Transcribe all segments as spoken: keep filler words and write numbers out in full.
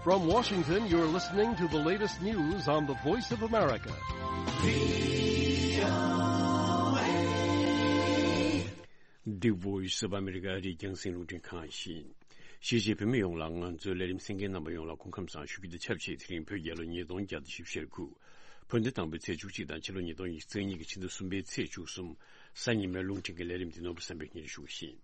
From Washington, you're listening to the latest news on the Voice of America. The Voice of America. རིག་རྒྱང་སྲིང་རླུང་འཕྲིན་ཁང་ཡིན། གཞིས་བྱེས་བོད་མི་ཡོངས་ལ་ང་ཚོའི་ལས་རིམ་གསན་མཁན་རྣམ་པ་ཡོངས་ལ་སྐུ་ཁམས་བཟང་ཞུ་རྒྱུ་དང་ཆབས་ཅིག་དེ་རིང་བོད་རྒྱལ་ལོ་ཉིས་སྟོང་བརྒྱ་དང་བཞི་བཅུ་ཞེ་དགུ། བོད་ཟླ་དང་པོའི་ཚེས་བཅུ་གཅིག་དང་ཕྱི་ལོ་ཉིས་སྟོང་ཉི་ཤུ་རྩ་གཉིས་ཀྱི་ཕྱི་ཟླ་གསུམ་པའི་ཚེས་བཅུ་གསུམ། གཟའ་ཉི་མའི་རླུང་འཕྲིན་གྱི་ལས་རིམ་འདི་ནོར་བུ་བསམ་འཕེལ་གཉིས་ཞུ་བཞིན།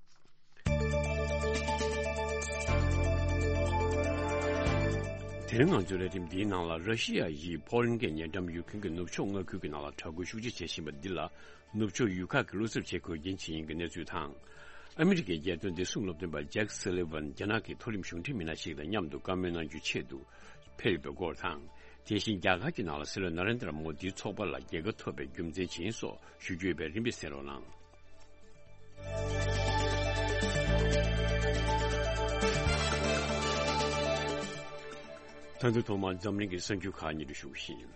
དེ་རིང་ང་ཚོའི་ལས་རིམ་འདིའི་ནང་ལ་ར་ཤི་ཡ་ཡིས་ཕོ་ལན་གྱི་ཉེ་འགྲམ་ཡུ་ཁུན་གྱི་ནུབ་ཕྱོགས་མངའ་ཁུལ་གྱི་ནང་ལ་དྲག་རྒོལ་ཤུགས་ཆེ་བྱེད་བཞིན་པ་འདི་ལ་ནུབ་ཕྱོགས་ཡུལ་ཁག་གིས་བློ་འཚབ་བྱེད་དགོས་རྐྱེན་ཆེ་ཡིན་གྱི་གནས་ཚུལ་དང་། ཨ་མི་རི་ཀའི་རྒྱལ་དོན་བདེ་སྲུང་སློབ་སྟོན་པ་ཇེག་སི་ལི་ཝན་རྒྱ་ནག་གི་མཐོ་རིམ་གཞུང་འབྲེལ་མི་སྣ་ཞིག་དང་མཉམ་དུ་བཀའ་མོལ་གནང་རྒྱུའི་ཆེད་དུ་ཕེབས་ཡོད་པའི་སྐོར་དང་། དེ་བཞིན་རྒྱ་གར་གྱི་ནང་ལ་སྲིད་བློན་ན་རེན་དྲ་མོ་དིའི་ཚོགས་པ་ལ་རྒྱལ་ཁ་ཐོབ་པའི་རྒྱུ་མཚན་ཇི་ཡིན་སོགས་ཞུ་རྒྱུ་ཡོད་པས་རིམ་པས་གསན་རོགས་གནང་། ད་དུང་ཐོག་མར་འཛམ་གླིང་གི་གསར་འགྱུར་ཁག་སྙན་སྒྲོན་ཞུ་བཞིན།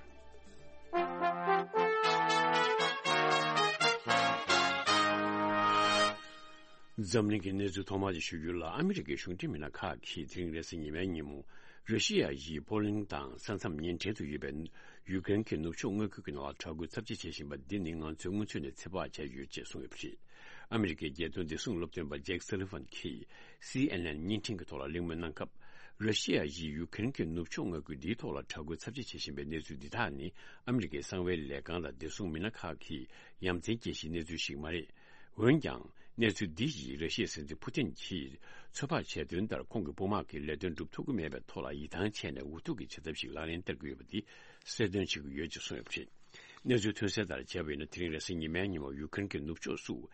འཛམ་གླིང་གི་གནས་ཚུལ་ཐོག་མར་དེ་ཞུ་རྒྱུ་ལ། ཨ་མི་རི་ཀའི་གཞུང་འབྲེལ་མི་སྣ་ཁག་གིས་དེ་རིང་རེས་གཟའ་ཉི་མའི་ཉིན་མོ་ར་ཤི་ཡ་ཡིས་པོ་ལན་དང་ས་མཚམས་ཉེ་འབྲེལ་དུ་ཡོད་པའི་ཡུ་ཀེ་རེན་གྱི་ནུབ་ཕྱོགས་མངའ་ཁུལ་གྱི་ནང་ལ་དྲག་རྒོལ་ཚབས་ཆེ་བྱེད་བཞིན་པ་འདི་ནི་ང་ཚོས་སྔོན་ཚུད་ནས་ཚོད་དཔག་བྱས་ཡོད་ཅེས་གསུངས་ཡོད་པ་རེད། ཨ་མི་རི་ཀའི་རྒྱལ་དོན་བདེ་སྲུང་སློབ་སྟོན་པ་ཇེག་སི་ལི་ཝན་གྱིས་སི་ཨེན་ཨེན་བརྙན་འཕྲིན་གྱི་ཐོག་ལ་གླེང་མོལ་གནང་སྐབས། ར་ཤི་ཡ་ཡིས་ཡུ་ཀེ་རེན་གྱི་ནུབ་ཕྱོགས་མངའ་ཁུལ་འདིའི་ཐོག་ལ་དྲག་རྒོལ་ཚབས་ཆེ་བྱེད་བཞིན་པའི་གནས་ཚུལ་འདི་དག་ནི་ཨ་མི་རི་ཀའི་གསང་བའི་ལས་ཁང་དང་བདེ་སྲུང་མི་སྣ་ཁག་གིས་ཡ་མཚན་སྐྱེ་གཞིའི་གནས་ཚུལ་ཞིག་མ་རེད། འོན་ཀྱང་། གནས་ཚུལ་འདི་ཡིས་ར་ཤི་ཡའི་སྲིད་འཛིན་ཕུ་ཏིན་གྱིས་ཚོད་དཔག་བྱས་དོན་ལྟར། ཁོང་གི་དཔུང་དམག་གིས་ལས་དོན་སྒྲུབ་ཐུབ་ཀྱི་མེད་པའི་ཐོག་ལ་ཡིད་ཐང་ཆད་ནས་འུ་ཐུག་གི་བྱེད་ཐབས་ཤིག་ལག་ལེན་བསྟར་གྱི་ཡོད་པ་འདི་གསལ་སྟོན་བྱེད་ཀྱི་ཡོད་ཅེས་གསུངས་ཡོད་པ་རེད། གནས་ཚུལ་ཐོན་གསལ་ལྟར་བྱས་པ་ཡིན་ན། དེ་རིང་རེས་གཟའ་ཉི་མའི་ཉིན་མོ་ཡུ་ཀེ་རེན་གྱི་ནུབ་ཕྱོགས་སུ།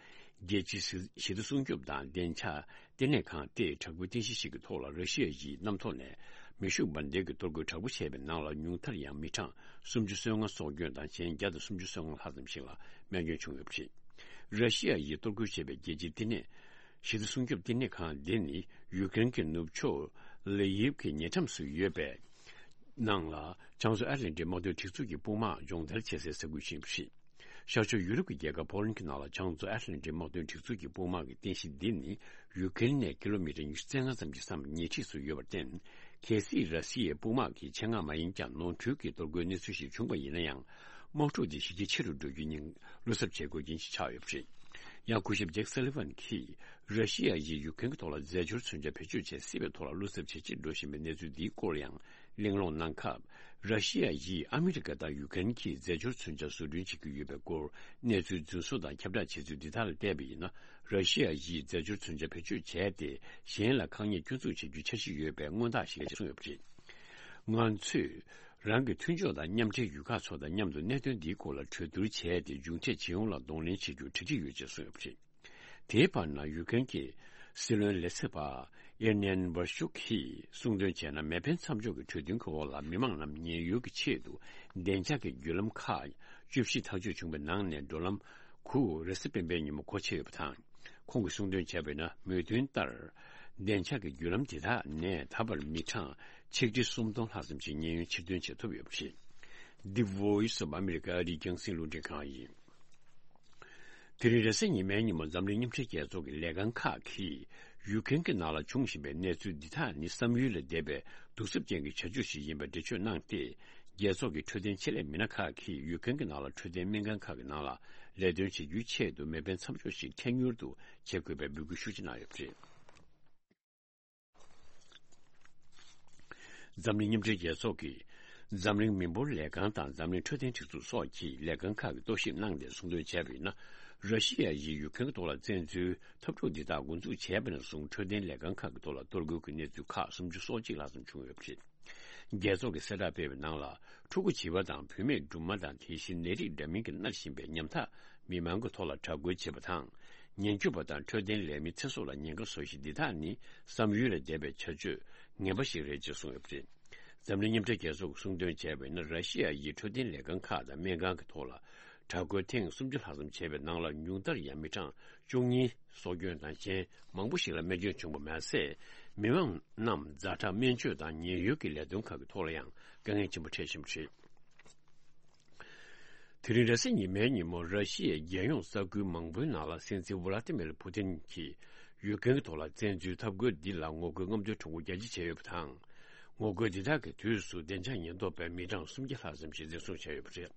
རྒྱལ་སྤྱིའི་ཞི་བདེ་སྲུང་སྐྱོབ་དང་བདེ་འཇགས་ལྟེ་གནས་ཁང་སྟེ། དྲག་པོའི་རྟེན་གཞི་ཞིག་གི་ཐོག་ལ་ར་ཤི་ཡ་ཡིས་གནམ་ཐོག་ནས་མེ་ཤུགས་འབར་མདེལ་གྱི་གཏོར་རྒོལ་དྲག་པོ་བྱས་པའི་ནང་ལ། ཉུང་མཐར་ཡང་མི་གྲངས་སུམ་ཅུ་སོ་ལྔ་སྲོག་སྐྱོན་དང་། གཞན་བརྒྱ་དང་སུམ་ཅུ་སོ་ལྔ་ལྷག་ཙམ་ཞིག་ལ་རྨས་སྐྱོན་བྱུང་ཡོད་པ་རེད། ར་ཤི་ཡ་ཡིས་གཏོར་རྒོལ་བྱས་པའི་རྒྱལ་སྤྱིའི་ལྟེ་གནས། ཞི་བདེ་སྲུང་སྐྱོབ་ལྟེ་གནས་ཁང་འདི་ནི་ཡུ་ཀེ་རེན་གྱི་ནུབ་ཕྱོགས་ལེ་ཡིབ་ཀྱི་ཉེ་འགྲམ་སུ་ཡོད་པའི་ནང་ལ། བྱང་མཚོ་ཨེཊ་ལན་ཊིག་དམག་དོན་སྒྲིག་འཛུགས་ཀྱི་དཔུང་དམག་སྦྱོང་བརྡར་བྱེད་སའི་ས་ཁུལ་ཞིག་ཡིན་པ་རེད། ཤར་ཕྱོགས་ཡུ་རོབ་ཀྱི་རྒྱལ་ཁབ་ཕོ་ལན་གྱི་ནང་ལ་བྱང་མཚོ་ཨེཊ་ལན་ཊིག་དམག་དོན་སྒྲིག་འཛུགས་ཀྱི་དཔུང་དམག་གི་རྟེན་གཞི་འདི་ནི་ཡུ་ཀེ་རེན་ནས་ཀི་ལོ་མི་ཊར་ཉི་ཤུ་རྩ་ལྔ་ཙམ་གྱི་ས་མཚམས་ཉེ་འཁྲིས་སུ་ཡོད་པར་བརྟེན། གལ་སྲིད་ར་སི་ཡའི་དཔུང་དམག་གིས་ཆེད་མངགས་མ་ཡིན་ཀྱང་ནོར་འཁྲུལ་གྱིས་གཏོར་རྒོལ་གནས་ཚུལ་ཞིག་བྱུང་བ་ཡིན་ན་ཡང་། དམག་འཁྲུག་འདི་ཞི་རྒྱས་ཆེ་རུ་འགྲོ་རྒྱུ་ཉིད་བློ་འཚབ་བྱེད་དགོས་རྐྱེན་ཞིག་ཆགས་ཡོད་པ་རེད། ཡང་སྐུ་ཞབས་ཇེག་སཱ་ལི་ཝན་གྱིས་ར་ཤི་ཡ་ཡིས་ཡུ་ཀེ་རེན་གྱི་ཐོག་ལ་རྫས་སྦྱོར་མཚོན་ཆ་བེད་སྤྱོད་བྱེད་སྲིད་པའི་ཐོག་ལ་བློ་འཚབ་ཇེ་ཆེར་འགྲོ་བཞིན་པའི་གནས་ཚུལ་འདིའི་སྐོར་ལ་ཡང་གླེང་སློང་གནང་སྐབས། ར་ཤི་ཡ་ཡིས་ཨ་མི་རི་ཀ་དང་ཡུ་ཀེ་རེན་གྱིས་རྫས་སྦྱོར་མཚོན་ཆ་བཟོ་སྐྲུན་བྱེད་ཀྱི་ཡོད་པའི་སྐོར་གནས་ཚུལ་རྫུན་བཟོ་དང་ཁྱབ་བསྒྲགས་བྱས་ཚུལ་འདི་དག་ལ་བལྟས་པ་ཡིན་ན། ར་ཤི་ཡ་ཡིས་རྫས་སྦྱོར་མཚོན་ཆ་བེད་སྤྱོད་བྱས་ཏེ་གཞན་ལ་དཀའ་ངལ་སྐྱོན་འཛུགས་བྱེད་རྒྱུའི་འཆར་གཞི་ཡོད་པའི་མངོན་རྟགས་ཤིག་རེད་གསུངས་ཡོད་པ་རེད། ང་ཚོས་རང་གི་མཐུན་ཕྱོགས་དང་མཉམ་འབྲེལ་ཡུལ་ཁག་ཚོ་དང་མཉམ་དུ་གནད་དོན་འདིའི་སྐོར་ལ་གྲོས་བསྡུར་བྱས་ཏེ། མཇུག་འབྲས་ཇི་ཡོང་ལ་གདོང་ལེན་བྱེད་རྒྱུར་གྲ་སྒྲིག་ཡོད་ཅེས་གསུངས་ཡོད་པ་རེད། དེའི་བར་ན་ཡུ་ཀེ་རེན་གྱི་སྲིད་བློན་ལས་ཚབ་པ་ཨེར་ནན་བར་ཤུག་གིས་གསུངས་དོན་བྱས་ན། མེ་འཕེན་མཚམས་འཇོག་གི་གྲོས་མཐུན་གྱི་འོག་ལ་མི་མང་རྣམས་ཉེན་གཡོལ་གྱི་ཆེད་དུ་བདེ་འཇགས་ཀྱི་བརྒྱུད་ལམ་ཁག་བཅུ་བཞི་ཐག་གཅོད་བྱུང་བའི་ནང་ནས་འགྲོ་ལམ་དགུ་རེས་གཟའ་སྤེན་པའི་ཉིན་མོ་སྒོ་ཕྱེ་ཡོད་པ་དང་། ཁོང་གིས་གསུངས་དོན་བྱས་པ་ཡིན་ན། མོས་མཐུན་ལྟར་བདེ་འཇགས་ཀྱི་བརྒྱུད་ལམ་དེ་དག་ནས་ད་བར་མི་གྲངས་ཆིག་ཁྲི་སུམ་སྟོང་ལྷག་ཙམ་ཞིག་ཉེན་གཡོལ་ཕྱིར་ཐོན་བྱེད་ཐུབ་ཡོད་པ་རེད། The Voice of America ཨ་རིའི་རྒྱང་སྲིང་རླུང་འཕྲིན་ཁང་ཡིན། དེ་རིང་རེས་གཟའ་ཉི་མའི་ཉིན་མོ་འཛམ་གླིང་མཉམ་འབྲེལ་རྒྱལ་ཚོགས་ཀྱི་ལས་ཁང་ཁག་གིས་ཡུ་ཀེ་རེན་གྱི་ནང་ལ་འབྱུང་བཞིན་པའི་གནས་ཚུལ་འདི་དག་ནི་བསམ་ཡུལ་ལས་འདས་པའི་གདུག་རྩུབ་ཅན་གྱི་བྱ་སྤྱོད་ཞིག་ཡིན་པའི་འགྲེལ་བརྗོད་གནང་སྟེ། རྒྱལ་ཚོགས་ཀྱི་འཕྲོད་བསྟེན་ཆེད་ལས་མི་སྣ་ཁག་གིས་ཡུ་ཀེ་རེན་གྱི་ནང་ལ་འཕྲོད་བསྟེན་སྨན་ཁང་ཁག་གི་ནང་ལ་ལས་དོན་བྱེད་རྒྱུའི་ཆེད་དུ་མེ་འཕེན་མཚམས་འཇོག་ཞིག་ཐད་མྱུར་དུ་བྱེད་དགོས་པའི་འབོད་སྐུལ་ཤུགས་ཆེ་གནང་ཡོད་པ་རེད། འཛམ་གླིང་མཉམ་འབྲེལ་རྒྱལ་ཚོགས་ཀྱི་འཛམ་གླིང་མི་འབོར་ལས་ཁང་དང་འཛམ་གླིང་འཕྲོད་བསྟེན་སྒྲིག་འཛུགས་སོགས་ཀྱིས་ལས་ཁང་ཁག་གིས་རྟོག་ཞིབ་གནང་སྟེ་གསུངས་དོན་བྱས་པ་ཡིན་ན། ར་ཤི་ཡ་ཡིས་ཡུ་ཀེ་རེན་གྱི་ཐོག་ལ་བཙན་འཛུལ་འཐབ་འཁྲུག་འདི་དག་འགོ་འཛུགས་བྱས་པ་ནས་བཟུང་འཕྲོད་བསྟེན་ལས་ཁང་ཁག་གི་ཐོག་ལ་གཏོར་རྒོལ་གྱི་གནས་ཚུལ་ཁག་སུམ་ཅུ་སོ་གཅིག་ལྷག་ཙམ་བྱུང་ཡོད་པ་རེད། རྒྱལ་ཚོགས་ཀྱིས་གསལ་བསྒྲགས་སྤེལ་བའི་ནང་ལ། ཕྲུ་གུ་བྱིས་པ་དང་བུད་མེད་སྦྲུམ་མ་དང་། དེ་བཞིན་ནད་རིགས་འདྲ་མིན་གྱིས་མནར་བཞིན་པའི་ཉམ་ཐག་མི་མང་གི་ཐོག་ལ་དྲག་རྒོལ་བྱེད་པ་དང་། ཉེན་སྐྱོབ་པ་དང་འཕྲོད་བསྟེན་ལས་མི་ཚེ་སྲོག་ལ་ཉེན་ཁ་བཟོ་གཞི་འདི་དག་ནི་བསམ་ཡུལ་ལས་འདས་པའི་བྱ་སྤྱོད་ངན་པ་ཞིག་རེད་ཅེས་གསུངས་ཡོད་པ་རེད། འཛམ་གླིང་མཉམ་འབྲེལ་རྒྱལ་ཚོགས་ཀྱིས་གསུངས་དོན་བྱས་པ་ཡིན་ན། ར་ཤི་ཡ་ཡིས་འཕྲོད་བསྟེན་ལས་ཁང་ཁག་དང་སྨན་ཁང་གི་ཐོག་ལ་དྲག་རྒོལ་ཐེངས་སུམ་ཅུ་ལྷག་ཙམ་བྱས་པའི་ནང་ལ། ཉུང་མཐར་ཡང་མི་གྲངས་བཅུ་གཉིས་སྲོག་སྐྱོན་དང་། གཞན་མང་པོ་ཞིག་ལ་རྨས་སྐྱོན་བྱུང་བ་མ་ཟད། མི་མང་རྣམས་ཛ་དྲག་སྨན་བཅོས་དང་ཉེན་གཡོལ་གྱི་ལས་དོན་ཁག་གི་ཐོག་ལ་ཡང་དཀའ་ངལ་ཆེན་པོ་འཕྲད་བཞིན་པ་རེད། དེ་རིང་རེས་གཟའ་ཉི་མའི་ཉིན་མོ་ར་ཤི་ཡའི་རྒྱལ་ཡོངས་ས་ཁུལ་མང་པོའི་ནང་ལ་སྲིད་འཛིན་ཝ་ལ་ཏི་མིར་ཕུ་ཏིན་གྱིས་ཡུ་ཀེ་རེན་གྱི་ཐོག་ལ་བཙན་འཛུལ་འཐབ་རྒོལ་འདི་ལ་ངོ་རྒོལ་རྔམ་སྟོན་ཁྲོམ་སྐོར་རྒྱ་སྐྱེད་བྱས་ཡོད་པ་དང་། ངོ་རྒོལ་འདི་དག་གི་དུས་སུ་བདེ་འཇགས་ཉེན་རྟོག་པས་མི་གྲངས་སུམ་བརྒྱ་ལྷག་ཙམ་ཞིག་འཛིན་བཟུང་བྱས་ཡོད་པ་རེད།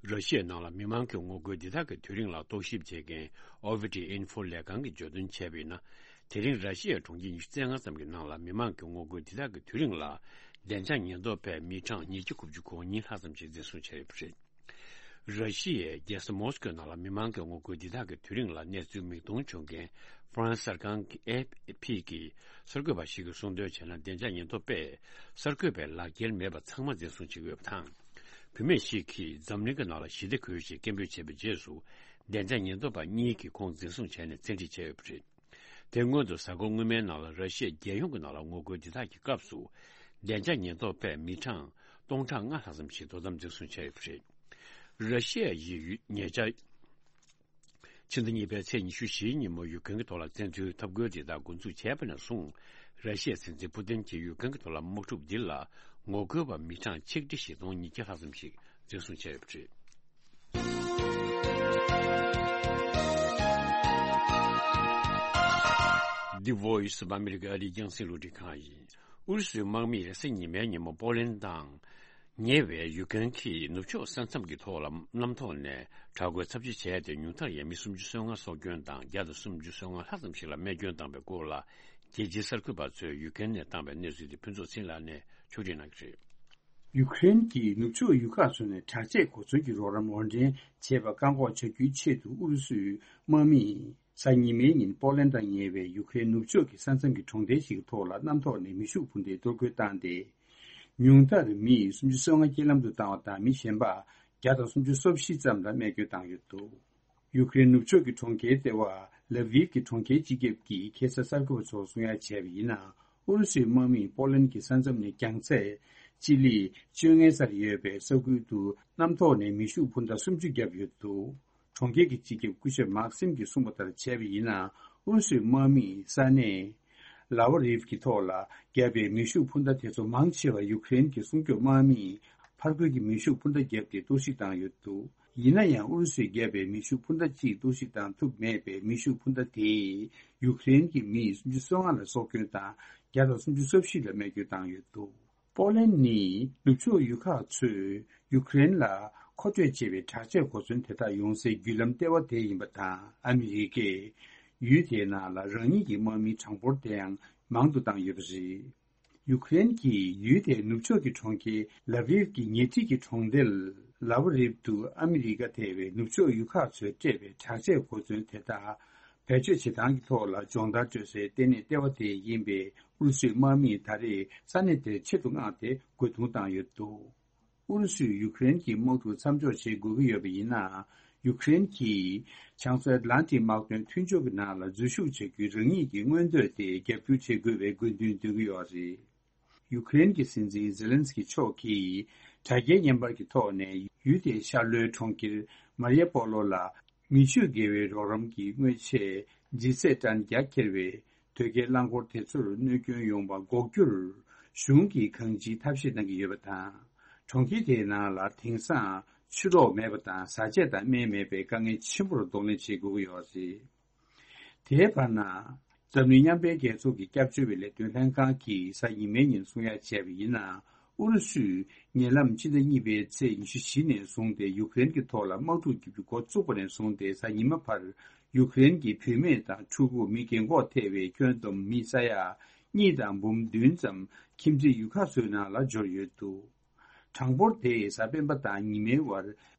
ར་ཤི་ཡའི་ནང་ལ་མི་མང་གི་ངོ་རྒོལ་འདི་དག་གི་དུས་རིང་ལ་རྟོག་ཞིབ་བྱེད་མཁན་ཨོ་བྷི་ཏི་ཨིན་ཧྥོ་ལས་ཁང་གིས་བརྗོད་དོན་བྱས་པ་ཡིན་ན། དེ་རིང་ར་ཤི་ཡའི་གྲོང་ཁྱེར་ཉི་ཤུ་རྩ་ལྔ་ཙམ་གྱི་ནང་ལ་མི་མང་གི་ངོ་རྒོལ་འདི་དག་གི་དུས་རིང་ལ་བདེ་འཇགས་ཉེན་རྟོག་པས་མི་གྲངས་ཉིས་བརྒྱ་དགུ་བཅུ་གོ་གཉིས་ལྷག་ཙམ་ཞིག་འཛིན་བཟུང་བྱས་ཡོད་པ་རེད། ར་ཤི་ཡའི་རྒྱལ་ས་མོ་སི་ཀོའི་ནང་ལ་མི་མང་གི་ངོ་རྒོལ་འདི་དག་གི་དུས་རིང་ལ་གནས་ཚུལ་མིག་མཐོང་བྱུང་མཁན་ཧྥ་རན་སི་གསར་ཁང་གི་ཨེ་ཨེཕ་པི་གི་གསར་འགོད་པ་ཞིག་གིས་གསུངས་དོན་བྱས་ན། བདེ་འཇགས་ཉེན་རྟོག་པས་གསར་འགོད་པའི་ལག་འཁྱེར་མེད་པ་ཚང་མ་འཛིན་བཟུང་བྱེད་དགོས་པ་དང་། བུད་མེད་ཞིག་གིས་འཛམ་གླིང་གི་ནང་ལ་ཞི་བདེ་དགོས་ཞེས་སྐད་འབོད་བྱས་པའི་རྗེས་སུ། བདེ་འཇགས་ཉེན་རྟོག་པ་གཉིས་ཀྱིས་ཁོང་འཛིན་བཟུང་བྱས་ནས་བཙན་ཁྲིད་བྱས་ཡོད་པ་རེད། དེ་སྔོན་དུ་གཟའ་འཁོར་སྔོན་མའི་ནང་ལ་ར་ཤི་ཡ་རྒྱལ་ཡོངས་ཀྱི་ནང་ལ་ངོ་རྒོལ་འདི་དག་གི་སྐབས་སུ། བདེ་འཇགས་ཉེན་རྟོག་པས་མི་གྲངས་སྟོང་ཕྲག་ལྔ་ལྷག་ཙམ་ཞིག་དོ་དམ་འཛིན་བཟུང་བྱས་ཡོད་པ་རེད། ར་ཤི་ཡ་ཡི་ཉེ་ཆར། ཕྱི་ཟླ་གཉིས་པའི་ཚེས་ཉི་ཤུ་བཞིའི་ཉིན་མོ་ཡུཀ་རེན་གྱི་ཐོག་ལ་བཙན་འཛུལ་འཐབ་རྒོལ་འདི་དག་འགོ་འཛུགས་བྱས་པ་ནས་བཟུང་། ར་ཤི་ཡའི་སྲིད་འཛིན་ཕུ་ཏིན་གྱིས་ཡུཀ་རེན་གྱི་ཐོག་ལ་དམག་འཁྲུག་འདི་ལ་ངོ་རྒོལ་བ་མི་གྲངས་ཆིག་ཁྲི་བཞི་སྟོང་ཉིས་བརྒྱ་ལྷག་ཙམ་ཞིག་འཛིན་བཟུང་བྱས་ཡོད་པ་རེད། The Voice of America ཨ་རིའི་རྒྱང་སྲིང་རླུང་འཕྲིན་ཁང་ཡིན། ཨུ་རུ་སུའི་དམག་མིས་རེས་གཟའ་ཉི་མའི་ཉིན་མོ་པོ་ལན་དང་ཉེ་བའི་ཡུཀ་རེན་གྱི་ནུབ་ཕྱོགས་ས་མཚམས་ཀྱི་ཐོག་ལ་གནམ་ཐོག་ནས་དྲག་རྒོལ་ཚབས་ཆེ་བྱས་ཏེ། ཉུང་མཐར་ཡང་མི་སུམ་ཅུ་སོ་ལྔ་སྲོག་སྐྱོན་དང་བརྒྱ་དང་སུམ་ཅུ་སོ་ལྔ་ལྷག་ཙམ་ཞིག་ལ་རྨས་སྐྱོན་བཏང་བའི་སྐོར་ལ། རྒྱལ་སྤྱིའི་གསར་འགོད་པ་ཚོས་ཡུཀ་རེན་ནས་བཏང་བའི་གནས་ཚུལ་དེ་ཕུན་ཚོགས་ཚེ་རིང་ལགས་ནས་ཕྱོགས་སྒྲིག་གནང་གི་རེད། ཡུཀ་རེན་གྱི་ནུབ་ཕྱོགས་ཡུལ་ཁག་ཚོ་ནས་དྲག་ཆས་གོ་མཚོན་གྱི་རོགས་རམ་དབོར་འདྲེན་བྱེད་པར་བཀག་འགོག་བྱ་རྒྱུའི་ཆེད་དུ། ཨུ་རུ་སུའི་དམག་མིས་གཟའ་ཉི་མའི་ཉིན་པོ་ལན་དང་ཉེ་བའི་ཡུཀ་རེན་ནུབ་ཕྱོགས་ཀྱི་ས་མཚམས་ཀྱི་གྲོང་རྡལ་ཞིག་གི་ཐོག་ལ་གནམ་ཐོག་ནས་མེ་ཤུགས་འཕུར་མདེལ་གཏོར་རྒོལ་བཏང་སྟེ། ཉུང་མཐར་མི་སུམ་ཅུ་སོ་ལྔ་རྐྱེན་ལམ་དུ་བཏང་བ་དང་། མི་གཞན་པ་བརྒྱ་དང་སུམ་ཅུ་སོ་བཞི་ཙམ་ལ་རྨས་སྐྱོན་བཏང་ཡོད་འདུག་ཡུཀ་རེན་ནུབ་ཕྱོགས་ཀྱི་གྲོང་ཁྱེར་ལྟེ་བ་ལ་བིབ་ཀྱི་གྲོང་ཁྱེར་སྤྱི་ཁྱབ་ཀྱིས་ཁ་སང་གསར་འགོད་པ་ཚོར་གསུང་ཡ་བྱས་པ་ཡིན་ན། ཨུ་རུ་སུའི་དམག་མིས་པོ་ལན་གྱི་ས་མཚམས་ནས་རྒྱང་ཚད་སྤྱི་ལེ་བཅོ་ལྔའི་སར་ཡོད་པའི་ས་ཁུལ་དུ་གནམ་ཐོག་ནས་མེ་ཤུགས་འཕུར་མདའ་སུམ་ཅུ་བརྒྱབ་ཡོད་འདུག་གྲོང་ཁྱེར་གྱི་སྤྱི་ཁྱབ་སྐུ་ཞབས་མཱག་སིམ་གྱིས་གསུངས་པ་ལྟར་བྱས་པ་ཡིན་ན། ཨུ་རུ་སུའི་དམག་མིས་ས་གནས་ལ་ཝ་རིབ་ཀྱི་ཐོག་ལ་བརྒྱབ་པའི་མེ་ཤུགས་འཕུར་མདའ་དེ་ཚོ་མང་ཆེ་བ་ཡུཀ་རེན་གྱི་སྲུང་སྐྱོབ་དམག་མིས་ཕར་རྒོལ་གྱི་མེ་ཤུགས་འཕུར་མདའ་བརྒྱབ་སྟེ་གཏོར་བཤིག་བཏང་ཡོད་འདུག་ཡིན་ན་ཡང་། ཨུ་རུ་སུས་བརྒྱབ་པའི་མེ་ཤུགས་འཕུར་མདའ་གཅིག་གཏོར་བཤིག་བཏང་ཐུབ་མེད་པས། མེ་ཤུགས་འཕུར་མདའ་དེས་ཡུཀ་རེན་གྱི་མི་སུམ་ཅུ་སོ་ལྔ་ལ་སྲོག་སྐྱོན་དང་། བརྒྱ་དང་སུམ་ཅུ་སོ་བཞི་ལ་རྨས་སྐྱོན་བཏང་ཡོད་འདུག་པོ་ལན་ནི་ནུབ་ཕྱོགས་ཡུལ་ཁག་ཚོས་ཡུཀ་རེན་ལ་མཁོ་སྤྲོད་བྱེད་པའི་དྲག་ཆས་གོ་མཚོན་དེ་དག་ཡོང་སའི་བརྒྱུད་ལམ་ལྟེ་བ་དེ་ཡིན་པ་དང་། ཨ་མི་རི་ཀས་ཡུལ་དེའི་ནང་ལ་རང་ཉིད་ཀྱི་དམག་མིའི་གྲངས་འབོར་དེའང་མང་དུ་བཏང་ཡོད་པ་རེད། ཡུཀ་རེན་གྱིས་ཡུལ་དེའི་ནུབ་ཕྱོགས་ཀྱི་གྲོང་ཁྱེར་ལ་བིབ་ཀྱི་ཉེ་འཁྲིས་ཀྱི་གྲོང་རྡལ་ལ་ཝ་རིབ་ཏུ་ཨ་མི་རི་ཀ་ཐེ་བའི་ནུབ་ཕྱོགས་ཡུལ་ཁག་ཚོས་སྤྲད་པའི་དྲག་ཆས་གོ་མཚོན་དེ་དག་བེད་སྤྱོད་བྱེད་སྟངས་ཀྱི་ཐོག་ལ་སྦྱོང་བརྡར་སྤྲོད་སའི་ལྟེ་གནས་ལྟེ་བ་དེ་ཡིན་པས། ཨུ་རུ་སུའི་དམག་མིས་ད་རེས་ས་གནས་དེར་ཆེད་དུ་མངགས་ཏེ་རྒོལ་རྡུང་བཏང་ཡོད་འདུག་ཨུ་རུ་སུས་ཡུཀ་རེན་གྱི་དམག་འཁྲུག་མཚམས་འཇོག་བྱེད་དགོས་ཀྱི་ཡོད་པ་ཡིན་ན། ཡུཀ་རེན་གྱིས་བྱང་མཚོ་ཨེཊ་ལན་ཊིག་དམག་དོན་མཐུན་ཕྱོགས་ཀྱི་ནང་ལ་འཛུལ་ཞུགས་བྱ་རྒྱུའི་རང་ཉིད་ཀྱི་མངོན་འདོད་དེ་རྒྱབ་སྐྱོར་བྱེད་དགོས་པའི་དགོས་འདུན་འདོན་གྱི་ཡོད་རེད། ཡུཀ་རེན་གྱི་སྲིད་འཛིན་ཛེ་ལན་སི་ཀི་མཆོག་གིས་དྲ་རྒྱའི་བརྙན་པར་གྱི་ཐོག་ནས། ཡུལ་དེའི་ཤར་ལྷོའི་གྲོང་ཁྱེར་མ་རི་ཡ་པོ་ལོ་ལ་མེ་མཆོད་འགེལ་བའི་རོགས་རམ་གྱི་དངོས་ཆས་ལྗིད་ཚད་ཏན་བརྒྱ་འཁྱེར་བའི་དོས་སྐྱེལ་རླངས་འཁོར་དེ་ཚོར་གནོད་སྐྱོན་ཡོང་བ་འགོག་རྒྱུར་གཞུང་གིས་གང་ཅིའི་ཐབས་ཤེས་གནང་གི་ཡོད་པ་དང་། གྲོང་ཁྱེར་དེའི་ནང་ལ་དེང་སང་ཆུ་རོགས་མེད་པ་དང་། བཟའ་ཆས་དང་སྨན་མེད་པའི་དཀའ་ངལ་ཆེན་པོར་གདོང་ལེན་བྱེད་དགོས་ཀྱི་ཡོད་རེད། དེའི་བར་ན། འཛམ་གླིང་མཉམ་འབྲེལ་རྒྱལ་ཚོགས་ཀྱི་སྐྱབས་བཅོལ་བའི་ལས་དོན་ལྷན་ཁང་གིས་གཟའ་ཉི་མའི་ཉིན་གསུང་ཡ་བྱས་པ་ཡིན་ན། ཨུ་རུ་སུས་ཉེ་ལམ་ཕྱི་ཟླ་གཉིས་པའི་ཚེས་ཉི་ཤུ་བཞི་ནས་བཟུང་སྟེ་ཡུཀ་རེན་གྱི་ཐོག་ལ་དམག་འཁྲུག་བརྒྱབ་རྒྱུ་འགོ་བཙུགས་པ་ནས་བཟུང་སྟེ། གཟའ་ཉི་མ་བར་ཡུཀ་རེན་གྱི་བུད་མེད་དང་ཕྲུ་གུ། མི་རྒན་འཁོགས་ཐེ་བའི་ཁྱོན་བསྡོམས་མི་ས་ཡ་གཉིས་དང་འབུམ་བདུན་ཙམ་ཁྱིམ་མཚེས་ཡུལ་ཁག་ཚོའི་ནང་ལ་འབྱོར་ཡོད་འདུག་གྲངས་འབོར་དེས་གཟའ་སྤེན་པ་དང་ཉི་མའི་བར་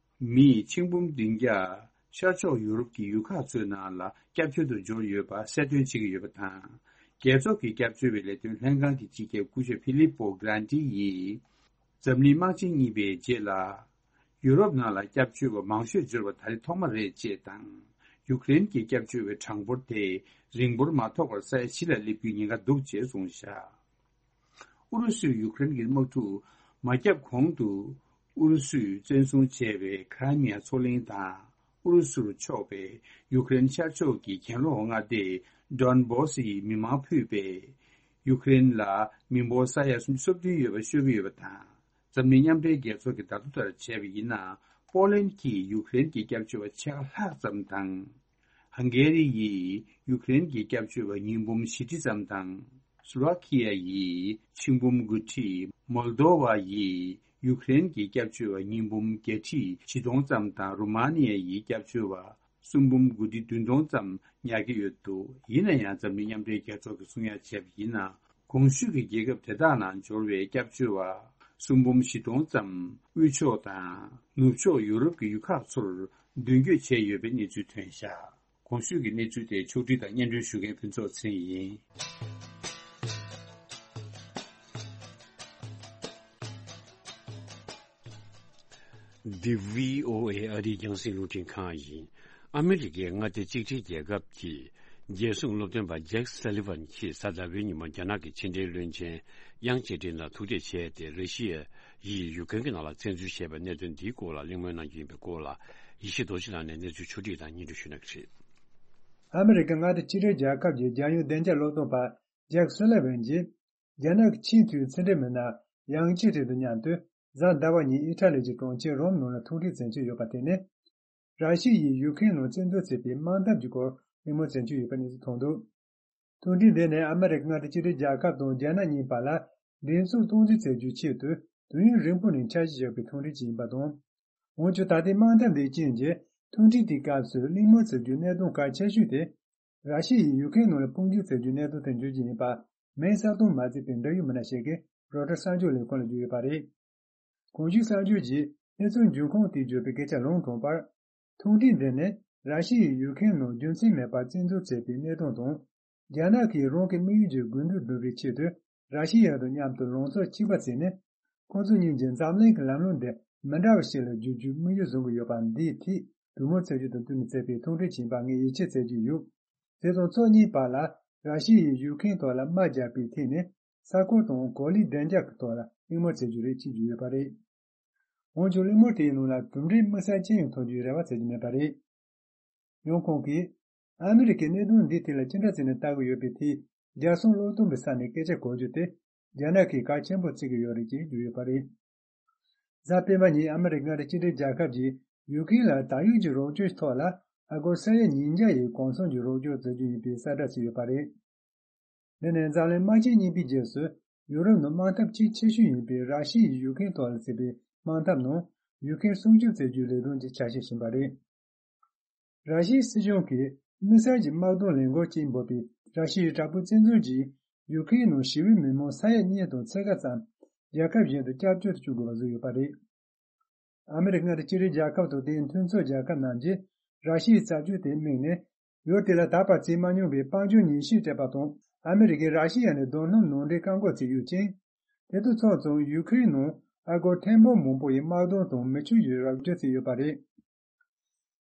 མི་ཆིག་འབུམ་བདུན་བརྒྱ་ཤར་ཕྱོགས་ཡུ་རོབ་ཀྱི་ཡུལ་ཁག་ཚོའི་ནང་ལ་སྐྱབས་བཅོལ་དུ་འབྱོར་ཡོད་པ་གསལ་སྟོན་བྱེད་ཀྱི་ཡོད་པ་དང་། རྒྱལ་ཚོགས་ཀྱི་སྐྱབས་བཅོལ་བའི་ལས་དོན་ལྷན་ཁང་གི་སྤྱི་ཁྱབ་སྐུ་ཞབས་ཕི་ལིབ་པོ་གྷ་རན་ཏི་ཡིས། འཛམ་གླིང་དམག་ཆེན་གཉིས་པའི་རྗེས་ལ། ཡུ་རོབ་ནང་ལ་སྐྱབས་བཅོལ་བ་མང་ཤོས་འབྱོར་བ་ད་རེས་ཐོག་མ་རེད་ཅེས་དང་། ཡུཀ་རེན་གྱི་སྐྱབས་བཅོལ་བའི་གྲངས་འབོར་དེ་རིང་པོར་མ་ཐོགས་པར་ས་ཡ་བཞི་ལ་སླེབས་རྒྱུའི་ཉེན་ཁ་འདུག་ཅེས་གསུངས་བཞག་ཨུ་རུ་སུས་ཡུཀ་རེན་གྱི་དམག་འཁྲུག་མ་བརྒྱབ་གོང་དུ། ཨུ་རུ་སུས་བཙན་བཟུང་བྱས་པའི་ཁ་ར་མི་ཡ་མཚོ་གླིང་དང་། ཨུ་རུ་སུར་ཕྱོགས་པའི་ཡུཀ་རེན་ཤར་ཕྱོགས་ཀྱི་གྱེན་ལོགས་མངའ་སྡེ་ཌོན་སྦོ་སིའི་མི་མང་ཕུད་པས། ཡུཀ་རེན་ལ་མི་འབོར་ས་ཡ་སུམ་ཅུ་སོ་བདུན་ཡོད་པ་ཤོད་ཀྱི་ཡོད་པ་དང་། འཛམ་གླིང་མཉམ་འབྲེལ་རྒྱལ་ཚོགས་ཀྱི་བརྡ་ཐོ་ལྟར་བྱས་པ་ཡིན་ན། པོ་ལན་གྱིས་ཡུཀ་རེན་གྱི་སྐྱབས་བཅོལ་བ་ཕྱེད་ཀ་ལྷག་ཙམ་དང་། ཧང་གེ་རི་ཡིས་ཡུཀ་རེན་གྱི་སྐྱབས་བཅོལ་བ་ཉིས་འབུམ་བཞི་ཁྲི་ཙམ་དང་། སུ་ལོ་ཁི་ཡ་ཡིས་ཆིག་འབུམ་དགུ་ཁྲི། མོལ་དོ་བ་ཡིས་ཡུཀ་རེན་གྱི་སྐྱབས་བཅོལ་བ་ཉིས་འབུམ་བརྒྱད་ཁྲི་བཞི་སྟོང་ཙམ་དང་། རུ་མ་ནི་ཡ་ཡིས་སྐྱབས་བཅོལ་བ་གསུམ་འབུམ་དགུ་ཁྲི་བདུན་སྟོང་ཙམ་ཉར་གྱི་ཡོད་འདུག་ཡིན་ན་ཡང་འཛམ་གླིང་མཉམ་འབྲེལ་རྒྱལ་ཚོགས་ཀྱིས་གསུང་ཡ་བྱས་པ་ཡིན་ན། གོང་ཞུས་ཀྱི་རྒྱལ་ཁབ་དེ་དག་ནང་འབྱོར་བའི་སྐྱབས་བཅོལ་བ་གསུམ་འབུམ་བཞི་སྟོང་ཙམ་དབུས་ཕྱོགས་དང་ནུབ་ཕྱོགས་ཡུ་རོབ་ཀྱི་ཡུལ་ཁག་ཚོར་མདུན་སྐྱོད་བྱས་ཡོད་པའི་གནས་ཚུལ་ཐོན་བཞག་གོང་ཞུས་ཀྱི་གནས་ཚུལ་དེ་ཕྱོགས་སྒྲིག་དང་སྙན་སྒྲོན་ཞུ་མཁན་ཕུན་ཚོགས་ཚེ་རིང་ཡིན། འདི་བྷི་ཨོ་ཨེ་ཨ་རིའི་རྒྱང་སྲིང་རླུང་འཕྲིན་ཁང་ཡིན། ཨ་མི་རི་ཀའི་མངའ་སྡེ་གཅིག་སྒྲིལ་རྒྱལ་ཁབ་ཀྱི་རྒྱལ་སྲུང་སློབ་སྟོན་པ་ཇེག་སཱ་ལི་ཝན་གྱིས་གཟའ་ཟླ་བའི་ཉིན་མོ་རྒྱ་ནག་གི་ཕྱི་འབྲེལ་བློན་ཆེན་དབྱང་ཅེ་ཀྲིན་ལ་ཐུག་འཕྲད་བྱས་ཏེ། ར་ཤི་ཡ་ཡིས་ཡུཀ་རེན་གྱི་ནང་ལ་བཙན་འཛུལ་བྱས་པའི་གནད་དོན་འདིའི་སྐོར་ལ་གླེང་མོལ་གནང་རྒྱུ་ཡིན་པའི་སྐོར་ལ། ཡེ་ཤེས་རྡོ་རྗེ་ལགས་ནས་གནས་ཚུལ་ཕྱོགས་སྒྲིག་དང་སྙན་སྒྲོན་ཞུ་གནང་གི་རེད། ཨ་མི་རི་ཀའི་མངའ་སྡེ་གཅིག་སྒྲིལ་རྒྱལ་ཁབ་ཀྱི་རྒྱལ་ཡོངས་བདེ་འཇགས་སློབ་སྟོན་པ་ཇེག་སུ་ལི་ཝན་གྱིས། རྒྱ་ནག་གི་ཆེས་མཐོའི་ཕྱི་འབྲེལ་མི་སྣ་ཡང་ཅི་ཀྲིན་དང་མཉམ་དུ་གཟའ་ཟླ་བ་ཉིན་ཨི་ཊ་ལི་གྱི་གྲོང་ཁྱེར་རོམ་ནང་ལ་ཐུག་འཕྲད་མཛད་ཀྱི་ཡོད་པ་དེ་ནི། ར་ཤི་ཡས་ཡུཀ་རེན་ནང་བཙན་འཛུལ་བྱས་པའི་དམག་འཐབ་ཀྱི་སྐོར་གླེང་མོལ་མཛད་ཀྱི་ཡོད་པ་གནས་ཚུལ་ཐོན་འདུག་ཐུག་འཕྲད་འདི་ནི་ཨ་མི་རི་ཀ་མངའ་སྡེ་གཅིག་སྒྲིལ་རྒྱལ་ཁབ་དང་རྒྱ་ནག་གཉིས་བར་ལ་འགྲན་ཚོགས་སྟངས་འཛིན་བྱེད་རྒྱུའི་ཆེད་དུ་དུས་ཡུན་རིང་པོ་ནས་འཆར་གཞི་ཡོད་པའི་ཐུག་འཕྲད་ཅིག་ཡིན་པ་དང་། འོན་ཀྱང་ད་ལྟའི་དམག་འཐབ་འདིའི་རྐྱེན་གྱིས་ཐུག་འཕྲད་དེའི་སྐབས་སུ་གླེང་མོལ་བྱེད་རྒྱུའི་གནད་དོན་གལ་ཆེ་ཤོས་དེ། ར་ཤི་ཡས་ཡུཀ་རེན་ནང་ལ་དཔུང་འཇུག་བྱེད་རྒྱུའི་གནད་དོན་དེ་འབྱོར་རྒྱུ་ཡིན་པ། མིང་གསལ་སྟོན་མ་བྱས་པའི་འབྲེལ་ཡོད་མི་སྣ་ཞིག་གིས་རོའི་ཊར་གསར་འགྱུར་ལས་ཁུངས་ལ་བརྗོད་ཡོད་པ་རེད། གོང་ཞུས་གསར་འགྱུར་གྱིས་གནས་ཚུལ་འབྱུང་ཁུངས་དེ་བརྗོད་པའི་སྐད་ཆ་ལུང་དྲངས་པར། ཐུག་འཕྲད་འདི་ནི་ར་ཤི་ཡས་ཡུཀ་རེན་ནང་རྒྱུ་མཚན་མེད་པར་བཙན་འཛུལ་བྱས་པའི་གནད་དོན་དང་། རྒྱ་ནག་གིས་རང་གི་དམིགས་ཡུལ་གྱི་དགོས་འདུན་བསྒྲུབ་པའི་ཆེད་དུ་ར་ཤི་ཡ་དང་མཉམ་དུ་ལངས་ཕྱོགས་གཅིག་པ་བྱས་ནས། ཁོང་ཚོ་གཉིས་ཀྱིས་འཛམ་གླིང་གི་ལམ་ལུགས་འདི་མི་འདྲ་བ་ཞིག་ལ་བསྒྱུར་རྒྱུའི་དམིགས་ཡུལ་བཟུང་གི་ཡོད་པ་འདིའི་ཐད་གྲོས་མོལ་བྱེད་རྒྱུ་དང་བསྟུན་ནས་བྱས་པའི་ཐུག་འཕྲད་ཡིན་པ་ངས་ཡིད་ཆེས་བྱེད་ཀྱི་ཡོད། དེ་དང་ཕྱོགས་གཉིས་བར་ལ་ར་ཤི་ཡས་ཡུཀ་རེན་ཐོག་ལ་དམག་རྒྱག་པའི་ཐད་ནས་ས་ཁུལ་དང་གོ་ལའི་བདེ་འཇགས་ཀྱི་ཐོག་ལ་གླེང་མོལ་བྱེད་རྒྱུ་རེད་ཅེས་བརྗོད་ཡོད་པ་རེད། འོན་ཀྱང་གླེང་མོལ་དེའི་ནང་ལ་གྲུབ་འབྲས་དམིགས་བསལ་ཅི་ཡང་ཐོན་རྒྱུའི་རེ་བ་བྱེད་ཀྱི་མེད་པ་རེད། ཡང་ཁོང་གིས། ཨ་མི་རི་ཀས་གནད་དོན་འདིའི་ཐད་ལ་ཅི་འདྲ་བྱས་ནས་ལྟ་གི་ཡོད་པའི་ཐད། རྒྱལ་སྲུང་བློ་སྟོན་པའི་ས་ནས་སྐད་ཆ་གོ་རྒྱུ་དེ། རྒྱ་ནག་གིས་གལ་ཆེན་པོ་བརྩི་གི་ཡོད་རེད་ཅེས་བརྗོད་ཡོད་པ་རེད། གཟའ་སྤེན་པ་ཉིན་ཨ་མི་རི་ཀ་མངའ་སྡེ་གཅིག་སྒྲིལ་རྒྱལ་ཁབ་ཀྱིས་ཡུ་ཀེ་རེན་ལ་ད་ཡོད་ཀྱི་རོགས་སྐྱོར་ཐོག་ལ་ཨ་སྒོར་ས་ཡ་ཉིས་བརྒྱ་ཡི་གོང་གསལ་གྱི་རོགས་སྐྱོར་བྱེད་རྒྱུ་ཡིན་པའི་གསལ་བསྒྲགས་བྱས་ཡོད་པ་རེད། འདི་ནི་འཛམ་གླིང་དམག་ཆེན་གཉིས་པའི་རྗེས་སུ་ཡུ་རོབ་ནང་དམག་འཐབ་གཅིག་ཆེ་ཤོས་ཡིན་པའི་ར་ཤི་ཡས་ཡུ་ཀེ་རེན་ཐོག་ལ་བྱས་པའི་དམག་འཐབ་ནང་ཡུ་ཀེ་རེན་སྲུང་སྐྱོབ་བྱེད་རྒྱུའི་ལས་དོན་གྱི་ཆ་ཤས་ཡིན་པ་རེད། ར་ཤི་ཡའི་སྲིད་གཞུང་གིས་དམིགས་བསལ་གྱི་དམག་དོན་ལས་འགུལ་ཅེས་འབོད་པའི་ར་ཤི་ཡའི་དྲག་པོའི་བཙན་འཛུལ་གྱིས་ཡུ་ཀེ་རེན་ནང་ཞི་བའི་མི་མང་ས་ཡ་གཉིས་དང་ཕྱེད་ཀ་ཙམ་རྒྱལ་ཁབ་གཞན་དུ་སྐྱབས་བཅོལ་དུ་བཅུག་དགོས་པ་བཟོས་ཡོད་པ་རེད། ཨ་མི་རི་ཀ་མངའ་སྡེ་གཅིག་སྒྲིལ་རྒྱལ་ཁབ་དང་དེའི་མཐུན་ཚོགས་རྒྱལ་ཁབ་རྣམས་ཀྱིས་ར་ཤི་ཡའི་བྱ་སྤྱོད་དེ་དམིགས་ནས། ཡུལ་དེ་ལ་ད་བར་བྱེད་མ་མྱོང་བའི་དཔལ་འབྱོར་ཉེས་ཆད་སྤྲད་པ་དང་། ཨ་མི་རི་ཀས་ར་ཤི་ཡ་ནས་རྡོ་སྣུམ་ནང་འདྲེན་བཀག་འགོག་བྱས་ཡོད་ཅིང་། དེ་དང་ཕྱོགས་མཚུངས་ཡུ་ཁེ་རེན་ནང་ཨ་སྒོར་ཐེར་འབུམ་མང་པོ་ཡི་དམག་དོན་དང་མི་ཆོས་ཀྱི་རོགས་སྐྱོར་བྱས་ཡོད་པ་རེད།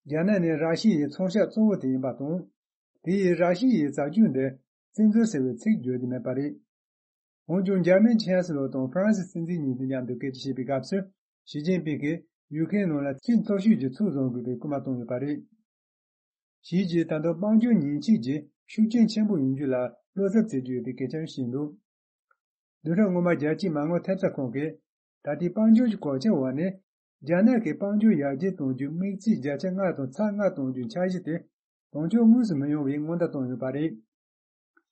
རྒྱ་ནག་ནས་ར་ཤི་ཡའི་ཚོང་ཤག་གཙོ་བོ་དེ་ཡིན་པ་དང་། དེ་ཡིས་ར་ཤི་ཡའི་བྱ་སྤྱོད་འདི་བཙན་འཛུལ་ཟེར་བའི་ཚིག་བརྗོད་ཀྱི་མེད་པ་རེད། འོན་ཀྱང་འཇར་མན་ཆན་སི་ལོ་དང་ཧྥ་རན་སི་སྲིད་འཛིན་གཉིས་དང་མཉམ་དུ་སྐད་ཆ་བཤད་པའི་སྐབས་སུ། ཞི་ཅིན་ཕིང་གིས་ཡུ་ཁེ་རེན་ནང་ལ་ཆེས་མཐོ་ཤོས་ཀྱི་ཚུར་བཟུང་དགོས་པའི་སྐུལ་མ་བཏང་ཡོད་པ་རེད། ཞིས་ཀྱིས་ད་དུང་དཔལ་འབྱོར་ཉེས་ཆད་ཀྱི་ཤུགས་རྐྱེན་ཆེན་པོ་ཡོང་རྒྱུ་ལ་བློ་འཚབ་བྱེད་ཀྱི་ཡོད་པའི་སྐད་ཆ་བཤད་འདུག་བདུན་ཕྲག་སྔོན་མ་རྒྱལ་སྤྱིའི་མ་དངུལ་ཐེབས་རྩ་ཁང་གིས། ད་ལྟའི་དཔལ་འབྱོར་གྱི་གོད་ཆག་འོག་ནས། རྒྱ་ནག་གིས་དཔལ་འབྱོར་ཡར་རྒྱས་གཏོང་རྒྱུའི་དམིགས་ཚད་བརྒྱ་ཆ་ལྔ་དང་ཚེག་ལྔ་གཏོང་རྒྱུའི་འཆར་གཞི་དེ། དོན་འཁྱོལ་དངོས་སུ་མི་ཡོང་བའི་སྔོན་བརྡ་བཏང་ཡོད་པ་རེད།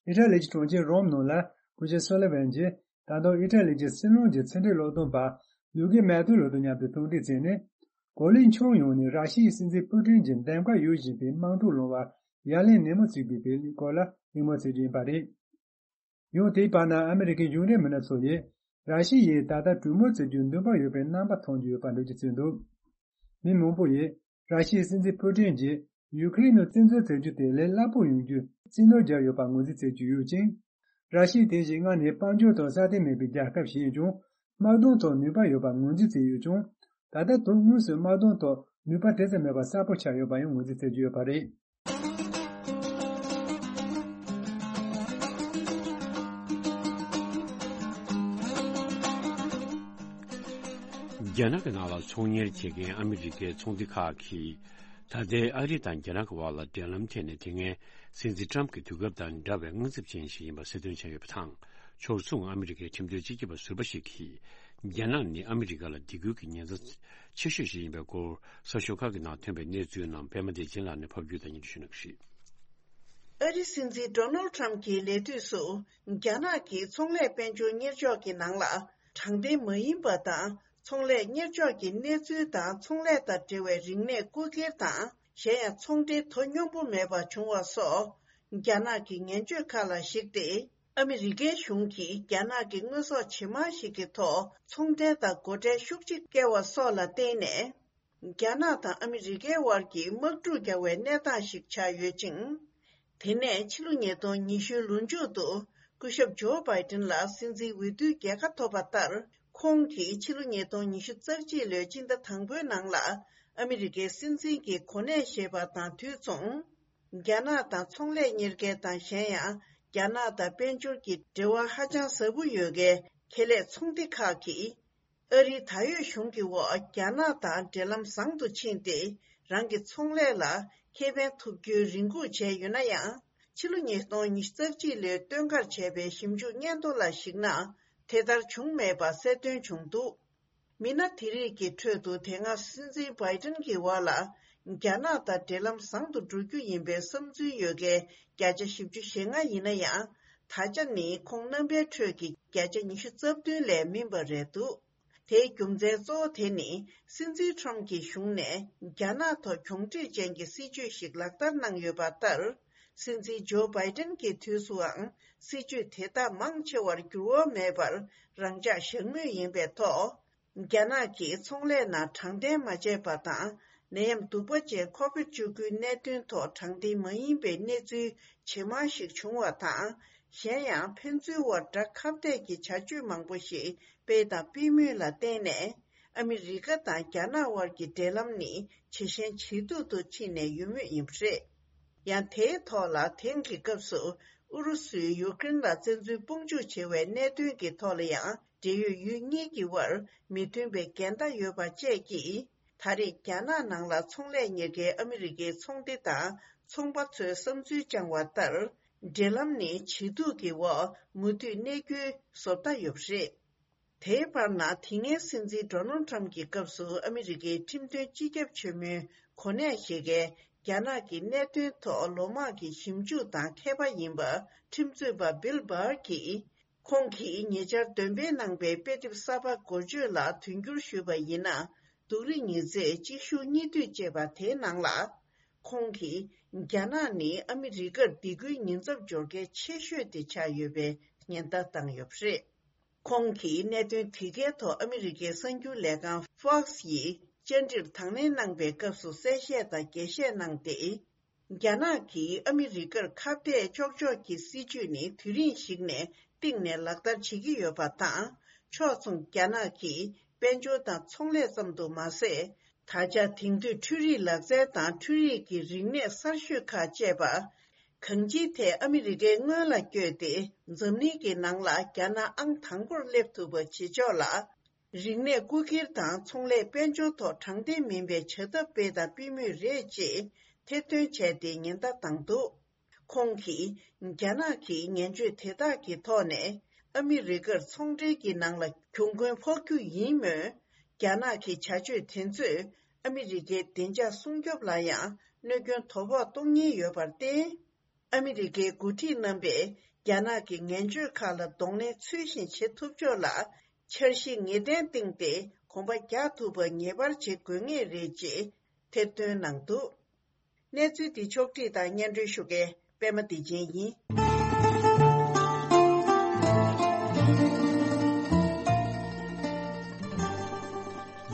ཨི་ཊ་ལི་གྱི་གྲོང་ཁྱེར་རོམ་ནང་ལ་སྐུ་ཞབས་སོ་ལི་ཝན་གྱིས་ད་དུང་ཨི་ཊ་ལི་གྱི་སྲིད་བློན་གྱི་ཕྱི་འབྲེལ་སློབ་སྟོན་པ་ལུ་ཀེ་མེ་ཏུ་ལོ་དང་མཉམ་དུ་ཐུག་འཕྲད་བྱས་ནས། གོ་ལའི་ཁྱོན་ཡོངས་ནས་ར་ཤི་ཡའི་སྲིད་འཛིན་ཕུ་ཀྲིན་གྱི་འདེམས་ཀ་ཡོད་བཞིན་པའི་དམག་འཁྲུག་སློང་བར་ཡ་ལན་ནན་མོ་བྱེད་དགོས་པའི་སྐོར་ལ་གླེང་མོལ་བྱེད་རྒྱུ་ཡིན་པ་རེད། ཡང་དེའི་བར་ན་ཨ་མི་རི་ཀའི་གཞུང་འབྲེལ་མི་སྣ་ཚོ་ཡིས་ར་ཤི་ཡས་ད་ལྟ་གྲོས་མོལ་བྱེད་རྒྱུའི་འདུན་པ་ཡོད་པའི་རྣམ་པ་མཐོང་རྒྱུ་ཡོད་པ་འགྲེལ་བརྗོད་བྱས་འདུག་མི་མང་པོ་ཡིས་ར་ཤི་ཡའི་སྲིད་འཛིན་ཕུ་ཀྲིན་གྱིས་ཡུ་ཁེ་རེན་ནང་བཙན་འཛུལ་བྱེད་རྒྱུ་དེ་ལས་སླ་པོ་ཡོང་རྒྱུའི་རྩིས་ནོར་བརྒྱབ་ཡོད་པ་ངོས་འཛིན་བྱེད་ཀྱི་ཡོད་ཅིང་། ར་ཤི་ཡ་དེ་བཞིན་སྔར་ནས་དཔལ་འབྱོར་ཐོག་སྲ་བརྟན་མེད་པའི་རྒྱལ་ཁབ་ཞིག་ཡིན་ཀྱང་། དམག་དོན་ཐོག་ནུས་པ་ཡོད་པ་ངོས་འཛིན་བྱས་ཡོད་ཀྱང་། ད་ལྟ་དོན་དངོས་སུ་དམག་དོན་ཐོག་ནུས་པ་དེ་ཙམ་མེད་པ་གསལ་པོ་ཆགས་ཡོད་པ་ཡང་ངོས་འཛིན་བྱེད་ཀྱི་ཡོད་པ་རེད། རྒྱ་ནག་གི་ནང་ལ་ཚོང་གཉེར་བྱེད་མཁན་ཨ་མི་རི་ཀའི་ཚོང་སྡེ་ཁག་གིས། ད་ལྟའི་ཨ་རི་དང་རྒྱ་ནག་གི་བར་ལ་འབྲེལ་ལམ་ཐད་ནས་དེ་སྔའི་སྲིད་འཛིན་ཊྲམ་གྱི་དུས་སྐབས་དང་འདྲ་བའི་དངངས་འཚབ་ཅན་ཞིག་ཡིན་པ་གསལ་སྟོན་བྱས་ཡོད་པ་དང་། ཕྱོགས་མཚུངས་ཨ་མི་རི་ཀའི་ཁྲིམས་དོན་སྤྱི་ཁྱབ་པ་ཟུར་པ་ཞིག་གིས། རྒྱ་ནག་ནི་ཨ་མི་རི་ཀ་ལ་སྡིགས་སྐུལ་གྱི་ཉེན་ཚབས་ཆེ་ཤོས་ཤིག་ཡིན་པའི་སྐོར། གསར་ཤོག་ཁག་གི་ནང་ཐོན་པའི་གནས་ཚུལ་རྣམས་པད་མ་བདེ་ཆེན་ལགས་ནས་ཕབ་སྒྱུར་དང་སྙན་སྒྲོན་ཞུ་གནང་གི་རེད། ཨ་རིའི་སྲིད་འཛིན་ཌོ་ནལ་ཁྲམ་གྱི་ལས་དུས་སུ། རྒྱ་ནག་གིས་ཚོང་ལས་དཔལ་འབྱོར་གཉེར་ཕྱོགས་ཀྱི་ནང་ལ། དྲང་བདེན་མ་ཡིན་པ་དང་། ཚོང་ལས་གཉེར་ཕྱོགས་ཀྱི་གནས་ཚུལ་དང་ཚོང་ལས་དང་འབྲེལ་བའི་རིག་གནས་རྐུ་འཁྱེར་དང་། གཞན་ཡང་ཚོང་འབྲེལ་དོ་སྙོམས་པོ་མེད་པ་བྱུང་བ་སོགས། རྒྱ་ནག་གི་ངན་སྤྱོད་ཁག་ལ་གཞིགས་ཏེ། ཨ་མི་རི་ཀའི་གཞུང་གིས་རྒྱ་ནག་གི་དངོས་ཟོག་ཇེ་མང་ཞིག་གི་ཐོག་ཚོང་འབྲེལ་དང་སྒོ་ཁྲལ་ཤུགས་ཆེ་བཀལ་བ་སོགས་ལ་བརྟེན་ནས། རྒྱ་ནག་དང་ཨ་མི་རི་ཀའི་དབར་གྱི་དམག་འཁྲུག་རྒྱག་པའི་གནས་སྟངས་ཤིག་ཆགས་ཡོད་ཅིང་། དེ་ནས་ཕྱི་ལོ་ཉིས་སྟོང་ཉི་ཤུ་ལོ་མཇུག་ཏུ། སྐུ་ཞབས་ཇོ་བྷའི་ཏིན་ལ་སྲིད་འཛིན་འོས་བསྡུའི་རྒྱལ་ཁ་ཐོབ་པ་ལྟར། ཁོང་གིས་ཕྱི་ལོ་ཉིས་སྟོང་ཉི་ཤུ་རྩ་གཅིག་ལོའི་སྤྱི་ཟླ་དང་པོའི་ནང་ལ། ཨ་མི་རི་ཀའི་སྲིད་འཛིན་གྱི་གོ་གནས་བཞེས་པ་དང་དུས་མཚུངས། རྒྱ་ནག་དང་ཚོང་ལས་གཉེར་མཁན་དང་གཞན་ཡང་། རྒྱ་ནག་དང་དཔལ་འབྱོར་གྱི་འབྲེལ་བ་ཧ་ཅང་ཟབ་པོ་ཡོད་མཁན་ཁེ་ལས་ཚོང་སྡེ་ཁག་གིས། ཨ་རིའི་ད་ཡོད་གཞུང་གི་འོག་རྒྱ་ནག་དང་འབྲེལ་ལམ་བཟང་དུ་ཕྱིན་ཏེ། རང་གི་ཚོང་ལས་ལ་ཁེ་ཕན་ཐོབ་རྒྱུའི་རེ་སྒུག་བྱས་ཡོད་ན་ཡང་། ཕྱི་ལོ་ཉིས་སྟོང་ཉི་ཤུ་རྩ་གཅིག་ལོའི་སྟོན་ཁར་བྱས་པའི་ཞིབ་འཇུག་སྙན་ཐོ་ལ་གཞིགས་ན། དེ་ལྟར་བྱུང་མེད་པ་གསལ་སྟོན་བྱུང་འདུག་མི་སྣ་དེ་རིགས་ཀྱི་ཁྲོད་དུ། དེ་སྔ་སྲིད་འཛིན་བྷའི་ཏིན་གྱི་འོག་ལ། རྒྱ་ནག་དང་འབྲེལ་ལམ་བཟང་དུ་འགྲོ་རྒྱུ་ཡིན་པའི་བསམ་ཚུལ་ཡོད་མཁན་བརྒྱ་ཆ་བཞི་བཅུ་ཞེ་ལྔ་ཡིན་ན་ཡང་། ད་ཆ་ནི་ཁོང་རྣམ་པའི་ཁྲོད་ཀྱི་བརྒྱ་ཆ་ཉི་ཤུ་རྩ་བདུན་ལས་མིན་པ་རེད་འདུག་དེའི་རྒྱུ་མཚན་གཙོ་བོ་དེ་ནི། སྲིད་འཛིན་ཁྲོམ་གྱི་གཞུང་ནས་རྒྱ་ནག་ཐོག་གྱོང་འཕྲུག་ཅན་གྱི་སྲིད་ཇུས་ཤིག་ལག་བསྟར་གནང་ཡོད་པ་ལྟར། སྲིད་འཛིན་ཇོ་བྷའི་ཏིན་གྱི་དུས་སུའང་སྲིད་ཇུས་དེ་དག་མང་ཆེ་བར་འགྱུར་བ་མེད་པར་རང་འཇགས་བཞག་མུས་ཡིན་པའི་ཐོག་རྒྱ་ནག་གིས་ཚོང་ལས་ནང་དྲང་བདེན་མ་བྱས་པ་དང་། ནད་ཡམས་གདུག་པ་ཅན་ཁོ་བིད་བཅུ་དགུའི་གནད་དོན་ཐོག་དྲང་བདེན་མ་ཡིན་པའི་གནས་ཚུལ་ཇེ་མང་ཞིག་བྱུང་བ་དང་། གཞན་ཡང་ཕན་ཚུན་དབར་དགྲ་ཁ་གཏད་ཀྱི་བྱ་སྤྱོད་མང་པོ་ཞིག་སྤེལ་དང་སྤེལ་མུས་ལ་བརྟེན་ནས། ཨ་མི་རི་ཀ་དང་རྒྱ་ནག་དབར་གྱི་འབྲེལ་ལམ་ནི་ཇེ་ཞན་ཇེ་སྡུག་ཏུ་ཕྱིན་ནས་ཡོད་མུས་ཡིན་པ་རེད། ཡང་དེའི་ཐོག་ལ། དེང་གི་སྐབས་སུ་ཨུ་རུ་སུས་ཡུ་ཀེ་རེན་ལ་བཙན་འཛུལ་དཔུང་འཇུག་བྱེད་པའི་གནད་དོན་གྱི་ཐོག་ལ་ཡང་། འབྲེལ་ཡོད་ཡུལ་གཉིས་ཀྱི་དབར་མི་མཐུན་པའི་འགལ་ཟླ་ཡོད་པ་བཅས་ཀྱིས། ད་རེས་རྒྱ་ནག་ནང་ལ་ཚོང་ལས་གཉེར་མཁན་ཨ་མི་རི་ཀའི་ཚོང་སྡེ་དང་ཚོང་པ་ཚོས་བསམ་ཚུལ་བཅངས་པ་ལྟར། འབྲེལ་ལམ་ནི་ཇེ་སྡུག་གི་འོག་མུ་མཐུད་གནས་རྒྱུའི་བཟོ་ལྟ་ཡོད་པ་རེད། དེའི་བར་ན། དེ་སྔའི་སྲིད་འཛིན་ཌོ་ནལ་ཁྲམ་གྱི་སྐབས་སུ་ཨ་མི་རི་ཀའི་ཁྲིམས་དོན་སྤྱི་ཁྱབ་ཆེན་མོའི་གོ་གནས་བཞེས་མཁན། རྒྱ་ནག་གི་གནད་དོན་ཐོག་ལོ་མང་གི་ཞིབ་འཇུག་དང་མཁས་པ་ཡིན་པ། ཁྲིམས་རྩོད་པ་བིལ་བྷར་གྱིས། ཁོང་གིས་ཉེ་ཆར་འདོན་སྤེལ་གནང་པའི་དཔེ་དེབ་གསར་པ་འགོ་བརྗོད་ལ་དོན་འགྱུར་ཞུས་པ་ཡིན་ན། སྡུག་རུས་ཉི་ཚེ་གཅིག་ཤུགས་གཉིས་མཐུད་ཅེས་པ་དེའི་ནང་ལ། ཁོང་གིས། རྒྱ་ནག་ནི་ཨ་མི་རི་ཀར་སྡིགས་སྐུལ་ཉེན་ཚབས་འབྱོར་མཁན་ཆེ་ཤོས་དེ་ཆགས་ཡོད་པའི་ཉེན་བརྡ་བཏང་ཡོད་པ་རེད། ཁོང་གིས་གནད་དོན་དེ་གའི་ཐོག་ཨ་མི་རི་ཀའི་གསར་འགྱུར་ལས་ཁང་Fox་ཡིས་བཅར་འདྲིར་དང་ལེན་གནང་པའི་སྐབས་སུ་གསལ་བཤད་དང་རྒྱས་བཤད་གནང་སྟེ། རྒྱ་ནག་གིས་ཨ་མི་རི་ཀར་ཁ་གཏད་གཅོག་ཕྱོགས་ཀྱི་སྲིད་ཇུས་ནི་དུས་རིང་ཞིག་ནས་སྟེང་ནས་ལག་བསྟར་བྱེད་ཀྱི་ཡོད་པ་དང་། ཕྱོགས་མཚུངས་རྒྱ་ནག་གིས་དཔལ་འབྱོར་དང་ཚོང་ལས་ཙམ་དུ་མ་ཟད། ད་ཆ་དེང་དུས་འཕྲུལ་རིག་ལག་རྩལ་དང་འཕྲུལ་རིག་གི་རིག་གནས་གསར་ཤོས་ཁག་བཅས་པ། གང་ཅིའི་ཐད་ཨ་མི་རི་ཀའི་སྔོན་ལ་བསྐྱོད་དེ། འཛམ་གླིང་གི་ནང་ལ་རྒྱ་ནག་ཨང་དང་པོར་སླེབས་ཐུབ་པ་བྱེད་ཕྱོགས་ལ། རིག་གནས་རྐུ་འཁྱེར་དང་ཚོང་ལས་དཔལ་འབྱོར་ཐོག་དྲང་བདེན་མིན་པའི་བྱ་ཐབས་སྤེལ་དང་སྤེལ་མུས་རེད་ཅེས་ཐེར་འདོན་བྱས་ཏེ་ཉེན་བརྡ་བཏང་འདུག་ཁོང་གིས། རྒྱ་ནག་གིས་ངན་སྤྱོད་དེ་དག་གི་ཐོག་ནས་ཨ་མི་རི་ཀར་ཚོང་འབྲེལ་གྱི་ནང་ལ་གྱོང་གུན་ཕོག་རྒྱུ་ཡིན་མོད། རྒྱ་ནག་གི་བྱ་སྤྱོད་དེ་ཚོས་ཨ་མི་རི་ཀའི་བདེ་འཇགས་སྲུང་སྐྱོབ་ལ་ཡང་གནོད་སྐྱོན་དོ་ཕོག་གཏོང་ཉེན་ཡོད་པར་བརྟེན། ཨ་མི་རི་ཀའི་འགོ་ཁྲིད་རྣམ་པས་རྒྱ་ནག་གི་ངན་སྤྱོད་ཁག་ལ་གདོང་ལེན་ཚུལ་བཞིན་བྱེད་ཐུབ་ཕྱོགས་ལ་འཆར་གཞི་ངེས་གཏན་བཏིང་སྟེ་གོམ་པ་རྒྱག་ཐུབ་པ་ངེས་པར་བྱེད་དགོས་ངེས་རེད་ཅེས་ཐེར་འདོན་གནང་འདུག་གནས་ཚུལ་འདི་ཕྱོགས་བསྒྲིགས་དང་སྙན་སྒྲོན་ཞུ་མཁན་པད་མ་བདེ་ཆེན་ཡིན།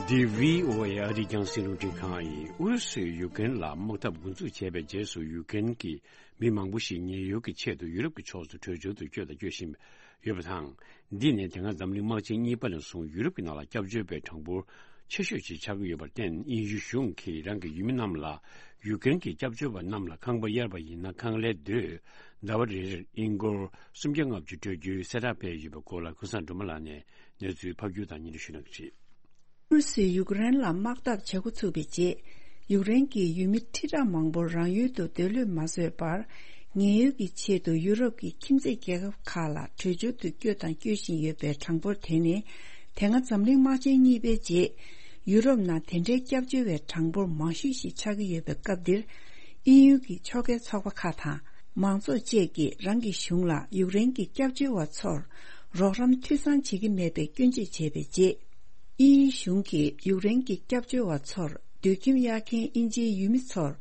འདི་བྷི་ཨོ་ཨེ་ཨ་རིའི་རྒྱང་སྲིང་རླུང་འཕྲིན་ཁང་ཡིན། ཨུ་རུ་སུས་ཡུཀ་རེན་ལ་དམག་འཐབ་འགོ་འཛུགས་བྱས་པའི་རྗེས་སུ། ཡུཀ་རེན་གྱི་མི་མང་པོ་ཞིག་ཉེན་གཡོལ་གྱི་ཆེད་དུ་ཡུ་རོབ་ཀྱི་ཕྱོགས་སུ་བྲོས་བྱོལ་དུ་བསྐྱོད་དང་སྐྱོད་བཞིན་ཡོད་པ་དང་། འདི་ནི་དེ་སྔ་འཛམ་གླིང་དམག་ཆེན་གཉིས་པ་ནས་བཟུང་ཡུ་རོབ་ཀྱི་ནང་ལ་སྐྱབས་བཅོལ་བའི་གྲངས་འབོར་ཆེ་ཤོས་ཤིག་ཆགས་ཀྱི་ཡོད་པར་བརྟེན། དབྱིན་ཡུལ་གཞུང་གིས་རང་གི་ཡུལ་མི་རྣམས་ལ། ཡུཀ་རེན་གྱི་སྐྱབས་བཅོལ་བ་རྣམས་ལ་ཁང་པ་གཡར་བ་ཡིན་ན་ཁང་ལས་སྡོད། ཟླ་བ་རེར་ཨིན་སྒོར་སུམ་བརྒྱ་ལྔ་བཅུ་སྤྲོད་རྒྱུའི་གསལ་བསྒྲགས་སྤེལ་ཡོད་པའི་སྐོར་ལ། ཀུན་བཟང་སྒྲོལ་མ་ལགས་ནས་གནས་ཚུལ་ཕབ་སྒྱུར་དང་སྙན་སྒྲོན་ཞུ་གནང་གི་རེད། ཨུ་རུ་སུས་ཡུཀ་རེན་ལ་དམག་འཐབ་བྱེད་འགོ་ཚུགས་པའི་རྗེས། ཡུཀ་རེན་གྱི་ཡུལ་མི་ཁྲི་ཕྲག་མང་པོར་རང་ཡུལ་དུ་སྡོད་ལོས་མ་བཟོས་པར། ཉེན་གཡོལ་གྱི་ཆེད་དུ་ཡུ་རོབ་ཀྱི་ཁྱིམ་མཚེས་རྒྱལ་ཁབ་ཁག་ལ་བྲོས་བྱོལ་དུ་བསྐྱོད་དང་སྐྱོད་བཞིན་ཡོད་པའི་གྲངས་འབོར་དེ་ནི། དེ་སྔ་འཛམ་གླིང་དམག་ཆེན་གཉིས་པའི་རྗེས། ཡུ་རོབ་ནང་དེ་འདྲའི་སྐྱབས་བཅོལ་བའི་གྲངས་འབོར་མང་ཤོས་ཤིག་ཆགས་ཀྱི་ཡོད་པའི་སྐབས་འདིར། དབྱིན་ཡུལ་གྱི་ཕྱོགས་འགལ་ཚོགས་པ་ཁག་དང་། མང་ཚོགས་བཅས་ཀྱིས་རང་གི་གཞུང་ལ་ཡུཀ་རེན་གྱི་སྐྱབས་བཅོལ་བ་ཚོར་རོགས་རམ་འཐུས་ཚང་བྱེད་ཀྱི་མེད་པའི་སྐྱོན་བརྗོད་བྱས་པའི་རྗེས། དབྱིན་ཡུལ་གཞུང་གིས་ཡུཀ་རེན་གྱི་སྐྱབས་བཅོལ་བ་ཚོར་སྡོད་ཁྱིམ་གཡར་མཁན་དབྱིན་ཇིའི་ཡུལ་མི་ཚོར་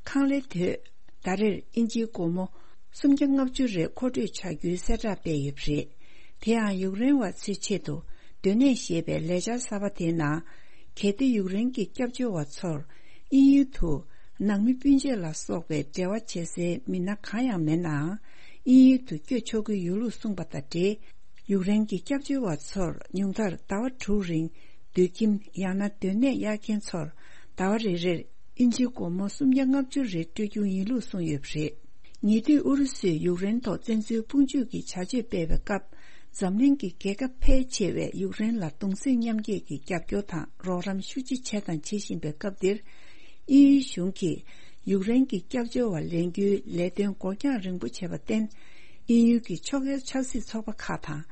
ཁང་ལས་དོད་ཟླ་རེར་དབྱིན་ཇིའི་སྒོར་མོ་སུམ་བརྒྱ་ལྔ་བཅུ་རེ་མཁོ་སྤྲོད་བྱ་རྒྱུའི་གསལ་བསྒྲགས་སྤེལ་ཡོད་པ་རེད། དེ་ཡང་ཡུཀ་རེན་བ་ཚོའི་ཆེད་དུ་སྡོད་གནས་ཞེས་པའི་ལས་འཆར་གསར་པ་དེའི་ནང་། གལ་ཏེ་ཡུཀ་རེན་གྱི་སྐྱབས་བཅོལ་བ་ཚོར་དབྱིན་ཡུལ་དུ་ནང་མི་སྤུན་མཆེད་ལ་སོགས་པའི་འབྲེལ་བ་བྱེད་སའི་མི་སྣ་གང་ཡང་མེད་ནའང་། དབྱིན་ཡུལ་དུ་བསྐྱོད་ཆོག་གི་ཡོད་ལུགས་གསུངས་པ་དང་འབྲེལ། ཡུཀ་རེན་གྱི་སྐྱབས་བཅོལ་བ་ཚོར་ཉུང་མཐར་ཟླ་བ་དྲུག་རིང་སྡོད་ཁྱིམ་ཡང་ན་སྡོད་གནས་གཡར་མཁན་ཚོར་ཟླ་བ་རེ་རེར་དབྱིན་ཇིའི་སྒོར་མོ་སུམ་བརྒྱ་ལྔ་བཅུ་རེ་སྤྲོད་རྒྱུ་ཡིན་ལུགས་གསུངས་ཡོད་པ་རེད། ཉེ་དུས་ཨུ་རུ་སུས་ཡུཀ་རེན་ཐོག་བཙན་འཛུལ་དཔུང་འཇུག་གི་བྱ་སྤྱོད་སྤེལ་བའི་སྐབས། འཛམ་གླིང་གི་རྒྱལ་ཁབ་ཕལ་ཆེ་བས་ཡུཀ་རེན་ལ་གདུང་སེམས་མཉམ་སྐྱེད་ཀྱི་རྒྱབ་སྐྱོར་དང་རོགས་རམ་ཤུགས་ཆེ་བྱས་དང་བྱེད་བཞིན་པའི་སྐབས་འདིར། དབྱིན་ཡུལ་གཞུང་གིས་ཡུཀ་རེན་གྱི་སྐྱབས་བཅོལ་བ་ལེན་རྒྱུའི་ལས་དོན་འགོར་འགྱངས་རིང་པོ་བྱས་པར་བརྟེན། དབྱིན་ཡུལ་གྱི་ཕྱོགས་འགལ་ཆབ་སྲིད་ཚོགས་པ་ཁག་དང་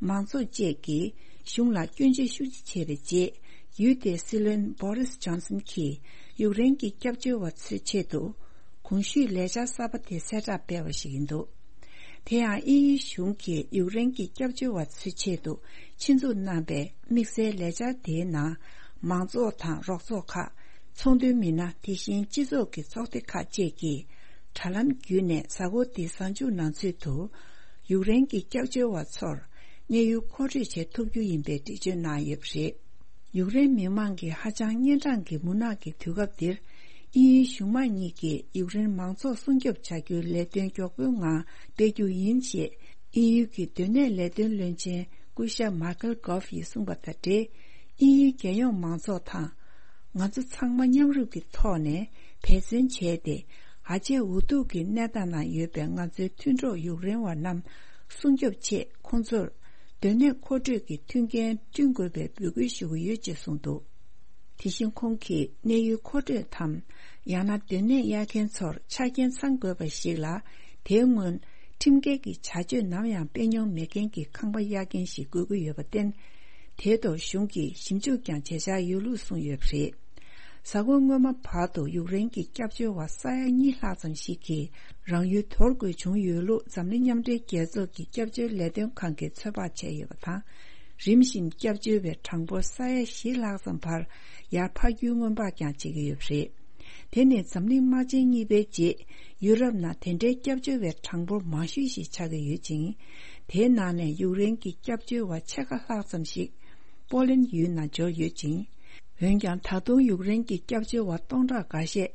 མང་ཚོགས་བཅས་ཀྱིས་གཞུང་ལ་སྐྱོན་བརྗོད་ཤུགས་ཆེ་བྱས་པའི་རྗེས། ཡུལ་དེའི་སྲིད་བློན་བྷོ་རིས་ཇོན་སན་གྱིས་ཡུཀ་རེན་གྱི་སྐྱབས་བཅོལ་བ་ཚོའི་ཆེད་དུ། གོང་ཞུས་ལས་འཆར་གསར་པ་དེ་གསལ་བསྒྲགས་སྤེལ་བ་ཞིག་ཡིན་འདུག་དེ་ཡང་དབྱིན་ཡུལ་གཞུང་གིས་ཡུཀ་རེན་གྱི་སྐྱབས་བཅོལ་བ་ཚོའི་ཆེད་དུ་ཆེད་འཛུགས་གནང་པའི་དམིགས་བསལ་ལས་འཆར་དེའི་ནང་། མང་ཚོགས་དང་རོགས་ཚོགས་ཁག་ཚོང་དོན་མི་སྣ། དེ་བཞིན་སྤྱི་ཚོགས་ཀྱི་ཚོགས་སྡེ་ཁག་བཅས་ཀྱིས་དྲ་ལམ་བརྒྱུད་ནས་གཟའ་འཁོར་འདིའི་གཟའ་མཇུག་ནང་ཚུད་དུ། ཡུཀ་རེན་གྱི་སྐྱབས་བཅོལ་བ་ཚོར་གནས་ཡུལ་མཁོ་སྤྲོད་བྱེད་ཐུབ་རྒྱུ་ཡིན་པའི་འགྲེལ་བརྗོད་གནང་ཡོད་པ་རེད། ཡུཀ་རེན་མི་མང་གིས་ཧ་ཅང་གཉན་འཕྲང་གི་མུན་ནག་གི་དུས་སྐབས་འདིར། དབྱིན་ཡུལ་གཞུང་མང་གཉིས་ཀྱིས་ཡུཀ་རེན་མང་ཚོགས་སྲུང་སྐྱོབ་བྱ་རྒྱུའི་ལས་དོན་མགྱོགས་པོའི་ངང་སྤེལ་རྒྱུ་ཡིན་ཞེས། དབྱིན་ཡུལ་གྱི་སྡོད་གནས་ལས་དོན་བློན་ཆེན་སྐུ་ཞབས་མཱ་ཀལ་གྷོབ་ཡིས་གསུངས་པ་དང་འབྲེལ། དབྱིན་ཡུལ་རྒྱལ་ཡོངས་མང་ཚོགས་དང་། ང་ཚོ་ཚང་མ་མཉམ་རུབ་ཀྱི་ཐོག་ནས་འབད་བརྩོན་བྱས་ཏེ། ཧ་ཅང་འུ་ཐུག་གི་གནས་སྟངས་ནང་ཡོད་པའི་ང་ཚོའི་མཐུན་གྲོགས་ཡུཀ་རེན་བ་རྣམས་སྲུང་སྐྱོབ་ཆེད། ཁོང་ཚོར་སྡོད་གནས་མཁོ་སྤྲོད་ཀྱི་མཐུན་རྐྱེན་བསྐྲུན་དགོས་པའི་འབོད་སྐུལ་ཞུ་གི་ཡོད་ཅེས་གསུངས་འདུག་དེ་བཞིན་ཁོང་གིས་གནས་ཡུལ་མཁོ་སྤྲོད་དམ། ཡང་ན་སྡོད་གནས་གཡར་མཁན་ཚོར་ཆ་རྐྱེན་ཚང་དགོས་པ་ཞིག་ལ། དེའི་སྔོན་ཁྲིམས་འགལ་གྱི་བྱ་སྤྱོད་ནམ་ཡང་སྤེལ་མྱོང་མེད་མཁན་གྱི་ཁང་པ་གཡར་མཁན་ཞིག་དགོས་ཀྱི་ཡོད་པར་བརྟེན། དེའི་ཐོག་གཞུང་གིས་ཞིབ་འཇུག་ཀྱང་བྱེད་འཆར་ཡོད་ལུགས་གསུངས་ཡོད་པ་རེད། གཟའ་འཁོར་སྔོན་མ་བར་དུ་ཡུཀ་རེན་གྱི་སྐྱབས་བཅོལ་བ་ས་ཡ་གཉིས་ལྷག་ཙམ་ཞིག་གིས་རང་ཡུལ་དོར་དགོས་བྱུང་ཡོད་ལུགས་འཛམ་གླིང་མཉམ་འབྲེལ་རྒྱལ་ཚོགས་ཀྱི་སྐྱབས་བཅོལ་ལས་དོན་ཁང་གིས་ཚོད་དཔག་བྱས་ཡོད་པ་དང་། རིམ་བཞིན་སྐྱབས་བཅོལ་བའི་གྲངས་འབོར་ས་ཡ་བཞི་ལྷག་ཙམ་བར་ཡར་འཕར་རྒྱུའི་སྔོན་དཔག་ཀྱང་བྱེད་ཀྱི་ཡོད་པ་རེད། དེ་ནི་འཛམ་གླིང་དམག་ཆེན་གཉིས་པའི་རྗེས་ཡུ་རོབ་ནང་དེ་འདྲའི་སྐྱབས་བཅོལ་བའི་གྲངས་འབོར་མང་ཤོས་ཤིག་ཆགས་ཀྱི་ཡོད་ཅིང་། དེའི་ནང་ནས་ཡུཀ་རེན་གྱི་སྐྱབས་བཅོལ་བ་ཕྱེད་ཀ་ལྷག་ཙམ་ཞིག་པོ་ལན་ཡུལ་ནང་འབྱོར་ཡོད་ཅིང་། འོན་ཀྱང་། ད་དུང་ཡུཀ་རེན་གྱི་སྐྱབས་བཅོལ་བ་སྟོང་ཕྲག་འགའ་ཤས་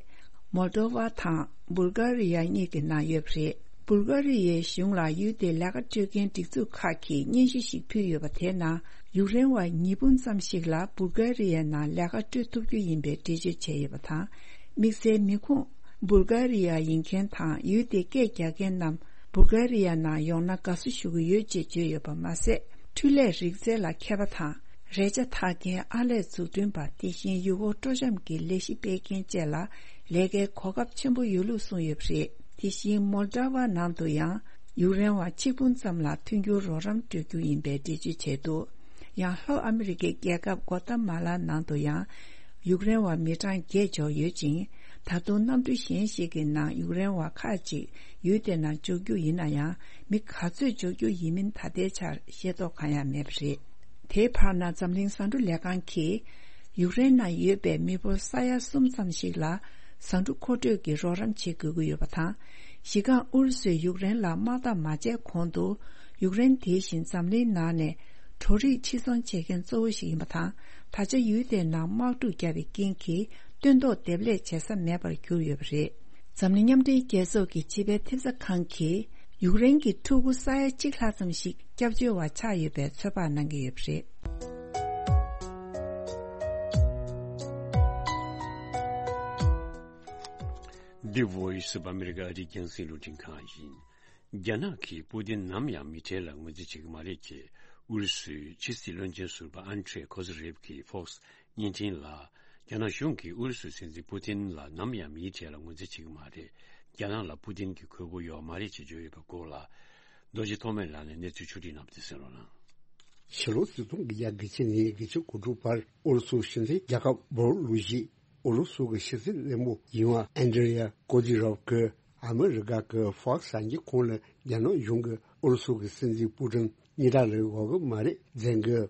མོལ་ཏོ་ཝ་དང་བུལ་གྷ་རི་ཡ་གཉིས་ཀྱི་ནང་ཡོད་པ་རེད། བུལ་གྷ་རི་ཡའི་གཞུང་ལ་ཡུལ་དེའི་ལས་ཀ་སྤྲོད་མཁན་སྒྲིག་འཛུགས་ཁག་གིས་སྙན་ཞུ་ཞིག་ཕུལ་ཡོད་པ། དེའི་ནང་ཡུཀ་རེན་བ་ཉིས་འབུམ་ཙམ་ཞིག་ལ་བུལ་གྷ་རི་ཡའི་ནང་ལས་ཀ་སྤྲོད་ཐུབ་རྒྱུ་ཡིན་པའི་འགྲེལ་བརྗོད་བྱས་ཡོད་པ་དང་། དམིགས་བསལ་མི་ཁུངས་བུལ་གྷ་རི་ཡ་ཡིན་མཁན་དང་། ཡུལ་དེའི་སྐད་རྒྱག་མཁན་རྣམས་བུལ་གྷ་རི་ཡ་ནང་ཡོང་ན་དགའ་བསུ་ཞུ་གི་ཡོད་ཅེས་བརྗོད་ཡོད་པ་མ་ཟད། འཕྲུལ་ལས་རིག་རྩལ་ལ་མཁས་པ་དང་། རས་ཆ་འཐག་མཁན། ཨར་ལས་འཛུགས་སྐྲུན་པ། དེ་བཞིན་ཡུལ་སྐོར་སྤྲོ་འཆམ་གྱི་ལས་གཞི་སྤེལ་མཁན་བཅས་ལ་ལས་ཀའི་གོ་སྐབས་ཆེན་པོ་ཡོད་ལུགས་གསུངས་ཡོད་པ་རེད། དེ་བཞིན་མོལ་ཏྲ་ཝ་ནང་དུ་ཡང་ཡུཀ་རེན་བ་ཆིག་འབུམ་ཙམ་ལ་མཐུན་འགྱུར་རོགས་རམ་སྤྲོད་རྒྱུ་ཡིན་པའི་འགྲེལ་བརྗོད་བྱས་འདུག་ཡང་ལྷོ་ཨ་མི་རི་ཀའི་རྒྱལ་ཁབ་གོ་ཏ་མ་ལ་ནང་དུ་ཡང་ཡུཀ་རེན་བ་མི་གྲངས་བརྒྱད་འབྱོར་ཡོད་ཅིང་། ད་དུང་གནམ་གྲུ་གཞན་ཞིག་གི་ནང་ཡུཀ་རེན་བ་ཁག་ཅིག་ཡུལ་དེ་ནང་འབྱོར་རྒྱུ་ཡིན་ན་ཡང་། མི་ག་ཚོད་འབྱོར་རྒྱུ་ཡིན་མིན་ད་ལྟའི་ཆར་ཤེས་རྟོགས་གང་ཡང་མེད་པ་རེད། དེའི་བར་ན་འཛམ་གླིང་ཟ་འབྲུ་ལས་ཁང་གིས་ཡུཀ་རེན་ནང་ཡོད་པའི་མི་འབོར་ས་ཡ་གསུམ་ཙམ་ཞིག་ལ་ཟ་འབྲུ་མཁོ་སྤྲོད་ཀྱི་རོགས་རམ་བྱེད་དགོས་ཀྱི་ཡོད་པ་དང་། གཞི་རྐང་ཨུ་རུ་སུས་ཡུཀ་རེན་ལ་དམག་འཐབ་མ་བྱས་གོང་དུ། ཡུཀ་རེན་དེ་བཞིན་འཛམ་གླིང་ནང་ནས་གྲོ་རིགས་ཕྱིར་ཚོང་བྱེད་མཁན་གཙོ་བོ་ཞིག་ཡིན་པ་དང་། ད་ཆ་ཡུལ་དེའི་ནང་དམག་འཁྲུག་བརྒྱབ་པའི་རྐྱེན་གྱིས་སྟོན་ཐོག་འདེབས་ལས་བྱེད་ས་མེད་པར་གྱུར་ཡོད་པ་རེད། འཛམ་གླིང་མཉམ་འབྲེལ་རྒྱལ་ཚོགས་ཀྱི་ཕྱི་པའི་ཐེབས་རྩ་ཁང་གིས་ཡུཀ་རེན་གྱི་ཕྲུ་གུ་ས་ཡ་གཅིག་ལྷག་ཙམ་ཞིག་སྐྱབས་བཅོལ་བ་ཆགས་ཡོད་པའི་ཚོད་དཔག་གནང་གི་ཡོད་པ་རེད། འདི་Voice of America ཨ་རིའི་རྒྱང་སྲིང་རླུང་འཕྲིན་ཁང་ཡིན། རྒྱ་ནག་གིས་པུ་ཏིན་ནམ་ཡང་མི་གྲལ་ལ་ངོས་འཛིན་བྱེད་ཀྱི་མ་རེད་ཅེས་ཨུ་རུ་སུའི་ཕྱི་སྲིད་བློན་ཆེན་ཟུར་པ་ཨན་ཁྲེ་ཁོ་ཟེ་རེབ་ཀྱིས་Fox བརྙན་འཕྲིན་ལ། རྒྱ་ནག་གཞུང་གིས་ཨུ་རུ་སུའི་སྲིད་འཛིན་པུ་ཏིན་ལ་ནམ་ཡང་མིའི་གྲས་ལ་ངོས་འཛིན་བྱེད་ཀྱི་མ་རེད། རྒྱ་ནག་ལ་པུ་ཏིན་གྱི་གུས་པ་ཡོད་མ་རེད་ཅེས་བརྗོད་ཡོད་པའི་སྐོར་ལ། རྡོ་རྗེ་ཐོགས་མེད་ལགས་ནས་གནས་ཚུལ་ཕྱོགས་བསྒྲིགས་གནང་བ་དེ་གསན་རོགས་གནང་། ཕྱི་ལོ་ཆིག་སྟོང་དགུ་བརྒྱ་དགུ་བཅུ་ནས་དགུ་བཅུ་གོ་དྲུག་བར་ཨུ་རུ་སུ་གཞུང་འཛིན་རྒྱལ་ཁབ་བོར་ལུགས་ཤིག་ཨུ་རུ་སུ་གི་ཕྱི་སྲིད་བློན་པོ་ཡིན་པ་ཨན་ཌྲི་ཡ་ཀོ་ཏི་རོབ་ཀྱིས་ ཨ་མི་རི་ཀ་གི་ཧྥོག་སི་གསར་འགྱུར་ཁང་ལ་རྒྱ་ནག་གཞུང་གིས་ཨུ་རུ་སུ་གི་སྲིད་འཛིན་པུ་ཏིན་གཉིས་ཐག་ལ་འོས་གི་མ་རེད་ཟེར་གི།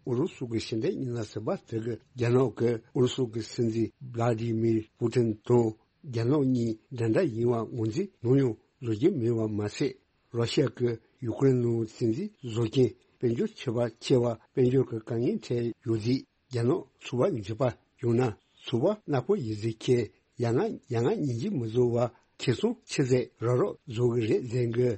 ཨུ་རུ་སུ་གི་ཕྱི་འབྲེལ་ཉི་ན་ཟིན་པ་དེ་གི་རྒྱ་ནག་གི་ཨུ་རུ་སུ་གི་སྲིད་འཛིན་བླ་ཏི་མིར་པུ་ཏིན་དང་རྒྱ་ནག་གཉིས་འདྲ་འདྲ་ཡིན་བ་ངོས་འཛིན་ནམ་ཡང་བཟོ་རྒྱུ་མེད་པ་མ་ཟད། རོ་ཤ་གི་ཡུ་ཀེ་རེན་ནང་བཙན་འཛུལ་བཟོ་མཁན་དཔལ་འབྱོར་ཆེ་བ་ཆེ་བ་དཔལ་འབྱོར་གི་དཀའ་ངལ་འཕྲད་ཡོད་དུས། རྒྱ་ནག་ཚོར་བ་འཇིགས་པ་བྱུང་ན་ཚོར་བ་ནག་པོ་ཡིན་ཟེར་ཁྱེད་ཡ་ང་ཡ་ང་ཉན་གྱི་མི་བཟོ་བ་ཁེ་སང་ཆི་ཟེར་རོགས་རོགས་བཟོ་གི་རེད་ཟེར་གི།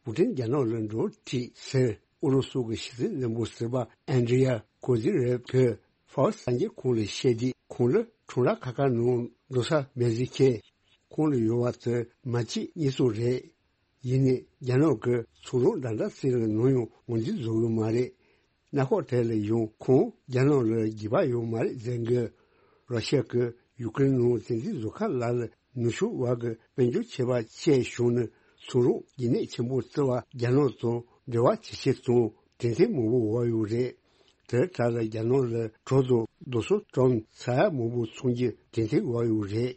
པུ་ཏིན་རྒྱ་ནག་ལ་འགྲོ་དུས་ཟེར་ཨུ་རུ་སུ་གི་ཕྱི་སྲིད་བློན་པོ་ཟུར་པ་ཨན་ཌི་ཡ་ཀོ་ཛི་རེབ་གིས་ཧྥོག་སི་གསར་འགྱུར་ཁང་ལ་བཤད་དུས། ཁོང་ལ་ཁྲོམ་ར་ཁ་ཁ་ནང་འགྲོ་ས་མེད་ཟེར་ཁྱེད། ཁོང་ལ་ཡོད་པ་དེ་མ་གཅིག་གཉིས་གསུམ་རེད། ཡིན་ནའི་རྒྱ་ནག་གི་ཚོང་རོགས་འདྲ་འདྲ་ཟེར་ལ་ནམ་ཡང་ངོས་འཛིན་བཟོ་གི་མ་རེད། གནམ་འོག་དེ་ལ་ཡང་ཁོང་རྒྱ་ནག་ལ་འགྱོད་པ་ཡོད་མ་རེད་ཟེར་གི། རོ་ཤ་གི་ཡུ་ཀེ་རེན་ནང་བཙན་འཛུལ་བཟོ་ཁ་ལ་ལ་ནུབ་ཕྱོགས་བར་གི་དཔལ་འབྱོར་ཁྱད་པར་ཆེ་བྱུང་ནས་ཚོང་རོགས་རྒྱུན་གནས་ཆེན་པོ་བརྩི་བ་རྒྱ་ནག་དང་འབྲེལ་བ་ཇེ་ཆེ་དང་གྲོས་མཐུན་མང་པོ་འོག་ཡོད་རེད། དེ་གྲས་ལ་རྒྱ་ནག་ལ་གྲོས་དང་རྡོ་སོལ་ཀྲམ་ས་ཡ་མང་པོ་ཚོང་རྒྱུ་གྲོས་མཐུན་འོག་ཡོད་རེད།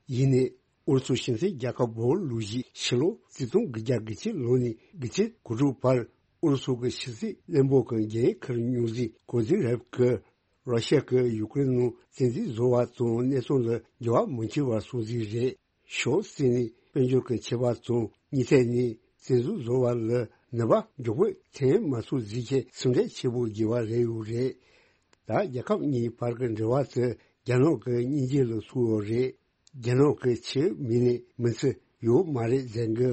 ཡིན་ནའི་ཨུ་རུ་སུ་ཕྱི་སྲིད་རྒྱལ་ཁབ་བོད་ལུགས་གཞིས་ཕྱི་ལོ་གཅིག་སྟོང་དགུ་བརྒྱ་དགུ་བཅུ་ལོ་ནས་དགུ་བཅུ་གོ་དྲུག་བར་ཨུ་རུ་སུ་གི་ཕྱི་སྲིད་བློན་པོ་གི་འགན་འཁུར་མྱོང་མཛད་ཀོ་ཛི་རེབ་ཀྱིས་རོ་ཤ་གི་ཡུ་ཀེ་རེན་ནང་བཙན་འཛུལ་བཟོ་བ་དང་གནས་སྟངས་ལ་འགྱུར་བ་མི་འཆར་བ་སོང་ཟིག་རེད། ཤོག་ཟེར་ནས་དཔལ་འབྱོར་གྱི་ཁྱད་པར་དང་གཉིས་ཐད་ནས་བཙན་འཛུལ་བཟོ་བ་ལ་ནུས་པ་མགྱོགས་པོས་ཐོན་མ་ཐུབ་ཟིག་ཁྱེད་སེམས་ཁྲལ་ཆེ་པོ་དགོས་པ་རེད་ཡོད་རེད། ད་རྒྱལ་ཁབ་གཉིས་བར་གྱི་འབྲེལ་བ་དེ་རྒྱ་ནག་གི་སྙིང་རྗེ་ལ་ཐུག་ཡོད་རེད། རྒྱ་ནག་གི་ཆེས་མི་ནས་མི་ཚེ་ཡོད་མ་རེད་ཟེར་གི།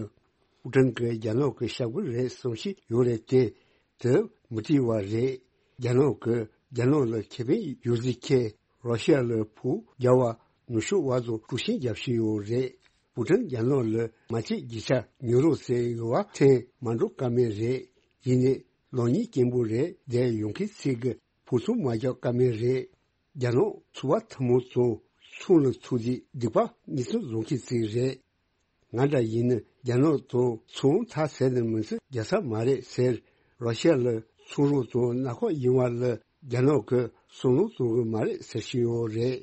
པུ་ཀྲིན་གྱིས་རྒྱ་ནག་གི་ཤ་བཀོད་རེད་བསམ་ཤེས་ཡོད་རེད་དེ། དེ་མི་བྲིས་བ་རེད། རྒྱ་ནག་གིས་རྒྱ་ནག་ལ་ཁེ་ཕན་ཡོད་ཟིག་ཁྱེད་རོ་ཤ་ལ་ཕུག་རྒྱ་བ་ནུབ་ཕྱོགས་བར་དུ་དཀྲུག་ཤིང་རྒྱབ་ཤེས་ཡོད་རེད། པུ་ཀྲིན་རྒྱ་ནག་ལ་མ་ཆེད་རྒྱུ་ཆ་ཉོ་རོགས་ཟེར་ཡོད་བ་ཐེངས་མ་འགྲོ་ཀ་མེད་རེད། ཡིན་ནའི་ལོ་གཉིས་སྐྱེན་པོ་རེད་དེ་ཡོང་མཁན་ཚིག་གི་ཕུག་ཚུགས་མ་རྒྱག་ཀ་མེད་རེད། རྒྱ་ནག་ཚོར་བ་ཐུན་མོང་དང་ཚོང་ལ་ཐུག་དུས་སྡིག་པ་གཉིས་སུ་བཟུང་མཁན་ཚིག་རེད། ང་འདྲ་ཡིན་ན་རྒྱ་ནག་དང་ཚོང་ཐག་ཟད་ནས་མི་ཚེ་རྒྱག་ས་མ་རེད་ཟེར། རོ་ཤ་ལ་ཚོང་རོགས་དང་ནག་ཁོག་ཡིན་བ་ལ་རྒྱ་ནག་གིས་བསམ་བློ་གཏོང་གི་མ་རེད་ཟེར་བཞིན་ཡོད་རེད།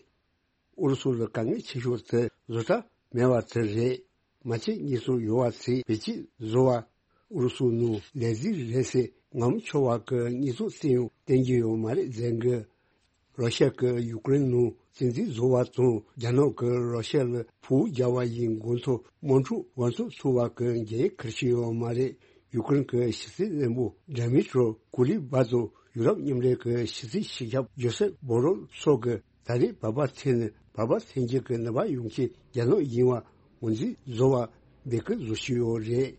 ཨུ་རུ་སུ་ལ་དཀའ་ངལ་ཆེ་ཤོས་དེ་བཟོ་གྲྭ་མེད་པ་དེ་རེད། མ་ཆེད་གཉིས་སུ་ཡོད་པ་ཚིག་བེད་སྤྱད་བཟོ་བ། ཨུ་རུ་སུ་ནང་ལས་འཛིན་རེད་ཟེར་ངོ་མ་ཆོག་པ་གི་གཉིས་སུ་སེ་ཡང་བསྟན་གྱི་ཡོད་མ་རེད་ཟེར་གི། རོ་ཤ་གིས་ཡུ་ཀེ་རེན་ནང་བཙན་འཛུལ་བཟོ་བ་དང་རྒྱ་ནག་གིས་རོ་ཤ་ལ་ཕུག་རྒྱག་པ་ཡི་འགོ་ཐོག་དམག་འཁྲུག་འགོ་ཚུགས་ཐུབ་པ་གི་འགན་འཁུར་བཞིན་ཡོད་མ་རེད། ཡུ་ཀེ་རེན་གྱི་ཕྱི་སྲིད་བློན་པོ་ཌི་མི་ཏྲོ་ཀུ་ལི་བྷ་དང་ཡུ་རོབ་མཉམ་འབྲེལ་གྱི་ཕྱི་སྲིད་སྤྱི་ཁྱབ་ཇོ་སེབ་བྷོ་རེལ་སོགས་ཀྱིས་ད་རེས་བར་པ་ཚེས་ནས་བར་པ་ཚེས་འགྱུར་གྱི་ནུས་པ་ཡོང་མཁན་རྒྱ་ནག་ཡིན་པ་ངོས་འཛིན་བཟོ་བ་འབོད་སྐུལ་བཟོ་བཞིན་ཡོད་རེད།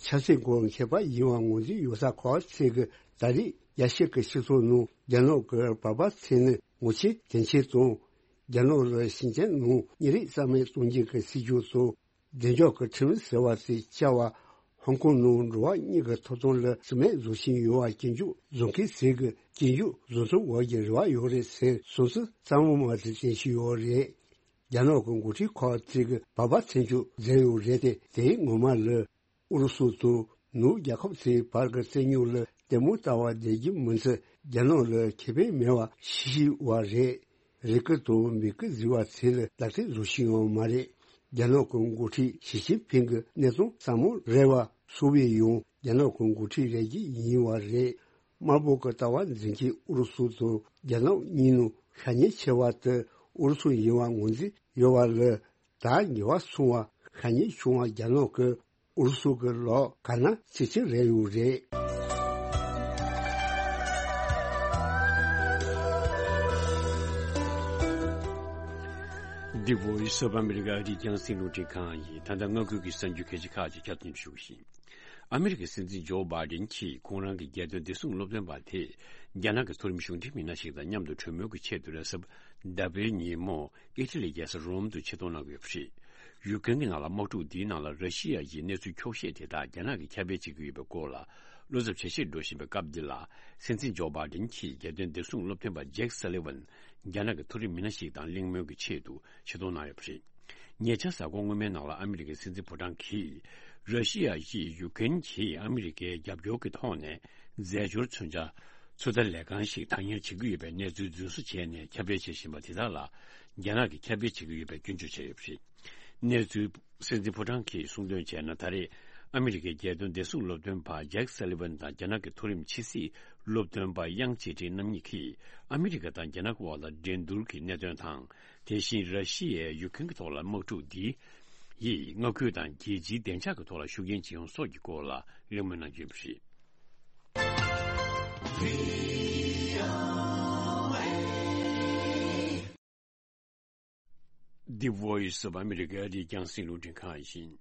ཆབ་སྲིད་སྐོར་མཁས་པ་ཡིན་པ་ངོས་འཛིན་ཡོད་ས་ཁག་ཅིག་གིས་ད་རེས་རྒྱལ་སྤྱི་གི་སྤྱི་ཚོགས་ནང་རྒྱ་ནག་གི་བར་པ་ཚེས་ནས་ངོ་ཆེ་དོན་ཆེ་དང་། རྒྱ་ནག་ལ་ཞིང་ཆེན་ནང་གཉེར་རིགས་རྩ་མེད་གཏོང་རྒྱུ་གི་སྲིད་ཇུས་སོགས། བདེ་འཇགས་ཀྱི་ཁྲིམས་ཟེར་བ་དེ་བཅའ་བ། ཧོང་ཀོང་ནང་འགྲོ་བ་མིའི་ཐོབ་ཐང་ལ་བརྩི་མེད་བཟོ་བཞིན་ཡོད་པ་སྐྱོན་བརྗོད་བཟོ་མཁན་ཟེར་གི་སྐྱོན་བརྗོད་བཟོ་ཐུབ་འོག་གི་རེ་བ་ཡོད་རེད་ཟེར་སོང་ཙི་གཙང་མ་མ་དེ་བསྟན་བཞིན་ཡོད་རེད། རྒྱ་ནག་གི་འགོ་ཁྲིད་ཁག་ཅིག་གིས་བར་པ་ཚེས་འགྱུར་མཛད་ཡོད་རེད་དེ། དེའི་ངོ་མ་ལ་ཨུ་རུ་སུ་དང་ནུབ་རྒྱལ་ཁབ་ཚོའི་བར་གྱི་རྩོད་རྙོག་ལ་ལྟད་མོ་ལྟ་བ་བསྡད་རྒྱུ་མིན་ཚེ་རྒྱ་ནག་ལ་ཁེ་ཕན་མེད་པ་ཤེས་ཤེས་པ་རེད། རེ་སྐུལ་དང་འབོད་སྐུལ་བཟོས་པ་ཚོ་ལ་ལག་ལེན་བཟོ་བཞིན་ཡོད་མ་རེད། རྒྱ་ནག་གི་འགོ་ཁྲིད་ཞི་ཅིན་ཕིང་གི་གནས་སྟངས་ཟབ་མོ་རེད་པ། སུ་བས་ཡང་རྒྱ་ནག་གི་འགོ་ཁྲིད་རེད་ཀྱི་ཡིན་པ་རེད། དམར་པོ་གི་ལྟ་བ་འཛིན་མཁན་ཨུ་རུ་སུ་དང་རྒྱ་ནག་གཉིས་ནང་ཤ་ཉེ་ཆེ་བ་དེ་ཨུ་རུ་སུ་ཡིན་པ་ངོས་འཛིན་ཡོད་པ་ལ། ད་ཉེ་བར་སོང་བ་ཤ་ཉེ་བྱུང་བ་རྒྱ་ནག་གི་ཨུ་རུ་སུ་གི་ལོག་ག་ན་ཅི་ཅི་རེད་ཡོད་རེད། འདི་བོ་ཡི་སོ་པ་ཨ་མི་རི་ཀ་རི་རྒྱང་སྲིང་རླུང་འཕྲིན་ཁང་ཡིན། ད་ལྟ་སྔ་འགོད་ཀྱི་གསར་འགྱུར་ཁག་ཅིག་ཁྱབ་སྟོན་ཞུ་བཞིན། ཨ་མི་རི་ཀའི་སྲིད་འཛིན་ཇོ་བྷའི་ཌེན་གྱིས་ཁོང་རང་གི་རྒྱལ་དོན་བདེ་སྲུང་སློབ་སྟོན་པ་དེ་རྒྱ་ནག་གི་མཐོ་རིམ་གཞུང་འབྲེལ་མི་སྣ་ཞིག་དང་མཉམ་དུ་གྲོས་མོལ་གྱི་ཆེད་དུ་རེས་གཟའ་ཟླ་བའི་ཉིན་མོ་ཨི་ཊ་ལིའི་རྒྱལ་ས་རོམ་དུ་ཆེད་གཏོང་གནང་གི་ཡོད་པ་རེད། ཡུཀ་རེན་གྱི་ནང་ལ་དམག་འཁྲུག་འདིའི་ནང་ལ་ར་ཤི་ཡ་ཡིས་གནས་ཚུལ་འཁྱོག་བཤད་དེ་དག་རྒྱ་ནག་གིས་ཁྱབ་སྤེལ་བྱེད་ཀྱི་ཡོད་པའི་སྐོར་ལ་བློ་འཚབ་ཇེ་ཆེར་འགྲོ་བཞིན་པའི་སྐབས་འདི་ལ། སྲིད་འཛིན་ཇོ་བྷའི་ཌེན་གྱིས་རྒྱལ་དོན་བདེ་སྲུང་སློབ་སྟོན་པ་ཇེཀ་སཱ་ལི་ཝན་རྒྱ་ནག་གི་མཐོ་རིམ་མི་སྣ་ཞིག་དང་གླེང་མོལ་གྱི་ཆེད་དུ་ཆེད་གཏོང་གནང་ཡོད་པ་རེད། ཉེ་ཆར་གཟའ་འཁོར་སྔོན་མའི་ནང་ལ་ཨ་མི་རི་ཀའི་སྲིད་འཛིན་ཕོ་བྲང་གིས་ར་ཤི་ཡ་ཡིས་ཡུཀ་རེན་གྱིས་ཨ་མི་རི་ཀའི་རྒྱབ་སྐྱོར་གྱི་ཐོག་ནས་རྫས་སྦྱོར་མཚོན་ཆ་ཚོད་ལྟ་ལས་ཁང་ཞིག་བདག་གཉེར་བྱེད་ཀྱི་ཡོད་པའི་གནས་ཚུལ་རྫུན་བཟོ་བྱས་ནས་ཁྱབ་སྤེལ་བྱེད་བཞིན་པ་དེ་དག་ལ་རྒྱ་ནག་གིས་ཁྱབ་སྤེལ་བྱེད་ཀྱི་ཡོད་པའི་སྐྱོན་བརྗོད་བྱས་ཡོད་པ་རེད། གནས་ཚུལ། སྲིད་འཛིན་ཕོ་བྲང་གིས་གསུངས་དོན་བྱས་ན། ད་རེས་ཨ་མི་རི་ཀའི་རྒྱལ་དོན་བདེ་སྲུང་སློབ་སྟོན་པ་ཇེག་སཱ་ལི་ཝན་དང་རྒྱ་ནག་གི་མཐོ་རིམ་ཕྱི་སྲིད་སློབ་སྟོན་པ་དབྱང་ཅི་ཀྲིན་རྣམ་གཉིས་ཀྱིས་ཨ་མི་རི་ཀ་དང་རྒྱ་ནག་དབར་ལ་འགྲན་བསྡུར་གྱི་གནད་དོན་དང་། དེ་བཞིན་ར་ཤི་ཡའི་ཡུཀ་རེན་གྱི་ཐོག་ལ་དམག་འཁྲུག་འདི་ཡིས་མངའ་ཁུལ་དང་རྒྱལ་སྤྱིའི་བདེ་འཇགས་ཀྱི་ཐོག་ལ་ཤུགས་རྐྱེན་ཅི་ཡོང་སོགས་ཀྱི་སྐོར་ལ་གླེང་མོལ་གནང་རྒྱུ་ཡིན་པ་རེད། The Voice of America ཨ་རིའི་རྒྱང་སྲིང་རླུང་འཕྲིན་ཁང་ཡིན།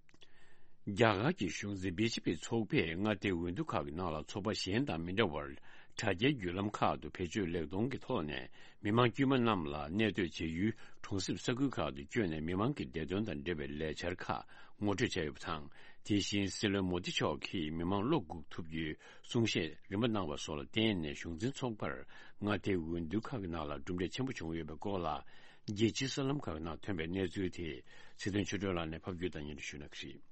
རྒྱ་གར་གྱི་གཞུང་འཛིན་བི་ཇེ་པི་ཚོགས་པས་མངའ་སྡེའི་འོས་བསྡུ་ཁག་གི་ནང་ལ་ཚོགས་པ་གཞན་དང་མི་འདྲ་བར་དྲ་རྒྱའི་བརྒྱུད་ལམ་ཁག་ཏུ་བེད་སྤྱོད་ལེགས་གཏོང་གི་ཐོག་ནས་མི་མང་དཀྱུས་མ་རྣམས་ལ་གནས་སྡོད་བྱེད་ཡུལ་གྲོང་གསེབ་ས་ཁུལ་ཁག་ཏུ་བསྐྱོད་ནས་མི་མང་གི་བདེ་དོན་དང་འབྲེལ་བའི་ལས་འཆར་ཁག་ངོ་སྤྲོད་བྱས་ཡོད་པ་དང་། དེ་བཞིན་སྲིད་བློན་མོ་དི་མཆོག་གིས་མི་མང་བློ་འགུག་ཐུབ་རྒྱུའི་གསུང་བཤད་རིམ་པ་གནང་བ་སོགས་ལ་བརྟེན་ནས་གཞུང་འཛིན་ཚོགས་པར་མངའ་སྡེའི་འོས་བསྡུ་ཁག་གི་ནང་ལ་གྲུབ་འབྲས་ཆེན་པོ་བྱུང་ཡོད་པའི་སྐོར་ལ། རྒྱལ་སྤྱིའི་གསར་ལམ་ཁག་ནང་ཐོན་པའི་གནས་ཚུལ་དེ་ཚེ་བརྟན་ཆོས་སྒྲོན་ལགས་ནས་ཕབ་སྒྱུར་དང་སྙན་སྒྲོན་ཞུ་གནང་གི་རེད།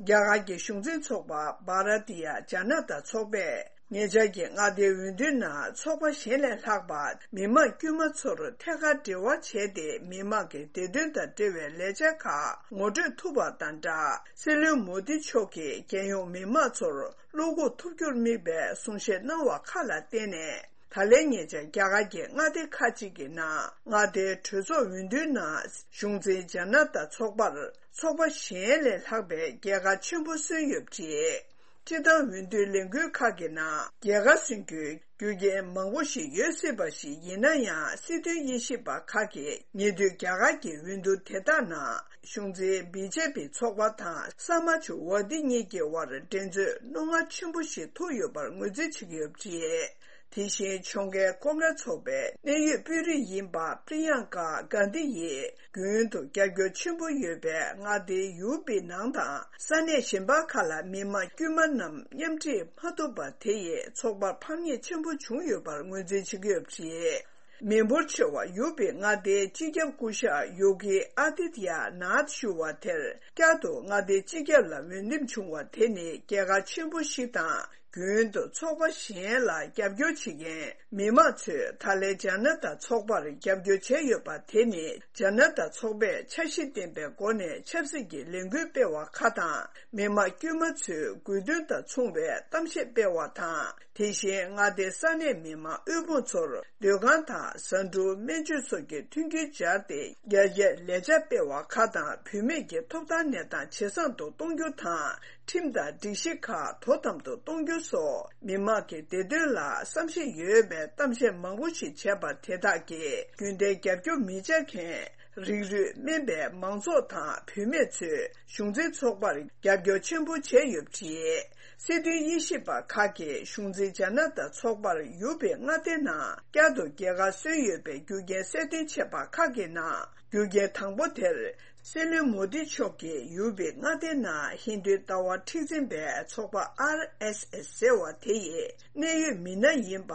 རྒྱ་གར་གྱི་གཞུང་འཛིན་ཚོགས་པ་བྷ་ར་ཏི་ཡ་ཇ་ན་ཏ་ཚོགས་པས་ཉེ་ཆར་གྱི་མངའ་སྡེའི་འོས་བསྡུའི་ནང་ཚོགས་པ་གཞན་ལས་ལྷག་པར་མི་མང་དཀྱུས་མ་ཚོར་ཐད་ཀར་འབྲེལ་བ་བྱས་ཏེ་མི་མང་གི་བདེ་དོན་དང་འབྲེལ་བའི་ལས་འཆར་ཁག་ངོ་སྤྲོད་ཐུབ་པ་དང་སྦྲགས། སྲིད་བློན་མོ་དི་མཆོག་གིས་རྒྱལ་ཡོངས་མི་མང་ཚོར་བློ་འགུག་ཐུབ་རྒྱུར་དམིགས་པའི་གསུང་བཤད་གནང་བ་ཁག་ལ་བརྟེན་ནས། ད་ལན་ཉེ་ཆར་རྒྱ་གར་གྱི་མངའ་སྡེ་ཁག་ཅིག་གི་ནང་མངའ་སྡེའི་གྲོས་ཚོགས་འོས་བསྡུའི་ནང་གཞུང་འཛིན་ཇ་ན་ཏ་ཚོགས་པར་ཚོགས་པ་གཞན་ལས་ལྷག་པའི་རྒྱལ་ཁ་ཆེན་པོ་སོན་ཡོད་པ་རེད། སྤྱིར་བཏང་འོས་བསྡུའི་ལས་འགུལ་ཁག་གི་ནང་རྒྱལ་ཁ་སོན་རྒྱུའི་རྒྱུ་རྐྱེན་མང་པོ་ཞིག་ཡོད་སྲིད་པ་ཞིག་ཡིན་ན་ཡང་། སྲིད་དོན་དབྱེ་ཞིབ་པ་ཁག་གིས་ཉེ་དུས་རྒྱ་གར་གྱི་འོས་བསྡུ་དེ་དག་ནང་གཞུང་འཛིན་བི་ཇེ་པི་ཚོགས་པ་དང་ས་མ་ཇུ་ཝ་དི་གཉིས་ཀྱི་དབར་འགྲན་རྩོད་རྣོ་ངར་ཆེན་པོ་ཞིག་ཐུག་ཡོད་པར་ངོས་འཛིན་བྱེད་ཀྱི་ཡོད་པ་རེད། དེ་བཞིན་ལྗོངས་མཁར་ཀོང་ཀྲེས་ཚོགས་པའི་གནད་ཡོད་དཔོན་རིགས་ཡིན་པ་པྲི་ཡང་ཀ་གྷན་དྷི་ཡིས་རྒྱུན་དུ་རྒྱབ་སྐྱོར་ཆེན་པོ་ཡོད་པའི་མངའ་སྡེའི་ཡུ་པི་ནང་དང་ས་གནས་གཞན་པ་ཁག་ལ་མི་མང་དཀྱུས་མ་རྣམས་མཉམ་འཁྲིད་མ་ཐུབ་པ་དེ་ཡིས་ཚོགས་པར་ཕམ་ཉེས་ཆེན་པོ་བྱུང་ཡོད་པར་ངོས་འཛིན་བྱེད་ཀྱི་ཡོད་པ་རེད། མི་འབོར་ཆེ་བ་ཡུ་པི་མངའ་སྡེའི་སྤྱི་ཁྱབ་སྐུ་ཞབས་ཡོ་གི་ཨ་དི་ཏི་ཡ་ནཱཐ་ཞུ་བ་དེར་བསྐྱར་དུ་མངའ་སྡེའི་སྤྱི་ཁྱབ་ལ་འོས་འདེམས་བྱུང་བ་དེ་ནི་རྒྱལ་ཁ་ཆེན་པོ་ཞིག་དང་། རྒྱུན་དུ་ཚོགས་པ་གཞན་ལ་རྒྱབ་སྐྱོར་བྱེད་མཁན་མི་མང་ཚོས་ད་ལན་ཇ་ན་ཏ་ཚོགས་པར་རྒྱབ་སྐྱོར་བྱས་ཡོད་པ་དེ་ནི་ཇ་ན་ཏ་ཚོགས་པས་འཆར་གཞི་ལྡན་པའི་སྒོ་ནས་ཆབ་སྲིད་ཀྱི་ལས་འགུལ་སྤེལ་བ་ཁག་དང་། མི་མང་དཀྱུས་མ་ཚོའི་དགོས་འདུན་དང་མཚུངས་པའི་གཏམ་བཤད་སྤེལ་བ་དང་། དེ་བཞིན་མངའ་སྡེའི་ས་གནས་མི་མང་དབུལ་ཕོངས་ཚོར་སྡོད་ཁང་དང་ཟ་འབྲུ་སྨན་བཅོས་སོགས་ཀྱི་མཐུན་རྐྱེན་སྦྱར་ཏེ་རྒྱ་སྐྱེད་ལས་འཆར་སྤེལ་བ་ཁག་དང་། བུད་མེད་ཀྱི་ཐོབ་ཐང་གནས་སྟངས་ཇེ་བཟང་དུ་གཏོང་རྒྱུ་དང་། ཁྲིམས་དང་སྒྲིག་གཞི་ཁག་དོ་དམ་དུ་གཏོང་རྒྱུ་སོགས་མི་མང་གི་བདེ་དོན་ལ་བསམ་ཤེས་ཡོད་པའི་གཏམ་བཤད་མང་པོ་ཞིག་བྱས་པ་དེ་དག་གིས་རྒྱུན་ལྡན་རྒྱབ་སྐྱོར་མི་བྱ་མཁན། རིགས་རུས་དམན་པའི་མང་ཚོགས་དང་བུད་མེད་ཚོས་གཞུང་འཛིན་ཚོགས་པར་རྒྱབ་སྐྱོར་ཆེན་པོ་བྱས་ཡོད་པ་རེད། སྲིད་དོན་དབྱེ་ཞིབ་པ་ཁག་གིས་གཞུང་འཛིན་ཇ་ན་ཏ་ཚོགས་པར་ཡུ་པི་མངའ་སྡེ་ནང་བསྐྱར་དུ་རྒྱལ་ཁ་སོན་ཡོད་པའི་རྒྱུ་རྐྱེན་གསལ་སྟོན་བྱས་པ་ཁག་གི་ནང་རྒྱུ་རྐྱེན་དང་པོ་དེར། སྲིད་བློན་མོ་དི་མཆོག་གིས་ཡུ་པི་མངའ་སྡེའི་ནང་ཧིན་རྡུའི་ལྟ་བ་མཁྲེགས་འཛིན་པའི་ཚོགས་པ་ཨར་ཨེས་ཨེས་ཟེར་བ་དེ་ཡི་གནད་ཡོད་མི་སྣ་ཡིན་པ།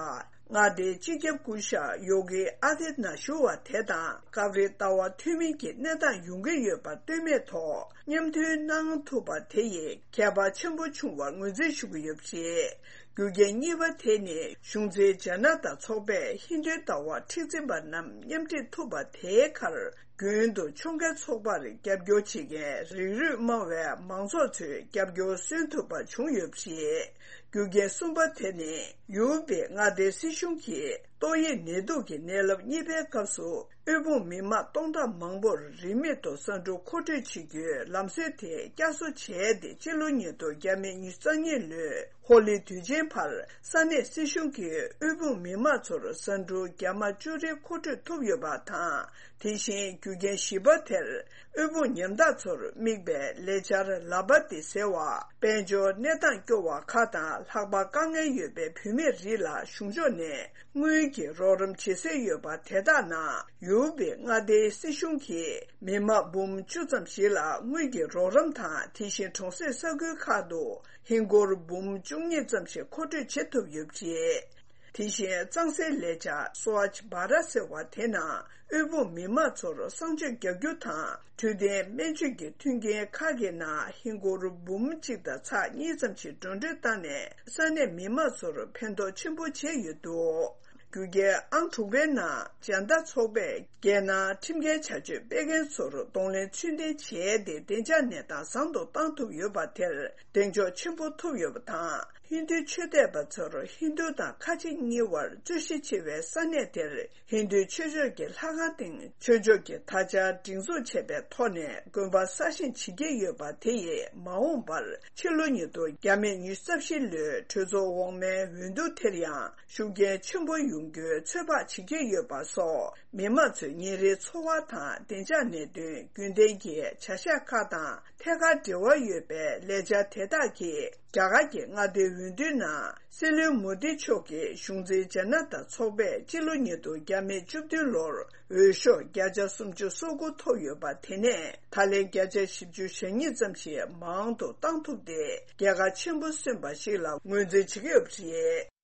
མངའ་སྡེའི་སྤྱི་ཁྱབ་སྐུ་ཞབས་ཡོ་གི་ཨ་དི་ན་ཞུ་བ་དེ་དང་སྐབས་རེ་ལྟ་བ་མཐུན་མིན་གྱི་གནས་སྟངས་ཡོང་གི་ཡོད་པ་ལྟོས་མེད་ཐོག་མཉམ་མཐུན་གནང་ཐུབ་པ་དེ་ཡིས་ཁྱད་པར་ཆེན་པོ་བྱུང་བར་ངོས་འཛིན་ཞུ་གི་ཡོད་པ་རེད། རྒྱུ་རྐྱེན་གཉིས་པ་དེ་ནི་གཞུང་འཛིན་ཇ་ན་ཏ་ཚོགས་པས་ཧིན་རྡུའི་ལྟ་བ་མཁྲེགས་འཛིན་པ་རྣམས་མཉམ་འཁྲིད་ཐུབ་པ་དེའི་ཁར། རྒྱུན་དུ་ལྗོངས་མཁར་ཚོགས་པར་རྒྱབ་སྐྱོར་བྱེད་མཁན་རིགས་རུས་དམའ་བའི་མང་ཚོགས་ཚོའི་རྒྱབ་སྐྱོར་སོན་ཐུབ་པ་བྱུང་ཡོད་པ་རེད། རྒྱུ་རྐྱེན་གསུམ་པ་དེ་ནི་ཡུ་པི་མངའ་སྡེའི་སྲིད་གཞུང་གིས་ཏོག་དབྱིབས་ནད་དུག་གི་ནད་རླབས་གཉིས་པའི་སྐབས་སུ་དབུལ་ཕོངས་མི་མང་སྟོང་ཕྲག་མང་པོར་རིན་མེད་དུ་ཟ་འབྲུ་མཁོ་སྤྲོད་བྱེད་རྒྱུའི་ལམ་སྲོལ་དེ་བསྐྱར་གསོ་བྱས་ཏེ་སྤྱི་ལོ་ཉིས་སྟོང་ཉི་ཤུ་རྩ་གཉིས་ལོའི། ཧོ་ལི་དུས་ཆེན་བར་ས་གནས་སྲིད་གཞུང་གིས་དབུལ་ཕོངས་མི་མང་ཚོར་ཟ་འབྲུ་རྒྱ་མ་བཅུ་རེ་མཁོ་སྤྲོད་ཐུབ་ཡོད་པ་དང་། དེ་བཞིན་རྒྱུ་རྐྱེན་བཞི་པ་དེར་དབུལ་ཕོངས་ཉམ་ཐག་ཚོར་དམིགས་པའི་ལས་འཆར་ལ་བ་ཏི་ཟེར་བ། དཔལ་འབྱོར་གནས་སྟངས་སྐྱོ་བ་ཁག་དང་ལྷག་པར་དཀའ་ངལ་ཡོད་པའི་བུད་མེད་རིགས་ལ་གཞུང་ཕྱོགས་ནས་དངུལ་གྱི་རོགས་རམ་བྱེད་སྲོལ་ཡོད་པ་དེ་དག་ནང་ཡུ་པི་མངའ་སྡེའི་སྲིད་གཞུང་གིས་མི་མང་འབུམ་བཅུ་ཙམ་ཞིག་ལ་དངུལ་གྱི་རོགས་རམ་དང་། དེ་བཞིན་གྲོང་གསེབ་ས་ཁུལ་ཁག་ཏུ། ཧིན་སྒོར་འབུམ་བཅུ་གཉིས་ཙམ་ཞིག་མཁོ་སྤྲོད་བྱེད་ཐུབ་ཡོད་པ་རེད། དེ་བཞིན་གཙང་སེལ་ལས་འཆར་སྭ་ཝཆ་བྷ་རཏ་ཟེར་བ་དེ་ནང་དབུལ་ཕོངས་མི་མང་ཚོར་གསང་སྤྱོད་རྒྱག་རྒྱུ་དང་། འཕྲོད་བསྟེན་སྨན་བཅོས་ཀྱི་མཐུན་རྐྱེན་ཁག་གི་ནང་ཧིན་སྒོར་འབུམ་གཅིག་དང་ཚེག་གཉིས་ཙམ་ཞིག་འགྲོ་གྲོན་བཏང་ནས་ས་གནས་མི་མང་ཚོར་ཕན་ཐོགས་ཆེན་པོ་བྱས་ཡོད་འདུག་རྒྱུ་རྐྱེན་ཨང་དྲུག་པའི་ནང་ཇན་ཏ་ཚོགས་པས་རྒྱལ་ནང་ཁྲིམས་འགལ་བྱ་སྤྱོད་སྤེལ་མཁན་ཚོར་གདོང་ལེན་ཚུལ་ལྡན་བྱས་ཏེ་བདེ་འཇགས་གནས་སྟངས་བཟང་དུ་བཏང་ཐུབ་ཡོད་པ་དེར་གདེང་འཇོག་ཆེན་པོ་ཐུབ་ཡོད་པ་དང་། ཧིན་རྡུའི་ཆོས་དད་པ་ཚོར་ཧིན་རྡུ་དང་ཁ་ཆེ་གཉིས་བར་རྩོད་གཞི་ཆེ་བའི་ས་གནས་དེར་ཧིན་རྡུའི་ཆོས་ཕྱོགས་ཀྱི་ལྷ་ཁང་སྟེང་ཆོས་ཕྱོགས་ཀྱི་དར་དཔྱལ་སྒྲེང་འཛུགས་བྱས་པའི་ཐོག་ནས་དགོན་པ་གསར་བཞེངས་བྱེད་ཀྱི་ཡོད་པ་དེ་ཡིས་མ་འོངས་པར་ཕྱི་ལོ་ཉིས་སྟོང་ཉི་ཤུ་རྩ་བཞི་ལོའི་གྲོས་ཚོགས་འོག་མའི་འོས་བསྡུ་དེར་ཡང་ཤུགས་རྐྱེན་ཆེན་པོ་ཡོང་རྒྱུའི་ཚོད་དཔག་བྱེད་ཀྱི་ཡོད་པ་སོགས། མི་མང་ཚོའི་ཉིན་རེའི་འཚོ་བ་དང་བདེ་འཇགས་གནད་དོན་རྒྱུན་ལྡན་གྱི་བྱ་གཞག་ཁག་དང་ཐད་ཀར་འབྲེལ་བ་ཡོད་པའི་ལས་འཆར་དེ་དག་གིས་རྒྱ་གར་གྱི་མངའ་སྡེའི་འོས་བསྡུའི་ནང་སྲིད་བློན་མོ་དི་མཆོག་གི་གཞུང་འཛིན་ཇ་ན་ཏ་ཚོགས་པས་སྤྱི་ལོ་ཉིས་སྟོང་ཉི་ཤུ་རྩ་བདུན་ལོར་འོས་ཤོག་བརྒྱ་ཆ་སུམ་ཅུ་སོ་དགུ་ཐོབ་ཡོད་པ་དེ་ནས་ད་ལན་བརྒྱ་ཆ་བཞི་བཅུ་ཞེ་གཉིས་ཙམ་ཞིག་མང་དུ་བཏང་ཐུབ་སྟེ། རྒྱལ་ཁ་ཆེན་པོ་སོན་པ་ཞིག་ལ་ངོས་འཛིན་བྱེད་ཀྱི་ཡོད་པ་རེད།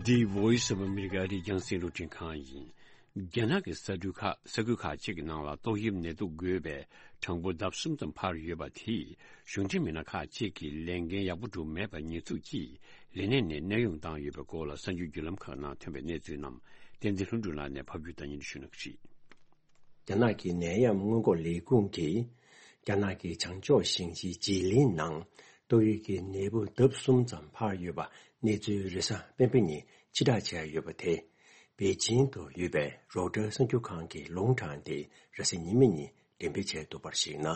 འདི་Voice of America རེད། རྒྱང་སྲིང་རླུང་འཕྲིན་ཁང་ཡིན། རྒྱ་ནག་གི་ས་ཁུལ་ཁག་ས་ཁུལ་ཁག་ཅིག་གི་ནང་ལ་ཏོག་དབྱིབས་ནད་དུག་འགོས་པའི་གྲངས་འབོར་ལྡབ་གསུམ་ཙམ་འཕར་ཡོད་པ་དེས་གཞུང་འབྲེལ་མི་སྣ་ཁག་ཅིག་གིས་ལས་འགན་ཡག་པོ་སྒྲུབ་མེད་པར་ཉེས་འཛུགས་ཀྱིས་ལས་གནས་ནས་གནས་དབྱུང་བཏང་ཡོད་པའི་སྐོར་ལ་གསར་འགྱུར་བརྒྱུད་ལམ་ཁག་ནང་ཐོན་པའི་གནས་ཚུལ་རྣམས་བསྟན་འཛིན་ལྷུན་གྲུབ་ལགས་ནས་ཕབ་སྒྱུར་དང་སྙན་སྒྲོན་ཞུ་གནང་གི་རེད། རྒྱ་ནག་གི་ནད་ཡམས་སྔོན་འགོག་ལས་ཁུངས་ཀྱིས་རྒྱ་ནག་གི་བྱང་ཕྱོགས་ཞིང་ཆེན་ཇི་ལིང་ནང་ཏོག་དབྱིབས་ཀྱི་ནད་འབུ་ལྡབ་གསུམ་ཙམ་འཕར་ཡོད་པ་གནས་ཚུལ་རེས་གཟའ་སྤེན་པ་ཉིན་ཕྱིར་བསྒྲགས་བྱས་ཡོད་པ་དེ། པེ་ཅིང་དུ་ཡོད་པའི་རོའི་ཊར་གསར་འགྱུར་ཁང་གིས་ལུང་དྲངས་ཏེ་རེས་གཟའ་ཉི་མ་ཉིན་འགྲེམས་སྤེལ་བྱས་འདུག་པར་གཞིགས་ན།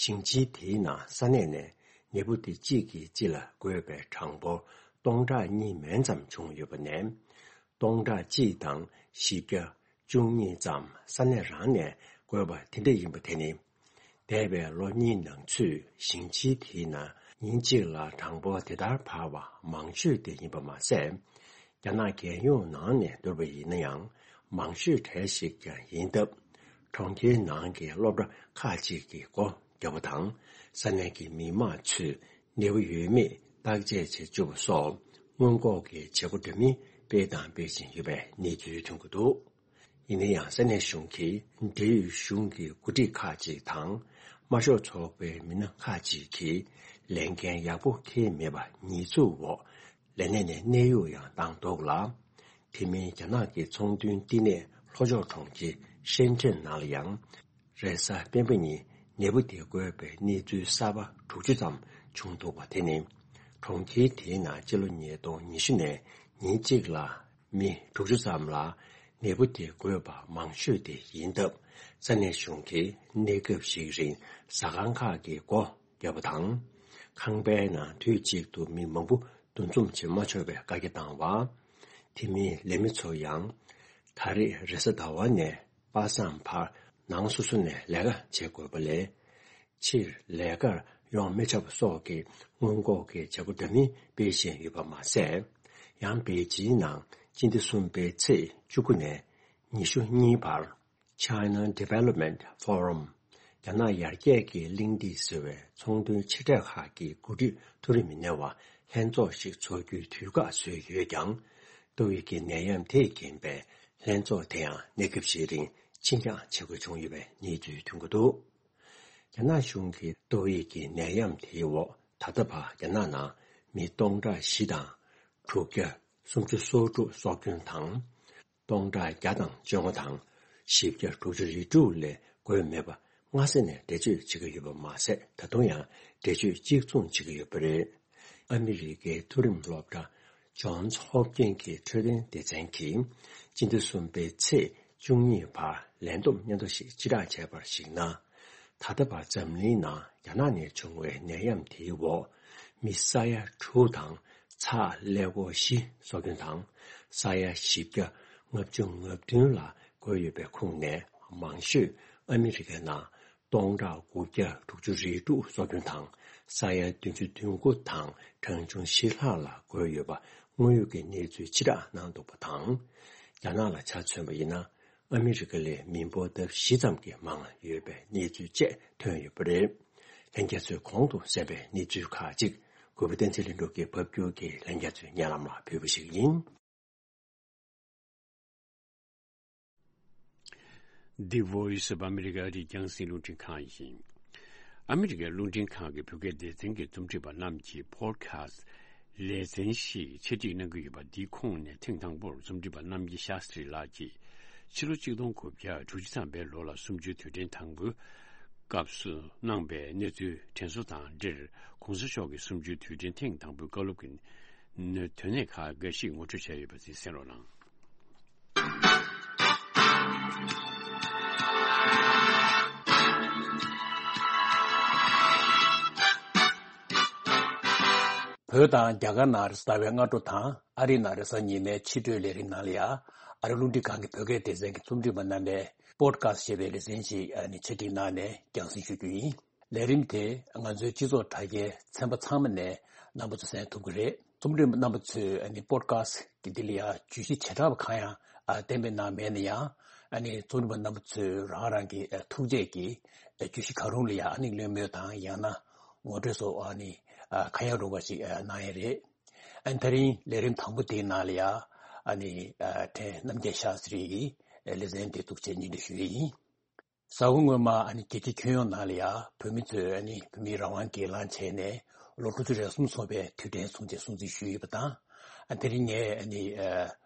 ཞིང་ཆེན་དེའི་ནང་ས་གནས་ནས་ནད་འབུ་དེ་གཅིག་གིས་གཅིག་ལ་འགོས་པའི་གྲངས་འབོར་སྟོང་ཕྲག་གཉིས་མན་ཙམ་བྱུང་ཡོད་པ་ནས། སྟོང་ཕྲག་གཅིག་དང་བཞི་བརྒྱ་བཅུ་གཉིས་ཙམ་ས་གནས་རང་ནས་འགོས་པ་དེ་འདྲ་ཡིན་པ་དེ་ནི། འདས་པའི་ལོ་གཉིས་ནང་ཚུད་ཞིང་ཆེན་དེའི་ནང་ཉིན་གཅིག་ལ་གྲངས་འབོར་དེ་ལྟར་འཕར་བ་མང་ཤོས་དེ་ཡིན་པ་མ་ཟད། རྒྱ་ནག་རྒྱལ་ཡོངས་ནང་ནས་བསྡུར་བ་ཡིན་ན་ཡང་མང་ཤོས་གྲས་ཤིག་ཀྱང་ཡིན་སྟབས། གྲོང་ཁྱེར་ནང་གི་སློབ་གྲྭ་ཁག་ཅིག་གི་སྒོ་བརྒྱབ་པ་དང་། ས་གནས་ཀྱི་མི་མང་ཚོས་ནད་འབུ་ཡོད་མེད་བརྟག་དཔྱད་བྱེད་བཅུག་པ་སོགས་སྔོན་འགོག་གི་བྱེད་སྒོ་འདྲ་མིན་སྤེལ་དང་སྤེལ་བཞིན་ཡོད་པའི་གནས་ཚུལ་ཐོན་གྱི་འདུག་ཡིན་ན་ཡང་ས་གནས་གཞུང་གིས་འབྲེལ་ཡོད་གཞུང་གི་འགོ་ཁྲིད་ཁག་ཅིག་དང་། དམར་ཤོག་ཚོགས་པའི་མི་སྣ་ཁག་ཅིག་གིས་ལས་འགན་ཡག་པོ་འཁྱེར་མེད་པ་ཉེས་འཛུགས་འོག་ལས་གནས་ནས་གནས་དབྱུང་ཡང་བཏང་འདུག་ལ། དེ་མིན་རྒྱ་ནག་གི་ཚོང་དོན་བསྟི་གནས་ལྷོ་ཕྱོགས་གྲོང་ཁྱེར་ཧྲེན་ཀྲེན་ནང་ལ་ཡང་། རེས་གཟའ་སྤེན་པ་ཉིན་ནད་འབུ་དེ་འགོས་པའི་གནས་ཚུལ་གསར་པ་དྲུག་ཅུ་ཙམ་བྱུང་འདུག་པ་དེ་ནི། གྲོང་ཁྱེར་དེའི་ནང་སྤྱི་ལོ་ཉིས་སྟོང་ཉི་ཤུ་ནས་ཉིན་གཅིག་ལ་མི་དྲུག་ཅུ་ཙམ་ལ་ནད་འབུ་དེ་འགོས་པ་མང་ཤོས་དེ་ཡིན་སྟབས། ས་གནས་གཞུང་གིས་གནས་སྐབས་ཤིག་རིང་ཟ་ཁང་ཁག་གི་སྒོ་བརྒྱབ་པ་དང་། ཁང་པའི་ནང་དུས་གཅིག་ཏུ་མི་མང་པོ་འདུ་འཛོམས་བྱེད་མ་ཆོག་པའི་བཀའ་རྒྱ་བཏང་བ། དེ་མིན་ལས་མི་ཚོ་ཡང་ད་རེས་རེས་གཟའ་ཟླ་བ་ནས་པ་སངས་བར་ནང་སོ་སོ་ནས་ལས་ཀ་བྱེད་དགོས་པ་ལས། ཕྱིར་ལས་ཀར་ཡོང་མི་ཆོག་པ་སོགས་ཀྱི་སྔོན་འགོག་གི་བྱེད་སྒོ་འདྲ་མིན་སྤེལ་བཞིན་ཡོད་པ་མ་ཟད། ཡང་པེ་ཅིན་ནང་སྤྱི་ཟླ་གསུམ་པའི་ཚེས་བཅུ་དགུ་ནས་ཉི་ཤུ་གཉིས་བར། China Development Forum། རྒྱ་ནག་ཡར་རྒྱས་ཀྱི་གླེང་སྟེགས་ཟེར་བའི་ཚོང་དོན་ཆེ་གྲས་ཁག་གི་འགོ་ཁྲིད་མཐོ་རིམ་མི་སྣའི་ལྷན་ཚོགས་ཤིག་འཚོགས་རྒྱུའི་དུས་བཀག་བཟོས་ཡོད་ཀྱང་། ཏོག་དབྱིབས་ཀྱི་ནད་ཡམས་དེས་རྐྱེན་པས་ལྷན་ཚོགས་དེའང་གནས་སྐབས་ཤིག་རིང་ཕྱིར་འགྱངས་བྱེད་དགོས་བྱུང་ཡོད་པའི་གནས་ཚུལ་ཐོན་གྱི་འདུག་རྒྱ་ནག་གཞུང་གིས་ཏོག་དབྱིབས་ཀྱི་ནད་ཡམས་དེའི་འོག་ད་ལྟ་བར་རྒྱ་ནག་ནང་མི་སྟོང་ཕྲག་བཞི་དང་དྲུག་བརྒྱ་སུམ་ཅུ་སོ་དྲུག་སྲོག་སྐྱོན་དང་། སྟོང་ཕྲག་བརྒྱ་དང་བཅོ་ལྔ་དང་བཞི་བརྒྱ་དྲུག་ཅུ་རེ་དྲུག་ལས་འགོས་མེད་པ་སྔ་ས་ནས་འགྲེལ་བརྗོད་བྱེད་ཀྱི་ཡོད་པ་མ་ཟད། ད་དུང་ཡང་འགྲེལ་བརྗོད་གཅིག་མཚུངས་བྱེད་ཀྱི་ཡོད་པ་རེད། ཨ་མི་རི་ཀའི་མཐོ་རིམ་སློབ་གྲྭ་Johns Hopkins གྱི་འཕྲོད་བསྟེན་སྡེ་ཚན་གྱིས་སྤྱི་ཟླ་གསུམ་པའི་ཚེས་བཅུ་གཉིས་བར་ལས་བསྡོམས་སྙན་ཐོ་ཞིག་ཕྱིར་བསྒྲགས་བྱས་པར་གཞིགས་ན། ད་ལྟ་བར་འཛམ་གླིང་ནང་རྒྱ་ནག་ནས་བྱུང་བའི་ནད་ཡམས་དེའི་འོག་མི་ས་ཡ་དྲུག་དང་ཚེག་ཀླད་ཀོར་བཞི་སྲོག་སྐྱོན་དང་ས་ཡ་བཞི་བརྒྱ་ལྔ་བཅུ་ང་བདུན་ལ་འགོས་ཡོད་པའི་ཁོངས་ནས་མང་ཤོས་ཨ་མི་རི་ཀའི་ནང་སྟོང་ཕྲག་དགུ་བརྒྱ་དྲུག་ཅུ་རེ་དྲུག་སྲོག་སྐྱོན་དང་ས་ཡ་བདུན་ཅུ་དོན་དགུ་དང་གྲངས་ཆུང་བཞི་ལྷག་ལ་འགོས་ཡོད་པ་དངོས་ཡོད་ཀྱི་གནས་ཚུལ་ཕྱིར་བསྒྲགས་གནང་འདུག་པ་དང་། རྒྱ་ནག་ལ་ཆ་མཚོན་པ་ཡིན་ན། ཨ་མི་རི་ཀ་ལས་མི་འབོར་ལྡབ་བཞི་ཙམ་གྱིས་མང་ཡོད་པའི་གནས་ཚུལ་བཅས་ཐོན་ཡོད་པ་རེད། ལྷན་རྒྱས་ཚོས་གོང་དུ་གསན་པའི་གནས་ཚུལ་ཁག་ཅིག་གུས་པ་བསྟན་འཛིན་ལྷུན་གྲུབ་ཀྱིས་ཕབ་སྒྱུར་གྱིས་ལྷན་རྒྱས་ཚོའི་སྙན་ལམ་ལ་ཕུལ་བ་ཞིག་ཡིན། The Voice of America རེད། རྒྱང་སྲིང་རླུང་འཕྲིན་ཁང་ཡིན། ཨ་མི་རི་ཀའི་རླུང་འཕྲིན་ཁང་གི་བོད་སྐད་སྡེ་ཚན་གྱི་རྩོམ་སྒྲིག་པ་རྣམས་ཀྱིས་པོ་ཌི་ཁ་སི་ཊི་ལེ་ཚན་ཞིག་ཆེད་སྒྲིག་གནང་གི་ཡོད་པ་འདིའི་ཁོངས་ནས་ཐེངས་དང་པོར་རྩོམ་སྒྲིག་པ་རྣམ་རྒྱལ་ཤཱ་སྟྲི་ལགས་ཀྱིས་ཕྱི་ལོ་ཆིག་སྟོང་དགུ་བརྒྱ་དྲུག་ཅུ་ཐམ་པའི་ལོ་ལ་གསུམ་བཅུའི་དུས་དྲན་དང་པོའི་སྐབས་སུ་གནང་པའི་གནས་ཚུལ་དྲན་གསོ་དང་འབྲེལ། ྋགོང་ས་མཆོག་གི་གསུམ་བཅུའི་དུས་དྲན་ཐེངས་དང་པོའི་བཀའ་སློབ་ཀྱི་དོན་གནད་ཁག་འགའ་ཞིག་ངོ་སྤྲོད་བྱས་ཡོད་པ་དེ་གསན་རོགས་གནང་། བོད་དང་རྒྱ་གར་ནང་རེས་གཟའ་ཟླ་བའི་སྔ་དྲོ་དང་ཨ་རི་ནང་རེས་གཟའ་ཉི་མའི་ཕྱི་དྲོའི་ལས་རིམ་ནང་ལ་ཡང་ཨ་རི་རླུང་འཕྲིན་ཁང་གི་བོད་སྐད་སྡེ་ཚན་གྱི་རྩོམ་སྒྲིག་པ་རྣམ་པས་པོ་ཌི་ཁ་སི་ཊི་ཞེས་པའི་ལེ་ཚན་ཞིག་ཨ་ནི་ཆེད་སྒྲིག་གནང་ནས་རྒྱང་སྲིང་ཞུ་རྒྱུ་ཡིན། ལས་རིམ་དེ་ང་ཚོའི་སྤྱི་ཚོགས་དྲ་རྒྱའི་ཚན་པ་ཚང་མ་ནས་རྣམ་པ་ཚོ་གསན་ཐུབ་ཀྱི་རེད། རྩོམ་སྒྲིག་པ་རྣམ་པ་ཚོས་ཨ་ནི་པོ་ཌི་ཁ་སི་ཊི་གི་འདི་ལ་ཡང་བརྗོད་གཞི་བྱེ་བྲག་པ་གང་ཡང་ཨ་གཏན་འབེབས་གནང་མེད་ན་ཡང་། ཨ་ནི་རྩོམ་སྒྲིག་པ་རྣམ་པ་ཚོས་རང་རང་གི་ཨ་ཐུགས་བསྐྱེད་ཀྱིས་ཨ་བརྗོད་གཞི་གང་རུང་ལ་ཡང་ཨ་ནི་བློས་མོལ་དང་ཡང་ན་ངོ་སྤྲོད་སོགས་ཨ་ནི་ཨ་གང་ཡང་རུང་བ་ཞིག་ཨ་གནང་ཡས་རེད། ཨ་ནི་ད་རིང་ལས་རིམ་དང་པོ་དེའི་ནང་ལ་ཡང་ཨ་ནི་ཨ་ཕྲན་རྣམ་རྒྱལ་ཤཱ་སྟྲི་ཡིས་ལེ་ཚན་དེ་གཏུག་བྱས་སྙན་སྒྲོན་ཞུ་ཡས་ཡིན། གཟའ་འཁོར་སྔོན་མ་ཨ་ནི་རྒྱལ་སྤྱིའི་ཁྱོན་ཡོངས་ནང་ལ་ཡང་བོད་མི་ཚོས་ཨ་ནི་བོད་མིའི་རང་དབང་སྒེར་ལངས་བྱས་ནས་ལོ་དྲུག་ཅུ་རེ་གསུམ་སོང་བའི་དུས་དྲན་སྲུང་བརྩི་སྲུང་བརྩི་ཞུས་ཡོད་པ་དང་། ཨ་དེ་རིང་ངས་ཨ་ནི་ཨ་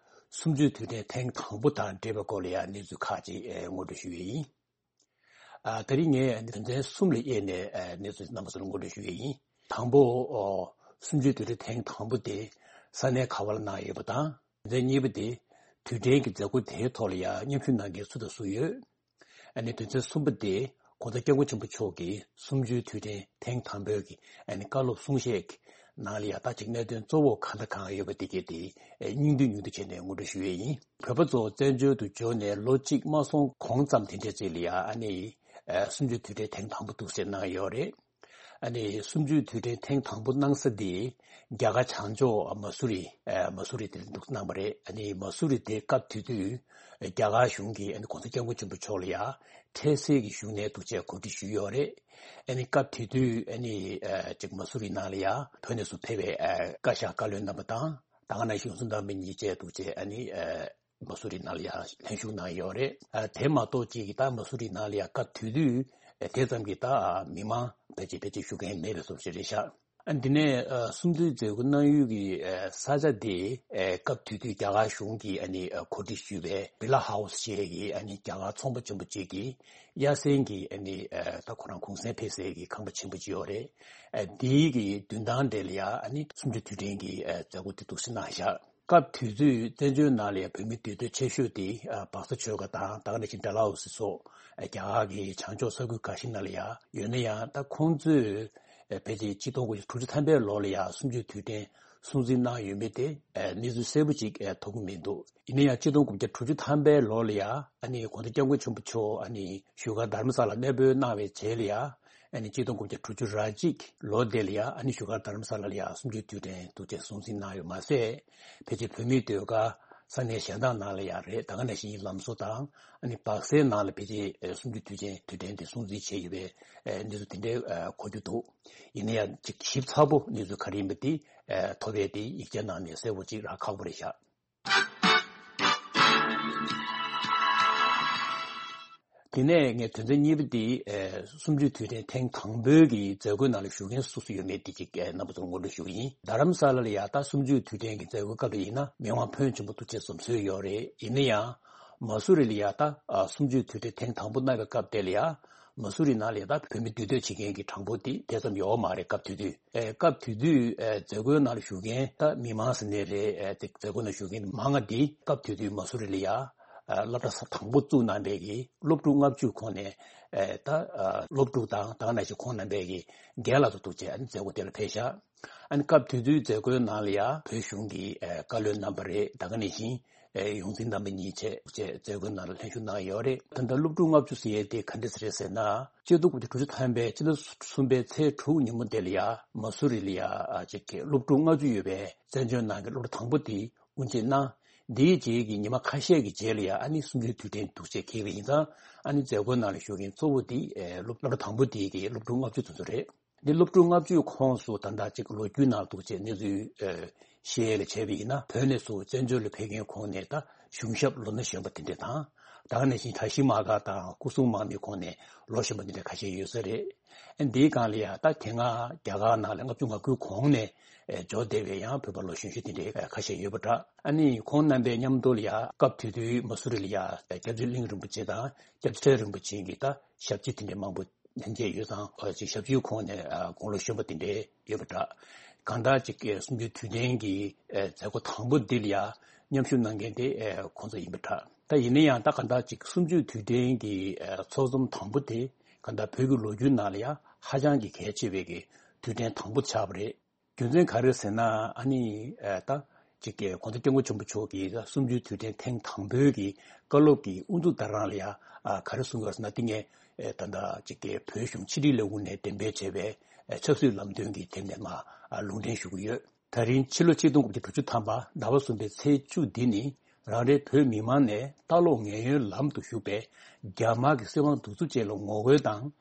གསུམ་བཅུའི་དུས་དྲན་ཐེངས་དང་པོ་དང་འབྲེལ་བའི་སྐོར་ལ་ཡང་གནས་ཚུལ་ཁག་ཅིག་ཨ་ངོ་སྤྲོད་ཞུ་ཡས་ཡིན། ཨ་དེ་རིང་ངས་ཨ་ནི་དོན་ཚན་གསུམ་ལ་དབྱེ་ནས་ཨ་གནས་ཚུལ་རྣམ་པ་ཚོར་ངོ་སྤྲོད་ཞུ་ཡས་ཡིན། དང་པོ། ཨོ། གསུམ་བཅུའི་དུས་དྲན་ཐེངས་དང་པོ་དེ་ས་གནས་ག་བ་ལ་གནང་ཡོད་པ་དང་། དོན་ཚན་གཉིས་པ་དེ། དུས་དྲན་གྱི་མཛད་སྒོ་དེའི་ཐོག་ལ་ཡང་མཉམ་ཞུགས་གནང་མཁན་སུ་དང་སུ་ཡོད། ཨ་ནི་དོན་ཚན་གསུམ་པ་དེ། ྋགོང་ས་ྋསྐྱབས་མགོན་ཆེན་པོ་མཆོག་གིས་གསུམ་བཅུའི་དུས་དྲན་ཐེངས་དང་པོའི་གི་ཨ་ནི་བཀའ་སློབ་གསུང་བཤད་ཀྱི་ནང་ལ་ཡང་ད་ཅིག་གནད་དོན་གཙོ་བོ་གང་དང་གང་ཡོད་པ་དེ་གས་དེ་ཨ་སྙིང་བསྡུས་སྙིང་བསྡུས་བྱས་ནས་ངོ་སྤྲོད་ཞུ་ཡས་ཡིན། བོད་པ་ཚོ་བཙན་བྱོལ་དུ་འབྱོར་ནས་ལོ་གཅིག་མ་སོང་གོང་ཙམ་དེ་འདྲའི་ཅིག་ལ་ཡང་ཨ་ནི་ཨ་གསུམ་བཅུའི་དུས་དྲན་ཐེངས་དང་པོ་འདུག་སེ་གནང་ཡོད་རེད། ཨ་ནི་གསུམ་བཅུའི་དུས་དྲན་ཐེངས་དང་པོ་གནང་ས་དེ་རྒྱ་གར་བྱང་ཕྱོགས་མ་སུ་རི། ཨ་མ་སུ་རི་དེ་འདུག་གནང་བ་རེད། ཨ་ནི་མ་སུ་རི་དེ་སྐབས་དེ་དུས་རྒྱ་གར་གཞུང་གིས་ཨ་ནི་ྋགོང་ས་ྋསྐྱབས་མགོན་ཆེན་པོ་མཆོག་ལ་ཡང་འཕྲལ་སེལ་གྱི་བཞུགས་གནས་འདུག་ཅེས་གོ་སྒྲིག་ཞུས་ཡོད་རེད། ཨ་ནི་སྐབས་དེ་དུས་ཨ་ནི་ཨ་ཅིག་མ་སུ་རི་ནང་ལ་ཡང་བོད་ནས་སུ་ཕེབས་པའི་ཨ་བཀའ་ཤག་བཀའ་བློན་རྣམ་པ་དང་། ད་ག་ནང་བཞིན་ཡོངས་འཛིན་རྣམ་པ་གཉིས་བཅས་འདུག་ཅེས་ཨ་ནི་ཨ་མ་སུ་རི་ནང་ལ་ཡང་ལྷན་ཞུགས་གནང་ཡོད་རེད། ཨ་དེ་མ་གཏོགས་ཅིག་གིས་ད་མ་སུ་རི་ནང་ལ་ཡང་སྐབས་དེ་དུས་དེ་ཙམ་གྱི་ད་མི་མང་ཕལ་ཆེར་ཕལ་ཆེར་ཞུ་མཁན་མེད་པའི་བཟོ་ཞིག་རེད་ཤག་ཨ་འདི་ནས་ཨ་གསུམ་བཅུའི་མཛད་སྒོ་གནང་ཡུལ་གྱི་ཨ་ས་ཆ་དེ་ཨ་སྐབས་དེ་དུས་རྒྱ་གར་གཞུང་གིས་ཨ་ནི་ཨ་གོ་སྒྲིག་ཞུས་པའི་བི་ལ་ཧའུ་སི་ཞེས་ཀྱི་ཨ་ནི་རྒྱ་གར་ཚོང་པ་ཆེན་པོ་གཅིག་གི་གཡར་ཟིན་གྱི་ཨ་ནི་ཨ་ད་ཁོ་རང་གུང་སེང་ཕེབས་སའི་གི་ཁང་པ་ཆེན་པོ་གཅིག་ཡོད་རེད། ཨ་དེའི་གི་མདུན་ཐང་དེ་ལ་ཡང་ཨ་ནི་གསུམ་བཅུའི་དུས་དྲན་གྱི་ཨ་མཛད་སྒོ་དེ་འདུག་སེ་གནང་ཤག་སྐབས་དུས་ཚོད་བཙན་བྱོལ་ནང་ལ་བོད་མི་འདུས་སྡོད་ཆེ་ཤོས་དེ་ཨ་སྦག་ས་ཆོལ་ཁ་དང་ད་ག་ནང་བཞིན་ཌལ་ཧོ་སི་སོགས་ཨ་རྒྱ་གར་གྱི་བྱང་ཕྱོགས་ས་ཁུལ་འགའ་ཞིག་ནང་ལ་ཡང་ཡོད་ན་ཡང་། ད་ཁོང་ཚོས་ཨ་ཕལ་ཆེར་ཆིག་སྟོང་དགུ་བརྒྱ་དྲུག་ཅུ་ཐམ་པའི་ལོ་ལ་ཡང་གསུམ་བཅུའི་དུས་དྲན་སྲུང་བརྩི་གནང་ཡོད་མེད་དེ་ཨ་གནས་ཚུལ་གསལ་པོ་ཅིག་ཨ་ཐོབ་ཀྱི་མི་འདུག་ཡིན་ན་ཡང་ཆིག་སྟོང་དགུ་བརྒྱ་དྲུག་ཅུ་ཐམ་པའི་ལོ་ལ་ཡང་ཨ་ནི་ྋགོང་ས་ྋསྐྱབས་མགོན་ཆེན་པོ་མཆོག་ཨ་ནི་བཞུགས་སྒར་དྷ་རམ་ས་ལར་གནས་སྤོས་གནང་བའི་རྗེས་ལ་ཡང་། ཨ་ནི་ཆིག་སྟོང་དགུ་བརྒྱ་དྲུག་ཅུ་རེ་གཅིག་ལོ་དེ་ལ་ཡང་ཨ་ནི་བཞུགས་སྒར་དྷ་རམ་ས་ལ་ལ་ཡང་གསུམ་བཅུའི་དུས་དྲན་འདུག་ཅེས་སྲུང་བརྩི་གནང་ཡོད་མ་ཟད། ཕལ་ཆེར་བོད་མིའི་སྡོད་སྒར་ས་གནས་གཞན་དག་ནང་ལ་ཡང་རེད། ད་ག་ནང་བཞིན་ལམ་བཟོ་དང་ཨ་ནི་སྦག་སའི་ནང་ལ་ཕལ་ཆེར་གསུམ་བཅུའི་དུས་ཆེན་དུས་དྲན་དེ་སྲུང་བརྩི་བྱས་ཡོད་པའི་གནས་ཚུལ་དེ་འདྲའི་གོ་རྒྱུ་འདུག་ཡིན་ན་ཡང་ཅིག་ཞིབ་ཚགས་པོ་གནས་ཚུལ་ག་རེ་ཡིན་པ་དེ་ཐོབ་པའི་དེ་ཡིག་ཆ་ནང་ནས་གསལ་པོ་ཅིག་རག་ཁག་པོ་རེད་ཤག་དེ་ནས་ངས་དོན་ཚན་གཉིས་པ་དེ་ཨེ་གསུམ་བཅུའི་དུས་དྲན་ཐེངས་དང་པོའི་གི་མཛད་སྒོའི་ནང་ལ་ཞུགས་མཁན་སུ་སུ་ཡོད་མེད་དེ་ཅིག་ཨེ་རྣམ་པ་ཚོར་ངོ་སྤྲོད་ཞུ་གི་ཡིན། རྡ་རམ་ས་ལ་ལ་ཡ་ད་གསུམ་བཅུའི་དུས་དྲན་གྱི་མཛད་སྒོའི་སྐབས་ལ་ཡིན་ན་མི་མང་ཕོན་ཆེན་པོ་ཐུགས་རྗེ་ཆེ་ཙམ་བཟོས་ཡོད་རེད། ཡིན་ན་ཡང་མ་སུ་རི་ལ་ཡ་ད་ཨ་གསུམ་བཅུའི་དུས་དྲན་ཐེངས་དང་པོ་གནང་བའི་སྐབས་དེ་ལ་ཡ་མ་སུ་རི་ནང་ལ་ཡ་ད་བོད་མི་འདུས་སྡོད་བྱེད་མཁན་གྱི་གྲངས་འབོར་དེ་དེ་ཙམ་ཡོད་མ་རེད། སྐབས་དེ་དུས། ཨེ་སྐབས་དེ་དུས་ཨེ་མཛད་སྒོའི་ནང་ལ་ཞུགས་མཁན་ད་མི་མང་ཟེར་ནའི་རེད། ཨེ་དེ་མཛད་སྒོའི་ནང་ཞུགས་མཁན་མང་ང་འདི་སྐབས་དེ་དུས་མ་སུ་རི་ལ་ཡ་ཨ་སློབ་གྲྭ་ས་དང་པོ་བཙུགས་གནང་པའི་གི་སློབ་ཕྲུག་ལྔ་བཅུ་ཁོངས་ནས་ཨེ་ད་ཨ་སློབ་ཕྲུག་དང་ད་ག་ནང་བཞིན་ཁོང་རྣམ་པས་གི་རྒན་ལགས་ཚོ་འདུག་བྱས་ཨ་ནི་མཛད་སྒོ་དེ་ལ་ཕེབས་ཤག་ཨ་ནི་སྐབས་དེ་དུས་མཛད་སྒོའི་ནང་ལ་ཡ་བོད་གཞུང་གི་ཨེ་བཀའ་བློན་རྣམ་པ་རེད། ད་ག་ནང་བཞིན། ཨེ་ཡོངས་འཛིན་རྣམ་པ་གཉིས་བཅས་བཅས་མཛད་སྒོའི་ནང་ལ་ལྷན་ཞུགས་གནང་ཡོད་རེད། ད་ལྟ་སློབ་ཕྲུག་ལྔ་བཅུ་ཟེར་ཡས་དེ་ག་འདྲ་ཟེར་རེད་ཟེར་ན། ཆིག་སྟོང་དགུ་བརྒྱ་དྲུག་ཅུ་ཐམ་པའི་ཕྱི་ཟླ་གསུམ་པའི་ཚེས་དྲུག་ཉིན་མོ་དེ་ལ་ཡ་མ་སུ་རི་ལ་ཡ་ཨ་ཅིག་གི་སློབ་ཕྲུག་ལྔ་བཅུ་ཡོད་པའི་བཙན་བྱོལ་ནང་གི་སློབ་གྲྭ་དང་པོ་དེ་དབུ་འབྱེད་གནང་། འདིའི་རྗེས་ཀྱི་ཉི་མ་ཁ་ཤས་ཀྱི་རྗེས་ལ་ཡ་ཨ་ནི་གསུམ་བཅུའི་དུས་དྲན་འདུག་ཅེས་འཁེལ་བ་ཡིན་ཙང་ཨ་ནི་མཛད་སྒོའི་ནང་ལ་ཞུགས་མཁན་གཙོ་བོ་དེ་ཨེ་སློབ་སློབ་གྲྭ་དང་པོ་དེའི་གི་སློབ་ཕྲུག་ལྔ་བཅུ་ཙམ་ཙམ་རེད། འདི་སློབ་ཕྲུག་ལྔ་བཅུའི་ཁོངས་སུ་ད་ལྟ་གཅིག་ལོ་རྒྱུས་ནང་འདུག་ཅེས་གནས་ཚུལ་ཨེ་ བཤད་ཡས་ལ་བྱས་པ་ཡིན་ན། བོད་ནས་ཚུར་བཙན་བྱོལ་ལ་ཕེབས་མཁན་ཁོངས་ནས་ད་གཞུང་ཞབས་ལོ་ན་གཞོན་པ་དེ་འདྲས་དང་། ད་ག་ནང་བཞིན་གྲྭ་བཞི་མ་ག་དང་སྐུ་སྲུང་མ་མི་ཁོངས་ནས་ལོ་གཞོན་པ་དེ་འདྲས་ཁ་ཤས་ཡོད་ས་རེད། ཨ་འདིའི་སྒང་ལ་ཡ་ད་དེ་སྔ་རྒྱ་གར་ནང་ལ་ལྔ་བཅུ་ང་དགུའི་གོང་ནས་ཨེ་འབྱོར་བསྡད་པའི་ཡང་བོད་པ་ལོ་གཞོན་གཞོན་དེ་འདྲས་ཁ་ཤས་ཡོད་པ་འདྲ། ཨ་ནི་ཁོང་རྣམ་པའི་མཉམ་དུ་ལ་ཡ་སྐབས་དེ་དུས་མ་སུ་རི་ལ་ཡ་སྐྱབས་རྗེ་གླིང་རིན་པོ་ཆེ་དང་སྐྱབས་རྗེ་ཁྲི་རིན་པོ་ཆེ་གི་ད་ཞབས་ཕྱི་དེ་འདྲས་མང་པོ་ལྷན་རྒྱས་ཡོད་ཙང་། ཨ་ཅིག་ཞབས་ཕྱིའི་ཁོངས་ནས་ཨ་དགུང་ལོ་གཞོན་པ་དེ་འདྲས་ཡོད་པ་འདྲ། གང་ལྟར་ཅིག་གསུམ་བཅུའི་དུས་དྲན་གྱི་ཨ་མཛད་སྒོ་དང་པོ་འདི་ལ་ཡ་མཉམ་ཞུགས་གནང་མཁན་དེ་ཨ་ཁོང་ཚོ་ཡིན་པ་འདྲ། ད་ཡིན་ན་ཡང་ད་གང་ལྟར་ཅིག་གསུམ་བཅུའི་དུས་དྲན་གྱི་ཨ་ཚོགས་འཛོམས་དང་པོ་དེ་གང་ལྟར་བོད་ཀྱི་ལོ་རྒྱུས་ནང་ལ་ཡ་ཧ་ཅང་གི་གལ་ཆེ་བའི་གི་དུས་དྲན་དང་པོ་ཆགས་པ་རེད། རྒྱུ་མཚན་ག་རེ་ཟེར་ན། ཨ་ནི་ཨ་ད་ཅིག་གི་གོང་ས་སྐྱབས་མགོན་ཆེན་པོ་མཆོག་གིས་གསུམ་བཅུའི་དུས་དྲན་ཐེངས་དང་པོའི་གི་བཀའ་སློབ་ཀྱི་དབུ་འཛུགས་བརྡ་རང་ལ་ཡ་ཨ་ག་རེ་གསུངས་ཡོད་ཟེར་ན། དེ་ངས་ཨ་ད་ལྟ་ཅིག་གི་བོད་གཞུང་ཕྱི་དྲིལ་ལས་ཁུངས་ནས་གཏན་འབེབས་བྱས་པའི་ཨ་ཆབ་སྲིད་ལམ་སྟོན་གྱི་དེབ་ནས་མར་ཨ་ལུང་འདྲེན་ཞུ་གི་ཡོད། ད་རིང་ཕྱི་ལོ་ཆིག་སྟོང་དགུ་བརྒྱ་དྲུག་ཅུ་ཐམ་པ་ཟླ་བ་གསུམ་པའི་ཚེས་བཅུ་འདི་ནི། རང་རེའི་བོད་མི་མང་ནས་ལྟ་ལོག་ངན་གཡོའི་ལམ་དུ་ཞུགས་པའི་རྒྱ་དམར་གྱི་སྲིད་དབང་གདུག་རྩུབ་ཅན་ལ་ངོ་རྒོལ་དང་།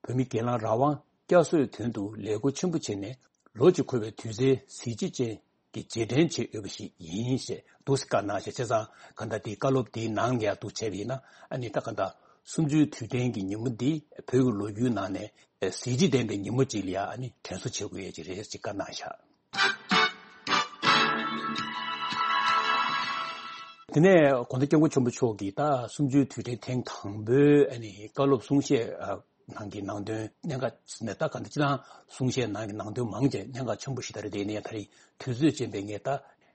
བོད་མི་སྒེར་ལངས་རང་དབང་བསྐྱར་གསོའི་དོན་དུ་ལས་འགུལ་ཆེན་པོ་བྱས་ནས། ལོ་གཅིག་འཁོར་བའི་དུས་ཚེས་གཟི་བརྗིད་ཅན་གྱི་རྗེས་དྲན་བྱས་ཡོད་པ་ཞིག་ཡིན་ཞེས་འདུག་སེ་བཀའ་གནང་ཞེས། བྱས་ཙང་གང་ལྟར་དེའི་བཀའ་སློབ་དེའི་ནང་ལ་ཡ་འདུག་བྱས་པ་ཡིན་ན། ཨ་ནི་ད་གང་ལྟར་གསུམ་བཅུའི་དུས་དྲན་གྱི་ཉིན་མོ་འདི་བོད་ཀྱི་ལོ་རྒྱུས་ནང་ནས་གཟི་བརྗིད་ལྡན་པའི་ཉིན་མོ་ཅིག་ལ་ཡ་ཨ་ནི་དྲན་གསོ་བྱེད་དགོས་ཡས་ཅིག་རེད་ཅེས་བཀའ་གནང་བཞག། དེ་ནས་གོང་ས་སྐྱབས་མགོན་ཆེན་པོ་མཆོག་གིས་ད་གསུམ་བཅུའི་དུས་དྲན་ཐེངས་དང་པོའི་ཨ་ནི་བཀའ་སློབ་གསུང་བཤད་ཨ་ནང་གི་ནང་དོན། གནད་འགག་ནས་ད་ག་འདི་སྤྱིར་བཏང་གསུང་བཤད་ནང་གི་ནང་དོན་མང་ཆེ་གནད་འགག་ཆེན་པོ་ཞིག་ད་རེད། དེ་ཡིན་ན་ཡང་ད་རིང་དུས་ཚོད་ཅན་པས་ངས་ད་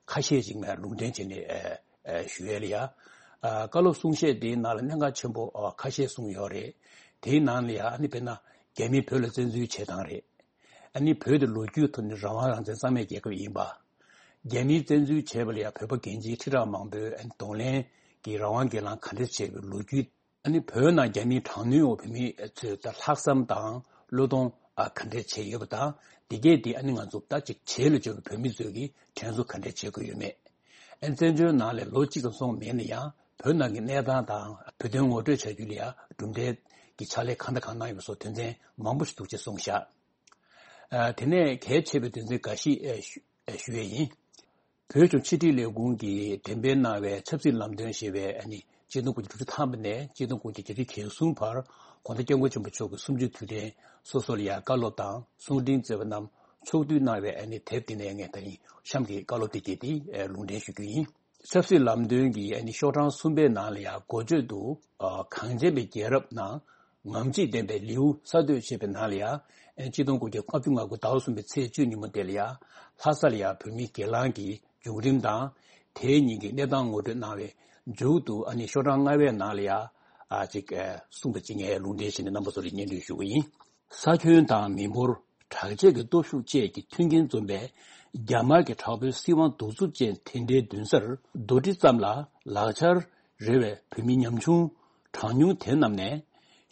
ཁ་ཤས་ཅིག་ངས་ལུང་འདྲེན་བྱས་ནས་ཨ་ཨ་ཞུ་ཡས་ལ་ཡ། ཨ་བཀའ་སློབ་གསུང་བཤད་དེའི་ནང་ལ་གནད་འགག་ཆེན་པོ་ཨ་ཁ་ཤས་གསུངས་ཡོད་རེད། དེའི་ནང་ལ་ཡ་ཨ་ནི་དཔེར་ན་རྒྱ་མིས་བོད་ལ་བཙན་འཛུལ་བྱེད་སྟངས་རེད། ཨ་ནི་བོད་དེ་ལོ་རྒྱུས་ཐོག་ནས་རང་དབང་རང་བཙན་གཙང་མའི་རྒྱལ་ཁབ་ཡིན་པ། རྒྱ་མིས་བཙན་འཛུལ་བྱས་པ་ལ་ཡ་བོད་པ་རྒན་བྱིས་ཁྲི་ཕྲག་མང་པོས་ཨ་ནི་གདོང་ལེན་གྱིས་རང་དབང་སྒེར་ལངས་ག་འདྲས་བྱས་པའི་ལོ་རྒྱུས། ཨ་ནི་བོད་ནང་རྒྱ་མིའི་དྲག་གནོན་འོག་བོད་མི་ཚོས་ད་ལྷག་བསམ་དང་བློས་གཏོང་ཨ་ག་འདྲས་བྱས་ཡོད་པ་དང་། དེ་གས་དེ་ཨ་ནི་ང་ཚོ་ད་ཅིག་བྱེས་ལ་འབྱོར་བའི་བོད་མི་ཚོས་ཀྱིས་དྲན་གསོ་ག་འདྲས་བྱེད་དགོས་ཡོད་མེད། ཨ་ནི་བཙན་བྱོལ་ནང་ལ་ལོ་གཅིག་ཙམ་སོང་མེད་ན་ཡང་བོད་ནང་གི་གནས་སྟངས་དང་བོད་དོན་ངོ་སྤྲོད་བྱ་རྒྱུ་ལ་ཡ་གྲུབ་འབྲས་ཀྱི་ཕྱག་ལས་གང་དང་གང་གནང་ཡོད་པ་སོགས་དོན་ཚན་མང་པོ་ཞིག་འདུག་ཅེས་གསུངས་བཞག། ཨ་དེ་ནས་གལ་ཆེ་བའི་དོན་ཚན་འགའ་ཞིག་ཨ་ཞུ་ཨ་ཞུ་ཡས་ཡིན། བོད་གཞུང་ཕྱི་དྲིལ་ལས་ཁུངས་ཀྱིས་འགྲེམས་སྤེལ་གནང་བའི་ཆབ་སྲིད་ལམ་སྟོན་ཞེས་པའི་ཨ་ནི་ཆིག་སྟོང་དགུ་བརྒྱ་དྲུག་ཅུ་ཐམ་པ་ནས་ཆིག་སྟོང་དགུ་བརྒྱ་བརྒྱད་ཅུ་གྱ་གསུམ་བར་གོང་ས་སྐྱབས་མགོན་ཆེན་པོ་མཆོག་གི་གསུམ་བཅུའི་དུས་དྲན་སོ་སོ་ལ་ཡ་བཀའ་སློབ་དང་གསུང་འཕྲིན་བསྩལ་བ་རྣམས་ཕྱོགས་བསྡུས་གནང་བའི་ཨ་ནི་དེབ་དེ་ནས་ངས་ད་རིང་གཤམ་གྱི་བཀའ་སློབ་དེ་གྱད་དེ་ཨ་ལུང་འདྲེན་ཞུ་རྒྱུ་ཡིན། ཆབ་སྲིད་ལམ་སྟོན་གྱི་ཨ་ནི་ཤོག་གྲངས་གསུམ་པའི་ནང་ལ་ཡང་འགོ་བརྗོད་དུ། ཨ་གངས་ཅན་པའི་རྒྱལ་རབས་ནང་ངམ་གཅིག་ལྡན་པའི་ལེའུ་གསར་གཏོད་ཅེས་པའི་ནང་ལ་ཡང་ཨ་ཆིག་སྟོང་དགུ་བརྒྱ་ལྔ་བཅུ་ང་དགུ་ཟླ་བ་གསུམ་པའི་ཚེས་བཅུ་ཉིན་མོ་དེ་ལ་ཡང་ལྷ་ས་ལ་ཡང་བོད་མིའི་སྒེར་ལངས་ཀྱི་བྱུང་རིམ་དང་། དེའི་ཉིན་གྱི་གནས་སྟངས་ངོ་སྤྲོད་གནང་བའི་མཇུག་ཏུ་ཨ་ནི་ཤོག་གྲངས་ལྔ་པའི་ནང་ལ་ཡང་ཨ་ཅིག་ཨ་གསུངས་པ་ཅིག་ངས་ལུང་འདྲེན་བྱས་ནས་རྣམ་པ་ཚོ་ལ་སྙན་སྒྲོན་ཞུ་གི་ཡིན། ས་ཁྱོན་དང་མི་འབོར། དྲག་ཆས་ཀྱི་སྟོབས་ཤུགས་བཅས་ཀྱི་མཐུན་རྐྱེན་འཛོམས་པའི་རྒྱ་དམར་གྱི་དྲག་པོའི་སྲིད་དབང་གདུག་རྩུབ་ཅན་དེ་འདྲའི་མདུན་སར་རྡོག་ཁྲེས་ཙམ་ལ་ལག་ཆར་རེ་བའི་བོད་མི་ཉམ་ཆུང་གྲངས་ཉུང་དེ་རྣམས་ནས་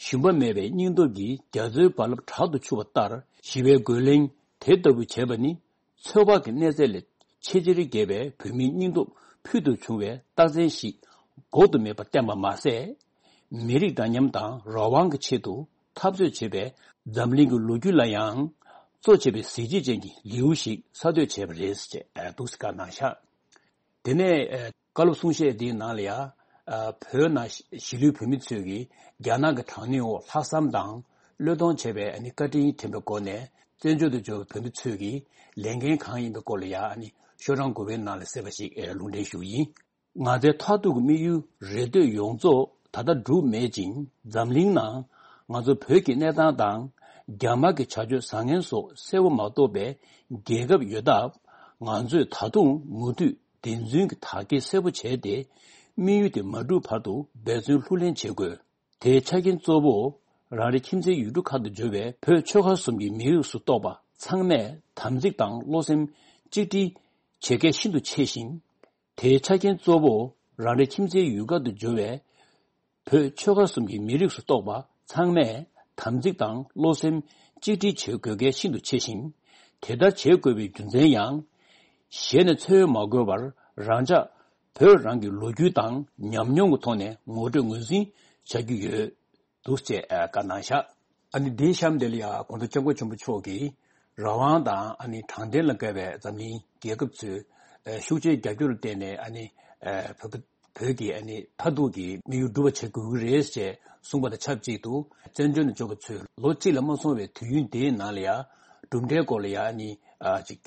ཞུམ་པ་མེད་པའི་སྙིང་སྟོབས་ཀྱིས་རྒྱ་མཚོའི་རྦ་རླབས་དྲག་ཏུ་འཕྱུར་བ་ལྟར་ཞི་བའི་རྒོལ་ལན་དེ་ལྟ་བུ་བྱས་པ་ནི། ཚོད་དཔག་གི་གནས་ཚད་ལས་ཆེས་ཆེར་རྒྱས་པའི་བོད་མིའི་སྙིང་སྟོབས་ཕུལ་དུ་བྱུང་བའི་རྟགས་མཚན་ཞིག་འགོག་ཏུ་མེད་པར་བསྟན་པ་མ་ཟད། མི་རིགས་འདྲ་མཉམ་དང་རང་དབང་གི་ཆེད་དུ་འཐབ་རྩོད་བྱེད་པའི་འཛམ་གླིང་གི་ལོ་རྒྱུས་ལ་ཡང་གཙོ་ཆེ་བའི་གཟི་བརྗིད་ཅན་གྱི་ལེའུ་ཞིག་གསར་གཏོད་བྱས་པ་རེད་ཅེས་འདུག་སེ་བཀའ་གནང་བཞག། དེ་ནས་ཨ་བཀའ་སློབ་གསུང་བཤད་འདིའི་ནང་ལ་ཡང་ཨ་བོད་ནང་གཞིས་ལུས་བོད་མི་ཚོས་ཀྱིས་རྒྱ་ནག་གི་དྲག་གནོན་འོག་ལྷག་བསམ་དང་བློས་གཏོང་བྱས་པའི་ཨ་ནི་བཀའ་དྲིན་དྲན་པའི་སྒོ་ནས་བཙན་བྱོལ་དུ་འབྱོར་བའི་བོད་མི་ཚོས་ཀྱི་ལས་འགན་གང་ཡིན་པའི་སྐོར་ལ་ཡང་ཨ་ནི་ཤོག་གྲངས་དགུ་པའི་ནང་ལ་གསལ་བ་ཞིག་ཨེ་ལུང་འདྲེན་ཞུ་གི་ཡིན། ང་ཚོའི་མཐར་ཐུག་གི་དམིགས་ཡུལ་རེ་ལྟོས་ཡོངས་རྫོགས་ད་ལྟ་འགྲུབ་མེད་ཅིང་། འཛམ་གླིང་ནང་ང་ཚོ་བོད་ཀྱི་གནས་སྟངས་དང་རྒྱ་དམར་གྱི་བྱ་སྤྱོད་བཟང་ངན་སོགས་གསལ་པོ་མ་རྟོགས་པའི་རྒྱལ་ཁབ་ཡོད་སྟབས། ང་ཚོས་ད་དུང་མུ་མཐུད་བདེན་རྫུན་གྱི་དག་སྐྱེལ་གསལ་པོ་བྱས་ཏེ། དམིགས་ཡུལ་དེ་མ་འགྲུབ་བར་དུ་འབད་བརྩོན་ལྷུར་ལེན་བྱེད་དགོས། དེའི་ཆ་རྐྱེན་གཙོ་བོ། རང་རེ་ཁྱིམ་མཚེས་ཡུལ་གྲུ་ཁག་ཏུ་འབྱོར་བའི་བོད་ཆོལ་ཁ་གསུམ་གྱི་མི་རིགས་སུ་གཏོགས་པ་ཚང་མས་དམ་ཚིག་དང་བློ་སེམས་གཅིག་སྒྲིལ་བྱེད་གལ་ཤིན་ཏུ་ཆེ་ཞིང་། དེའི་ཆ་རྐྱེན་གཙོ་བོ། རང་རེ་ཁྱིམ་མཚེས་ཡུལ་ཁག་ཏུ་འབྱོར་བའི་བོད་ཆོལ་ཁ་གསུམ་གྱི་མི་རིགས་སུ་གཏོགས་པ་ཚང་མས་དམ་ཚིག་དང་བློ་སེམས་གཅིག་སྒྲིལ་བྱེད་དགོས་གལ་ཤིན་ཏུ་ཆེ་ཞིང་། དེ་ལྟར་བྱེད་དགོས་པའི་རྒྱུ་མཚན་ཡང་། གཞན་ནས་འཚོལ་བ་མ་དགོས་པར་རང་ཅག་བོད་རང་གི་ལོ་རྒྱུས་དང་ཉམས་མྱོང་གི་ཐོག་ནས་ངོ་སྤྲོད་ངོས་འཛིན་བྱ་རྒྱུ་ཡོད་འདུག་ཅེས་བཀའ་གནང་བཞག། ཨ་ནི་འདིའི་གཤམ་དེ་ལ་ཡང་གོང་ས་སྐྱབས་མགོན་ཆེན་པོ་མཆོག་གིས་རང་དབང་དང་ཨ་ནི་དྲང་བདེན་ལ་དགའ་བའི་འཛམ་གླིང་རྒྱལ་ཁབ་ཚོས་ ཤུགས་ཆེའི་རྒྱབ་སྐྱོར་བརྟེན་ནས་ཨ་ནི་བོད་བོད་ཀྱི་ཨ་ནི་མཐར་ཐུག་གི་དམིགས་ཡུལ་འགྲུབ་པ་བྱེད་དགོས་ཀྱི་རེད་ཅེས་གསུངས་པ་དང་ཆབས་ཅིག་ཏུ། བཙན་བྱོལ་ནང་འབྱོར་བ་ཚོས་ལོ་གཅིག་ལས་མ་སོང་བའི་དུས་ཡུན་དེའི་ནང་ལ་ཡང་གྲུབ་འབྲས་སྐོར་ལ་ཡང་ཨ་ནི་ཅིག་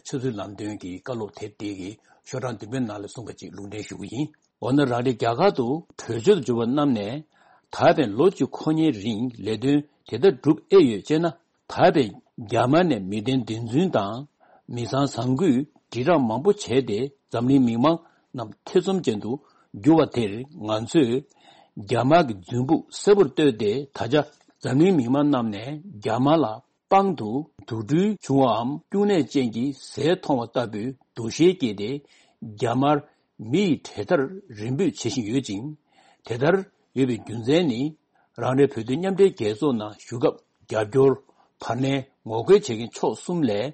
ཆབ་སྲིད་ལམ་སྟོན་གྱི་བཀའ་སློབ་དེབ་དེ་གི་ཤོག་གྲངས་བདུན་པའི་ནང་ལ་གསུངས་པ་ཅིག་ལུང་འདྲེན་ཞུ་གི་ཡིན། འོ་ན་རང་རེ་རྒྱ་གར་དུ་བྲོས་བྱོལ་དུ་འབྱོར་བ་རྣམས་ནས་ད་ཕན་ལོ་གཅིག་འཁོར་ཉེའི་རིང་ལས་དོན་དེ་ལྟར་སྒྲུབ་ཨེ་ཡོད་ཅེ་ན། ད་ཕན་རྒྱ་དམར་ནས་མི་བདེན་བདེན་རྫུན་དང་མི་ཚང་བཟང་གུས་དྲིལ་བསྒྲགས་མང་པོ་བྱས་ཏེ་འཛམ་གླིང་མི་མང་རྣམས་ཐེ་ཚོམ་ཅན་དུ་གྱུར་བ་དེར་ང་ཚོས་རྒྱ་དམར་གྱི་རྫུན་ཕུག་གསལ་པོར་བཏོད་དེ། ད་ཆ་འཛམ་གླིང་མི་མང་རྣམས་ནས་རྒྱ་དམར་ལ་དཔང་དུ་དུག་སྦྲུལ་བྱུང་བའམ་སྐྱུག་ནད་ཅན་གྱི་ཟས་མཐོང་བ་ལྟ་བུའི་འདུ་ཤེས་སྐྱེས་ཏེ་རྒྱ་དམར་མི་ཡི་གྲལ་མཐར་རེ་འབོད་བྱེད་བཞིན་ཡོད་ཅིང་། དེ་ལྟར་ཡོད་པའི་རྒྱུ་མཚན་ནི། རང་རེ་བོད་དོན་མཉམ་འབྲེལ་རྒྱལ་ཚོགས་ནང་ཞུགས་སྐབས་རྒྱབ་སྐྱོར་བར་ལེན་ངོ་རྒོལ་བྱེད་མཁན་ཕྱོགས་གསུམ་ལས།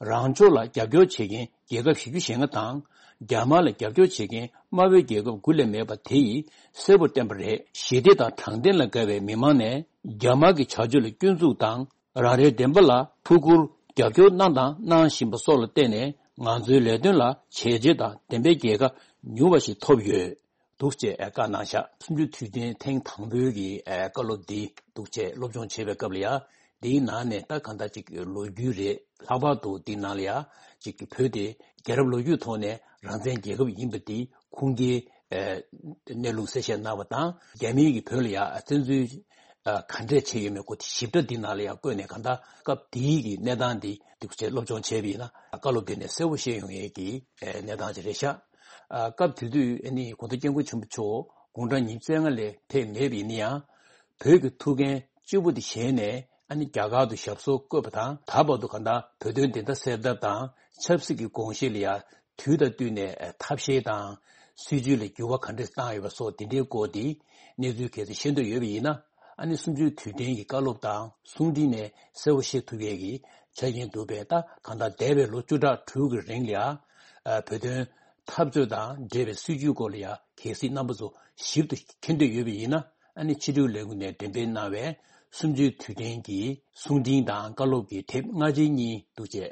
རང་ཕྱོགས་ལ་རྒྱབ་སྐྱོར་བྱེད་མཁན་རྒྱལ་ཁབ་བཞི་བཅུ་ཞེ་ལྔ་དང་། རྒྱ་དམར་ལ་རྒྱབ་སྐྱོར་བྱེད་མཁན་དམར་པོའི་རྒྱལ་ཁབ་དགུ་ལས་མེད་པ་དེ་ཡིས་གསལ་པོར་བསྟན་པ་རེད། ཞི་བདེ་དང་དྲང་བདེན་ལ་དགའ་བའི་མི་མང་ནས་རྒྱ་དམར་གྱི་བྱ་སྤྱོད་ལ་སྐྱོན་འཛུགས་དང་། རང་རེའི་བདེན་པ་ལ་ཐུགས་ཁུར་རྒྱབ་སྐྱོར་གནང་དང་གནང་བཞིན་པ་སོགས་ལ་བརྟེན་ནས་ང་ཚོའི་ལས་དོན་ལ་བྱས་རྗེས་དང་བདེན་པའི་རྒྱལ་ཁ་མྱུར་བ་ཞིག་ཐོབ་ཡོད། འདུག་ཅེས་བཀའ་གནང་བཞག་གསུམ་བཅུའི་དུས་དྲན་ཐེངས་དང་པོའི་གི་ཨ་བཀའ་སློབ་འདི་འདུག་ཅེས་སློབ་སྦྱོང་བྱེད་པའི་སྐབས་ལ་ཡ། འདིའི་ནང་ནས་ད་གང་ལྟར་ཅིག་ལོ་རྒྱུས་རེད། ལྷག་པར་དུ་འདི་ནང་ལ་ཡ་ཅིག་བོད་དེ་རྒྱལ་རབས་ལོ་རྒྱུས་ཐོག་ནས་རང་བཙན་རྒྱལ་ཁབ་ཡིན་པ་འདི་ཁུངས་སྐྱེལ་ཨ་གནས་ལུགས་གསལ་བཤད་གནང་བ་དང་། རྒྱ་མིའི་གི་བོད་ལ་ཡ་བཙན་འཛུལ་ཨ་ག་འདྲས་བྱས་ཡོད་མེད་སྐོར་དེ་ཞིབ་ཕྲ་འདི་ནང་ལ་ཡ་བཀོད་ནས་གང་ལྟར་སྐབས་དེའི་གི་གནས་སྟངས་འདི་འདུག་ཅེས་སློབ་སྦྱོང་བྱས་པ་ཡིན་ན་བཀའ་སློབ་འདི་ནས་གསལ་པོ་ཤེས་ཡོང་ཡས་ཀྱི་ཨ་གནས་སྟངས་ཅིག་རེད་ཤག་ཨ་སྐབས་དེ་དུས་ཨ་ནི་གོང་ས་སྐྱབས་མགོན་ཆེན་པོ་མཆོག་དགུང་གྲངས་ཉི་ཤུ་རྩ་ལྔ་ལས་ཕེབས་མེད་པ་ཡིན་ན་ཡང་། བོད་ཀྱི་ཐུགས་འགན་ལྕི་པོ་དེ་བཞེས་ནས་ཨ་ནི་རྒྱ་གར་དུ་ཞབས་སོར་བཀོད་པ་དང་། ད་བར་དུ་གང་ལྟར་བོད་དོན་བདེན་མཐའ་གསལ་ཐབས་དང་ཆབ་སྲིད་ཀྱི་དགོངས་གཞི་ལ་ཡང་དུས་དང་བསྟུན་ནས་ཐབས་ཤེས་དང་སྲིད་ཇུས་ལ་འགྱུར་བ་ག་འདྲ་བཏང་ཡོད་པ་སོགས་དེ་འདྲའི་སྐོར་དེ་གནས་ཚུལ་གལ་སྲིད་ཤེས་འདོད་ཡོད་པ་ཡིན་ན། ཨ་ནི་གསུམ་བཅུའི་དུས་དྲན་གྱི་བཀའ་སློབ་དང་གསུང་འཕྲིན་ནས་གསལ་པོ་ཤེས་ཐུབ་ཡས་ཀྱི་ཆ་རྐྱེན་འདུག་པས། ད་གང་ལྟར་འདས་པའི་ལོ་བཅུ་ཕྲག་དྲུག་གི་རིང་ལ་ཡང་བོད་དོན་འཐབ་རྩོད་དང་འབྲེལ་བའི་སྲིད་བྱུས་སྐོར་ལ་ཡང་གལ་སྲིད་རྣམ་པ་ཚོ་ཞིབ་ཏུ་མཁྱེན་འདོད་ཡོད་པ་ཡིན་ན། ཨ་ནི་ཕྱི་དྲིལ་ལས་ཁུངས་ནས་འགྲེམས་སྤེལ་གནང་བའི་གསུམ་བཅུའི་དུས་དྲན་གྱི་གསུང་འཕྲིན་དང་བཀའ་སློབ་ཀྱི་དེབ་སྔ་རྗེས་གཉིས་འདུག་ཅེས་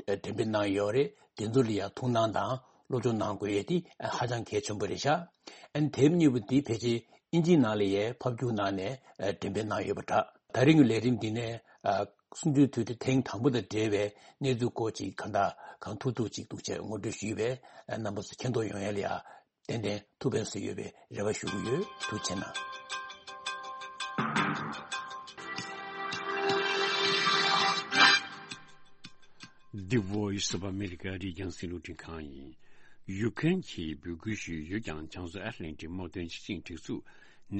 འགྲེམས་སྤེལ་གནང་ཡོད་རེད། དེ་ཚོ་ལ་ཡང་ཐུགས་སྣང་དང་སློབ་སྦྱོང་གནང་དགོས་ཡས་དེ་ཧ་ཅང་གལ་ཆེན་པོ་རེད་ཤག་ཨ་ནི་དེབ་གཉིས་པོ་འདི་ཕལ་ཆེར་ཨིན་ཇིའི་ནང་ལ་ཡང་ཕབ་སྒྱུར་གནང་ནས་འགྲེམས་སྤེལ་གནང་ཡོད་པ་འདྲ། ད་རིང་གི་ལས་རིམ་འདི་ནས་གསུམ་བཅུའི་དུས་དྲན་ཐེངས་དང་པོ་དང་འབྲེལ་བའི་གནས་ཚུལ་སྐོར་ཅིག་གང་དག་གང་ཐུབ་ཐུབ་ཅིག་འདུག་ཅེས་ངོ་སྤྲོད་ཞུས་པས། རྣམ་པ་ཚོ་མཁྱེན་རྟོགས་ཡོང་ཡས་ལ་ཡང་ཏན་ཏན་ཐུགས་ཕན་གསོས་ཡོད་པའི་རེ་བ་ཞུ་གི་ཡོད། ཐུགས་རྗེ་གནང་། The Voice of America ཨ་རིའི་རྒྱང་སྲིང་རླུང་འཕྲིན་ཁང་ཡིན། ཡུ་ཀེ་རེན་གྱིས་འབོད་སྐུལ་ཞུས་ཡོད་ཀྱང་། བྱང་མཚོ་ཨེཊ་ལན་ཊིག་དམག་དོན་སྤྱི་ཆིངས་སྒྲིག་འཛུགས་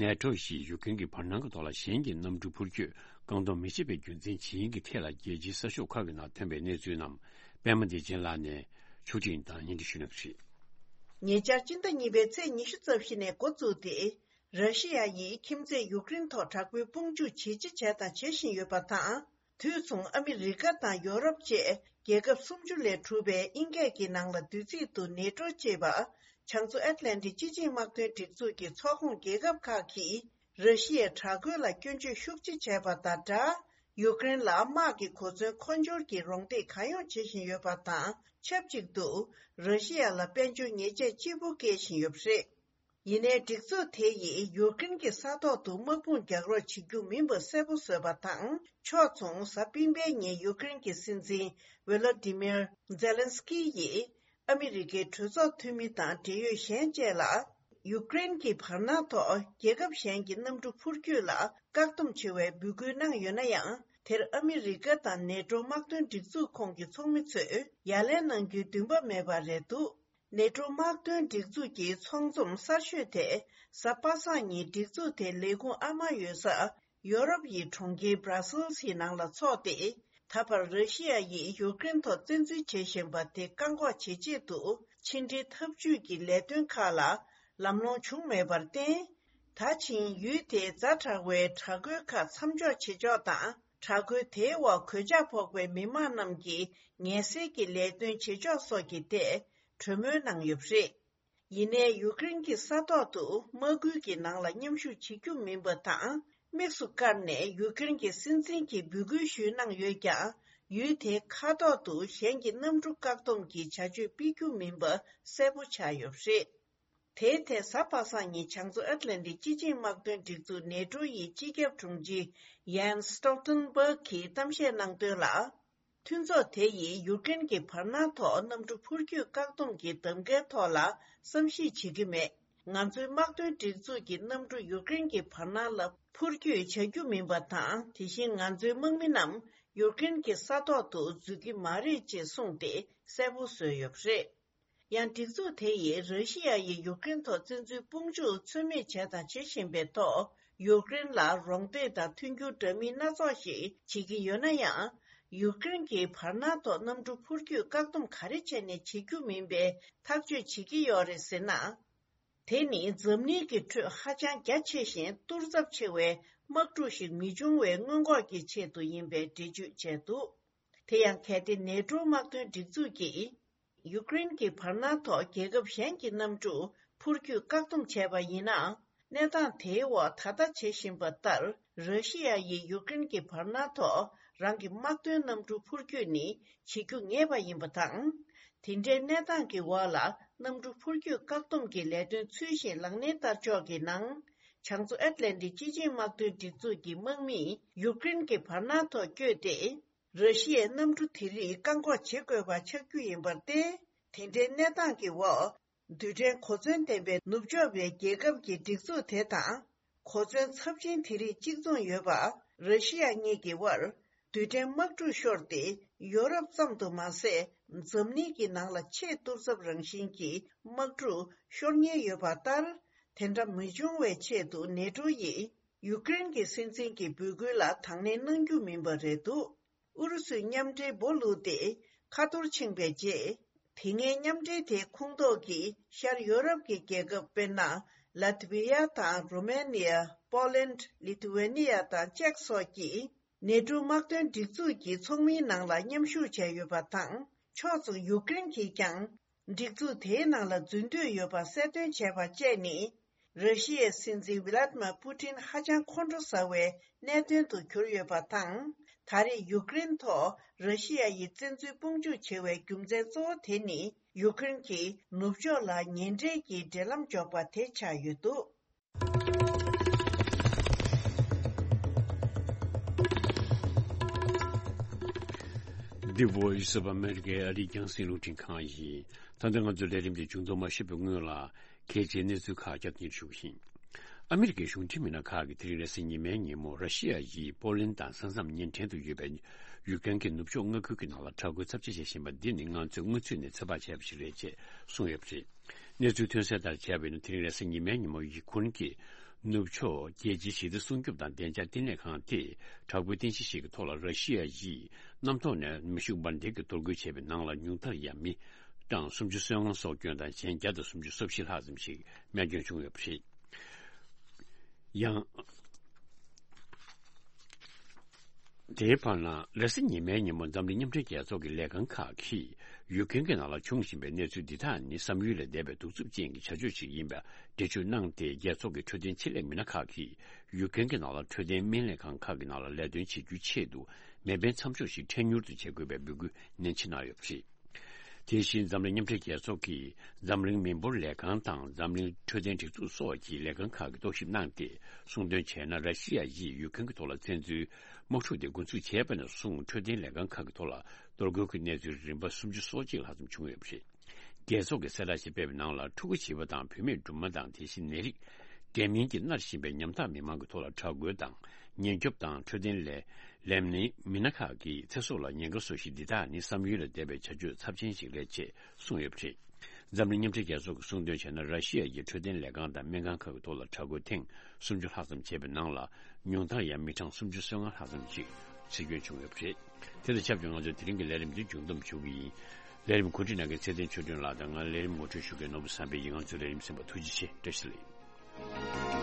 ནེ་ཊོ་ཞིག་ཡུ་ཀེ་རེན་གྱི་བར་སྣང་གི་ཐོག་ལ་གཞན་གྱི་གནམ་གྲུ་འཕུར་སྐྱོད་བཀག་སྡོམ་མི་བྱེད་པའི་རྒྱུ་མཚན་ཇི་ཡིན་གྱི་ཐད་ལ། རྒྱལ་སྤྱིའི་གསར་ཤོག་ཁག་གི་ནང་ཐོན་པའི་གནས་ཚུལ་རྣམས་པད་མ་བདེ་ཆེན་ལགས་ནས་ཕྱོགས་སྒྲིག་དང་སྙན་སྒྲོན་ཞུ་གནང་གི་རེད། ཉེ་ཆར་སྤྱི་ཟླ་གཉིས་པའི་ཚེས་ཉི་ཤུ་རྩ་བཞི་ནས་འགོ་བཙུགས་ཏེ། ར་ཤི་ཡ་ཡིས་ཁྱིམ་མཚེས་ཡུཀ་རེན་ཐོག་དྲག་པོའི་དཔུང་འཇུག་ཇེ་ཆེ་བྱས་དང་བྱེད་བཞིན་ཡོད་པ་དང་། དུས་མཚུངས་ཨ་མི་རི་ཀ་དང་ཡོ་རོབ་བཅས་རྒྱལ་ཁབ་སུམ་ཅུ་ལས་གྲུབ་པའི་ཨིན་སྐད་ཀྱི་ནང་ལ་བསྡུས་ཚིག་ཏུ་ནེ་ཊོ་ཅེས་པ། བྱང་མཚོ་ཨེཊ་ལན་ཊིག་སྤྱི་ཆིངས་དམག་དོན་སྒྲིག་འཛུགས་ཀྱི་ཚོགས་ཁོངས་རྒྱལ་ཁབ་ཁག་གིས་ར་ཤི་ཡའི་དྲག་རྒོལ་ལ་སྐྱོན་བརྗོད་ཤུགས་ཆེ་བྱས་པ་དང་སྦྲགས། ཡུཀ་རེན་ལ་དམག་གི་གོ་མཚོན་མཁོ་སྦྱོར་གྱི་རོགས་འདེགས་གང་ཡོང་བྱེད་བཞིན་ཡོད་པ་དང་ཆབས་ཅིག་ཏུ། ར་ཤི་ཡ་ལ་དཔལ་འབྱོར་ཉེས་ཆད་ལྕི་པོ་བཀལ་བཞིན་ཡོད་པ་རེད། ཡིན་ནའི་སྒྲིག་འཛུགས་དེ་ཡིས་ཡུཀ་རེན་གྱི་ས་ཐོག་ཏུ་དམག་དཔུང་རྒྱག་རོགས་བྱེད་རྒྱུ་མིན་པ་གསལ་པོ་བཟོས་པ་དང་། ཕྱོགས་མཚུངས་གཟའ་སྤེན་པའི་ཉིན་ཡུཀ་རེན་གྱི་སྲིད་འཛིན་ཝེ་ལོ་ཏི་མིར་ཛེ་ལན་སི་ཀི་ཡིས་ཨ་མི་རི་ཀའི་གྲོས་ཚོགས་འཐུས་མི་དང་འབྲེལ་ཡོད་གཞན་བཅས་ལ། ཡུཀ་རེན་གྱི་བར་སྣང་ཐོག་རྒྱལ་ཁབ་གཞན་གྱི་གནམ་གྲུ་འཕུར་སྐྱོད་ལ་བཀག་སྡོམ་བྱེད་པའི་འབོད་སྐུལ་གནང་ཡོད་ན་ཡང་། དེར་ཨ་མི་རི་ཀ་དང་ནེ་ཊོ་དམག་དོན་སྒྲིག་འཛུགས་ཁོངས་ཀྱི་ཚོགས་མི་ཚོས་ཡ་ལན་གནང་རྒྱུའི་འདུན་པ་མེད་པ་རེད་འདུག་ནེ་ཊོ་དམག་དོན་སྒྲིག་འཛུགས་ཀྱི་ཚོགས་འཛོམས་གསར་ཤོས་དེ་གཟའ་པ་སངས་ཉིན་སྒྲིག་འཛུགས་དེའི་ལས་ཁུངས་ཨ་མ་ཡོད་ས་ཡོ་རོབ་ཡི་གྲོང་ཁྱེར་Brussels ཡི་ནང་ལ་འཚོགས་ཏེ། ད་བར་ར་ཤི་ཡ་ཡིས་ཡུཀ་རེན་ཐོག་བཙན་འཛུལ་བྱེད་བཞིན་པ་དེ་བཀག་འགོག་བྱེད་ཆེད་དུ་ཕྱི་འབྲེལ་འཐབ་ཇུས་ཀྱི་ལས་དོན་ཁག་ལ་ལམ་ལྷོང་བྱུང་མེད་པར་བརྟེན། ད་ཕྱིན་ཡུལ་དེའི་ཛ་དྲག་པོའི་དྲག་རྒོལ་ཁག་མཚམས་འཇོག་བྱེད་ཕྱོགས་དང་། དྲག་རྒོལ་དེའི་འོག་གོད་ཆག་ཕོག་པའི་མི་མང་རྣམས་ཀྱི་ངལ་སེལ་གྱི་ལས་དོན་བྱེད་ཕྱོགས་སོགས་ཀྱི་ཐད་གྲོས་མོལ་གནང་ཡོད་པ་རེད། ཡིན་ནའི་ཡུཀ་རེན་གྱི་ས་ཐོག་ཏུ་དམག་ཁུལ་གྱི་ནང་ལ་མཉམ་ཞུགས་བྱེད་རྒྱུ་མིན་པ་དང་། དམིགས་སུ་བཀར་ནས་ཡུཀ་རེན་གྱི་སྲིད་འཛིན་གྱིས་འབོད་སྐུལ་ཞུས་གནང་ཡོད་ཀྱང་། ཡུལ་དེའི་མཁའ་ཐོག་ཏུ་གཞན་གྱི་གནམ་གྲུ་བཀག་སྡོམ་གྱི་བྱ་སྤྱོད་སྤེལ་རྒྱུ་མིན་པ་གསལ་པོ་ཆགས་ཡོད་པ་རེད། དེའི་ཐད་གཟའ་པ་སངས་ཉིན་བྱང་མཚོ་ཨེཊ་ལན་ཊིག་སྤྱི་ཆིངས་དམག་དོན་སྒྲིག་འཛུགས་ནེ་ཊོ་ཡི་སྤྱི་ཁྱབ་དྲུང་ཆེ་ཡན་སི་སི་ཊོལ་ཊེན་བྷག་གིས་གཏམ་བཤད་གནང་དོན་ལ། མཐུན་ཚོགས་དེ་ཡིས་ཡུཀ་རེན་གྱི་བར་སྣང་ཐོག་གནམ་གྲུ་འཕུར་སྐྱོད་བཀག་སྡོམ་གྱི་གདམ་གའི་ཐོག་ལ་བསམ་གཞིག་བྱེད་ཀྱི་མེད། ང་ཚོའི་དམག་དོན་སྒྲིག་འཛུགས་ཀྱི་གནམ་གྲུ་ཡུཀ་རེན་གྱི་བར་སྣང་ལ་འཕུར་སྐྱོད་བྱ་རྒྱུ་མིན་པ་དང་། དེ་བཞིན་ང་ཚོའི་དམག་མི་རྣམས་ཡུཀ་རེན་གྱི་ས་ཐོག་ཏུ་འཛུལ་གྱི་མ་རེད་ཅེས་གསུངས་ཏེ་གསལ་པོ་བཟོས་ཡོད་པ་རེད། ཡང་སྒྲིག་འཛུགས་དེ་ཡིས་ར་ཤི་ཡ་ཡིས་ཡུཀ་རེན་ཐོག་བཙན་འཛུལ་དཔུང་འཇུག་ཚུལ་མིན་བྱས་དང་བྱེད་བཞིན་པའི་ཐོག་ཡུཀ་རེན་ལ་རོགས་འདེགས་དང་མཐུན་འགྱུར་འདྲ་མིན་སྣ་ཚོགས་ཤིག་བྱེད་ཀྱི་ཡོད་ན་ཡང་། ཡུཀ་རེན་གྱི་བར་སྣང་ཐོག་གནམ་གྲུ་འཕུར་སྐྱོད་བཀག་སྡོམ་ག་རེ་བྱས་ནས་བྱེད་རྒྱུ་མིན་པའི་ཐག་གཅོད་བྱེད་ཀྱི་ཡོད་རེད་ཟེར་ན། དེ་ནི་འཛམ་གླིང་གི་ཁྲོད་ཧ་ཅང་རྒྱ་ཆེ་ཞིང་གཏོར་ཚབས་ཆེ་བའི་དམག་འཁྲུག་ཞིག་མི་འབྱུང་བའི་སྔོན་འགོག་གི་ཆེད་དུ་ཡིན་པའི་འགྲེལ་བརྗོད་བྱས་འདུག་དེ་ཡང་གལ་ཏེ་ནེ་ཊོ་དམག་དོན་སྒྲིག་འཛུགས་ཀྱིས། ཡུཀ་རེན་གྱི་བར་སྣང་ཐོག་རྒྱལ་ཁབ་གཞན་གྱི་གནམ་གྲུ་འཕུར་སྐྱོད་བཀག་སྡོམ་བྱས་པ་ཡིན་ན། གནས་སྟངས་དེའི་འོག་ད་ལྟ་བྱེད་བཞིན་པ་ལྟར། ར་ཤི་ཡ་ཡིས་ཡུཀ་རེན་གྱི་བར་སྣང་ཐོག་རང་གི་དམག་དོན་གནམ་གྲུ་འཕུར་སྐྱོད་ནི་བྱེད་རྒྱུ་ངེས་པ་ཡིན་པ་དང་། དེ་འདྲའི་གནས་སྟངས་ཀྱི་འོག་ལ་གནམ་གྲུ་འཕུར་སྐྱོད་བཀག་སྡོམ་གྱི་ལས་དོན་ཚུལ་བཞིན་ལག་ལེན་བསྟར་ཕྱོགས་ཀྱི་ནང་། བྱང་མཚོ་ཨེཊ་ལན་ཊིག་སྤྱི་ཆིངས་དམག་དོན་སྒྲིག་འཛུགས་ཀྱི་དམག་མིས་ཡུཀ་རེན་གྱི་བར་སྣང་ཐོག་བསྐྱོད་དེ། ར་ཤི་ཡའི་གནམ་གྲུ་དེ་རིགས་བཀག་འགོག་བྱེད་དགོས་པ་ཆགས་རྒྱུ་ཡིན་པར་བརྟེན། དེ་འདྲའི་གནས་སྟངས་ཀྱི་འོག་རྡུལ་ཕྲན་གོ་མཚོན་ལྡན་པའི་ནུབ་ཕྱོགས་པའི་རྒྱལ་ཁབ་ཀྱི་སྒྲིག་འཛུགས་དེ་དང་། གོ་མཚོན་ཚབས་ཆེན་དེ་རིགས་གཅིག་མཚུངས་ཡོད་པ། ར་ཤི་ཡ་གཉིས་ཀྱི་དབར་རྡུལ་ཕྲན་དམག་འཁྲུག་ཤོར་ཏེ། ཡོ་རོབ་ཙམ་དུ་མ་ཟད། འཛམ་གླིང་གི་ནང་ལ་ཆེས་གཏོར་ཚབས་རང་བཞིན་གྱི་དམག་འཁྲུག་ཤོར་ཉེན་ཡོད་པ་ལྟར། དེ་འདྲ་མི་འབྱུང་བའི་ཆེད་དུ་ནེ་ཊོ་ཡིས་ཡུཀ་རེན་གྱི་སྲིད་འཛིན་གྱི་འབོད་སྐུལ་ལ་དང་ལེན་གནང་རྒྱུ་མིན་པ་རེད་འདུག་ཨུ་རུ་སུས་མཉམ་འབྲེལ་སྦོ་བླུགས་ཏེ་ཁ་ཐོར་ཕྱིན་པའི་རྗེས། དེ་སྔའི་མཉམ་འབྲེལ་དེའི་ཁོངས་གཏོགས་ཀྱི་ཤར་ཡོ་རོབ་ཀྱི་རྒྱལ་ཁབ། དཔེར་ན། ལ་ཐི་བྷི་ཡ་དང་རོ་མེ་ནི་ཡ། པོ་ལན། ལི་ཐུ་ཝེ་ནི་ཡ་དང་ཅེཀ་སོགས་ཀྱིས་ནེ་ཊོ་དམག་དོན་སྒྲིག་འཛུགས་ཀྱི་ཚོགས་མིའི་ནང་ལ་མཉམ་ཞུགས་བྱས་ཡོད་པ་དང་། ཕྱོགས་མཚུངས་ཡུཀ་རེན་གྱིས་ཀྱང་། སྒྲིག་འཛུགས་དེའི་ནང་ལ་འཛུལ་འདོད་ཡོད་པ་གསལ་སྟོན་བྱས་པ་བཅས་ནི། ར་ཤི་ཡའི་སྲིད་འཛིན་ཝི་ལ་ཏི་མར་པུ་ཏིན་ཧ་ཅང་ཁོང་ཁྲོ་ཟ་བའི་གནད་དོན་དུ་གྱུར་ཡོད་པ་དང་། ད་རེས་ཡུཀ་རེན་ཐོག་ར་ཤི་ཡ་ཡིས་བཙན་འཛུལ་དཔུང་འཇུག་བྱེད་པའི་རྒྱུ་མཚན་གཙོ་བོ་དེ་ནི། ཡུཀ་རེན་གྱིས་ནུབ་ཕྱོགས་ལ་ཉེ་འབྲེལ་གྱི་འབྲེལ་ལམ་འཇོག་པ་དེ་ཆགས་ཡོད་འདུག The Voice of America ཨ་རིའི་རྒྱང་སྲིང་རླུང་འཕྲིན་ཁང་ཡིན། ད་ལྟ་ང་ཚོའི་ལས་རིམ་དེ་མཇུག་བསྡོམས་ཞུས་པའི་སྔོན་ལ། གལ་ཆེའི་གནས་ཚུལ་ཁག་བསྐྱར་དུ་སྙན་ཞུ་གི་ཡིན། ཨ་མི་རི་ཀའི་གཞུང་འབྲེལ་མི་སྣ་ཁག་གིས་དེ་རིང་རེས་གཟའ་ཉི་མའི་ཉིན་མོ་ར་ཤི་ཡ་ཡིས་པོ་ལན་དང་ས་མཚམས་ཉེ་འགྲམ་དུ་ཡོད་པའི་ཡུཀ་རེན་གྱི་ནུབ་ཕྱོགས་མངའ་ཁུལ་གྱི་ནང་ལ་དྲག་རྒོལ་ཚབས་ཆེ་བྱེད་བཞིན་པ་འདི་ནི་ང་ཚོས་སྔོན་ཚུད་ནས་ཚོད་དཔག་བྱས་པ་ཞིག་རེད་ཅེས་གསུངས་ཡོད་པ་རེད། གནས་ཚུལ་ཐོན་གསལ་ལྟར་བྱས་པ་ཡིན་ན། དེ་རིང་རེས་གཟའ་ཉི་མའི་ཉིན་མོ་ཡུ་ཁུ་རེན་གྱི་ནུབ་ཕྱོགས་རྒྱལ་སྤྱིའི་ཞི་བདེ་སྲུང་སྐྱོབ་དང་བདེ་འཇགས་བསྟི་གནས་ཁང་དེས་དྲག་པོའི་རྟེན་གཞི་ཞིག་གི་ཐོག་ལ་ར་ཤི་ཡ་ཡིས་གནམ་ཐོག་ནས་མེ་ཤུགས་འབར་མདེལ་གྱི་གཏོར་རྒོལ་བྱས་པའི་ནང་ལ་ཉུང་མཐར་ཡང་མི་གྲངས་སུམ་ཅུ་སོ་ལྔ་སྲོག་སྐྱོན་དང་གཞན་བརྒྱ་དང་སུམ་ཅུ་སོ་བཞི་ལྷག་ཙམ་ཞིག་རྨས་སྐྱོན་བྱུང་ཡོད་པ་རེད། ཡང་། དེའི་བར་ན་རེས་གཟའ་ཉི་མའི་ཉིན་མོ་འཛམ་གླིང་མཉམ་འབྲེལ་རྒྱལ་ཚོགས་ཀྱི་ལས་ཁང་ཁག་གིས་ཡུཀ་རེན་གྱི་ནང་ལ་འབྱུང་བཞིན་པའི་གནས་ཚུལ་འདི་དག་ནི་བསམ་ཡུལ་ལས་འདས་པའི་གདུག་རྩུབ་ཅན་གྱི་བྱ་སྤྱོད་ཅིག་ཡིན་པ་འགྲེལ་བརྗོད་གནང་སྟེ། རྒྱལ་ཚོགས་ཀྱི་འཕྲོད་བསྟེན་ཆེད་ལས་མི་སྣ་ཁག་གིས་ཡུཀ་རེན་གྱི་ནང་ལ་འཕྲོད་བསྟེན་སྨན་ལས་ཁང་ཁག་གི་ནང་ལ་ལས་དོན་བྱེད་རྒྱུའི་ཆེད་དུ་མེ་འཕེན་མཚམས་འཇོག་ཞིག་ཁྲལ་མྱུར་དུ་བྱེད་དགོས་པའི་འབོད་སྐུལ་ནན་ཆེ་གནང་ཡོད་པ་རེད། དེ་བཞིན་འཛམ་གླིང་མཉམ་འབྲེལ་རྒྱལ་ཚོགས་ཀྱིས་འཛམ་གླིང་མི་འབོར་ལས་ཁང་དང་འཛམ་གླིང་འཕྲོད་བསྟེན་སྒྲིག་འཛུགས་སོགས་ཀྱི་ལས་ཁང་ཁག་གིས་རྟོག་ཞིབ་གནང་སྟེ། གསུངས་དོན་བྱས་ན། ར་ཤི་ཡ་ཡིས་ཡུཀ་རེན་གྱི་ཐོག་ལ་བཙན་འཛུལ་དམག་འཁྲུག་དེ་འགོ་འཛུགས་བྱས་པ་ནས་བཟུང་འཕྲོད་བསྟེན་ལས་ཁང་ཁག་གི་ཐོག་ལ་གཏོར་རྒོལ་གྱི་གནས་ཚུལ་རིམ་པ་སུམ་ཅུ་སོ་གཅིག་ལྷག་ཙམ་བྱུང་ཡོད་པ་རེད། རྒྱལ་ཚོགས་ཀྱིས་གསལ་བསྒྲགས་ཤིག་སྤེལ་བའི་ནང་ལ། ཕྲུ་གུ་བྱིས་པ་དང་བུད་མེད་སྦྲུམ་མ་དང་། དེ་བཞིན་ནད་རིགས་འདྲེས་མིན་གྱིས་མནར་བཞིན་པའི་ཉམ་ཐག་མི་མང་གི་ཐོག་ལ་དྲག་རྒོལ་དང་། ཉེན་སྐྱོབ་དང་འཕྲོད་བསྟེན་ལས་ལས་མི་སྣ་ཁག་གིས་ཚེ་སྲོག་ལ་ཉེན་ཁ་བཟོ་གཞི་འདི་དག་ནི་བསམ་ཡུལ་ལས་འདས་པའི་བྱ་སྤྱོད་ཚབས་ཆེན་ཞིག་རེད་ཅེས་གསུངས་ཡོད་པ་རེད། འཛམ་གླིང་མཉམ་འབྲེལ་རྒྱལ་ཚོགས་ཀྱིས་གསུངས་དོན་བྱས་ན། ར་ཤི་ཡ་ཡི་འཕྲོད་བསྟེན་ལས་ཁང་དང་སྨན་ཁང་ཁག་གི་ཐོག་ལ་དྲག་རྒོལ་ཐེངས་སུམ་ཅུ་ལྷག་ཙམ་བྱས་པའི་ནང་ལ། ཉུང་མཐར་ཡང་མི་གྲངས་སུམ་ཅུ་སོ་ལྔ་ལྷག་ཙམ་ཞིག་འཆི་སྐྱོན་བྱུང་ཡོད་པ་རེད། དེ་དང་ཆབས་ཅིག་ང་ཚོས་དེ་རིང་གི་ལས་རིམ་འདི་མཇུག་བསྡོམས་ཞུ་གི་ཡིན། ལས་རིམ་གོ་སྒྲིག་གནང་མཁན་ཚེ་བརྟན་ཆོས་སྒྲོན་ལགས་དང་། ང་ལས་རིམ་ངོ་སྤྲོད་ཞུ་མཁན་ནོར་བུ་བསམ་འཕེལ་ཡིན། ང་ཚོའི་ལས་རིམ་གསན་པར་ཐུགས་རྗེ་ཆེ། བཀྲ་ཤིས་བདེ་ལེགས།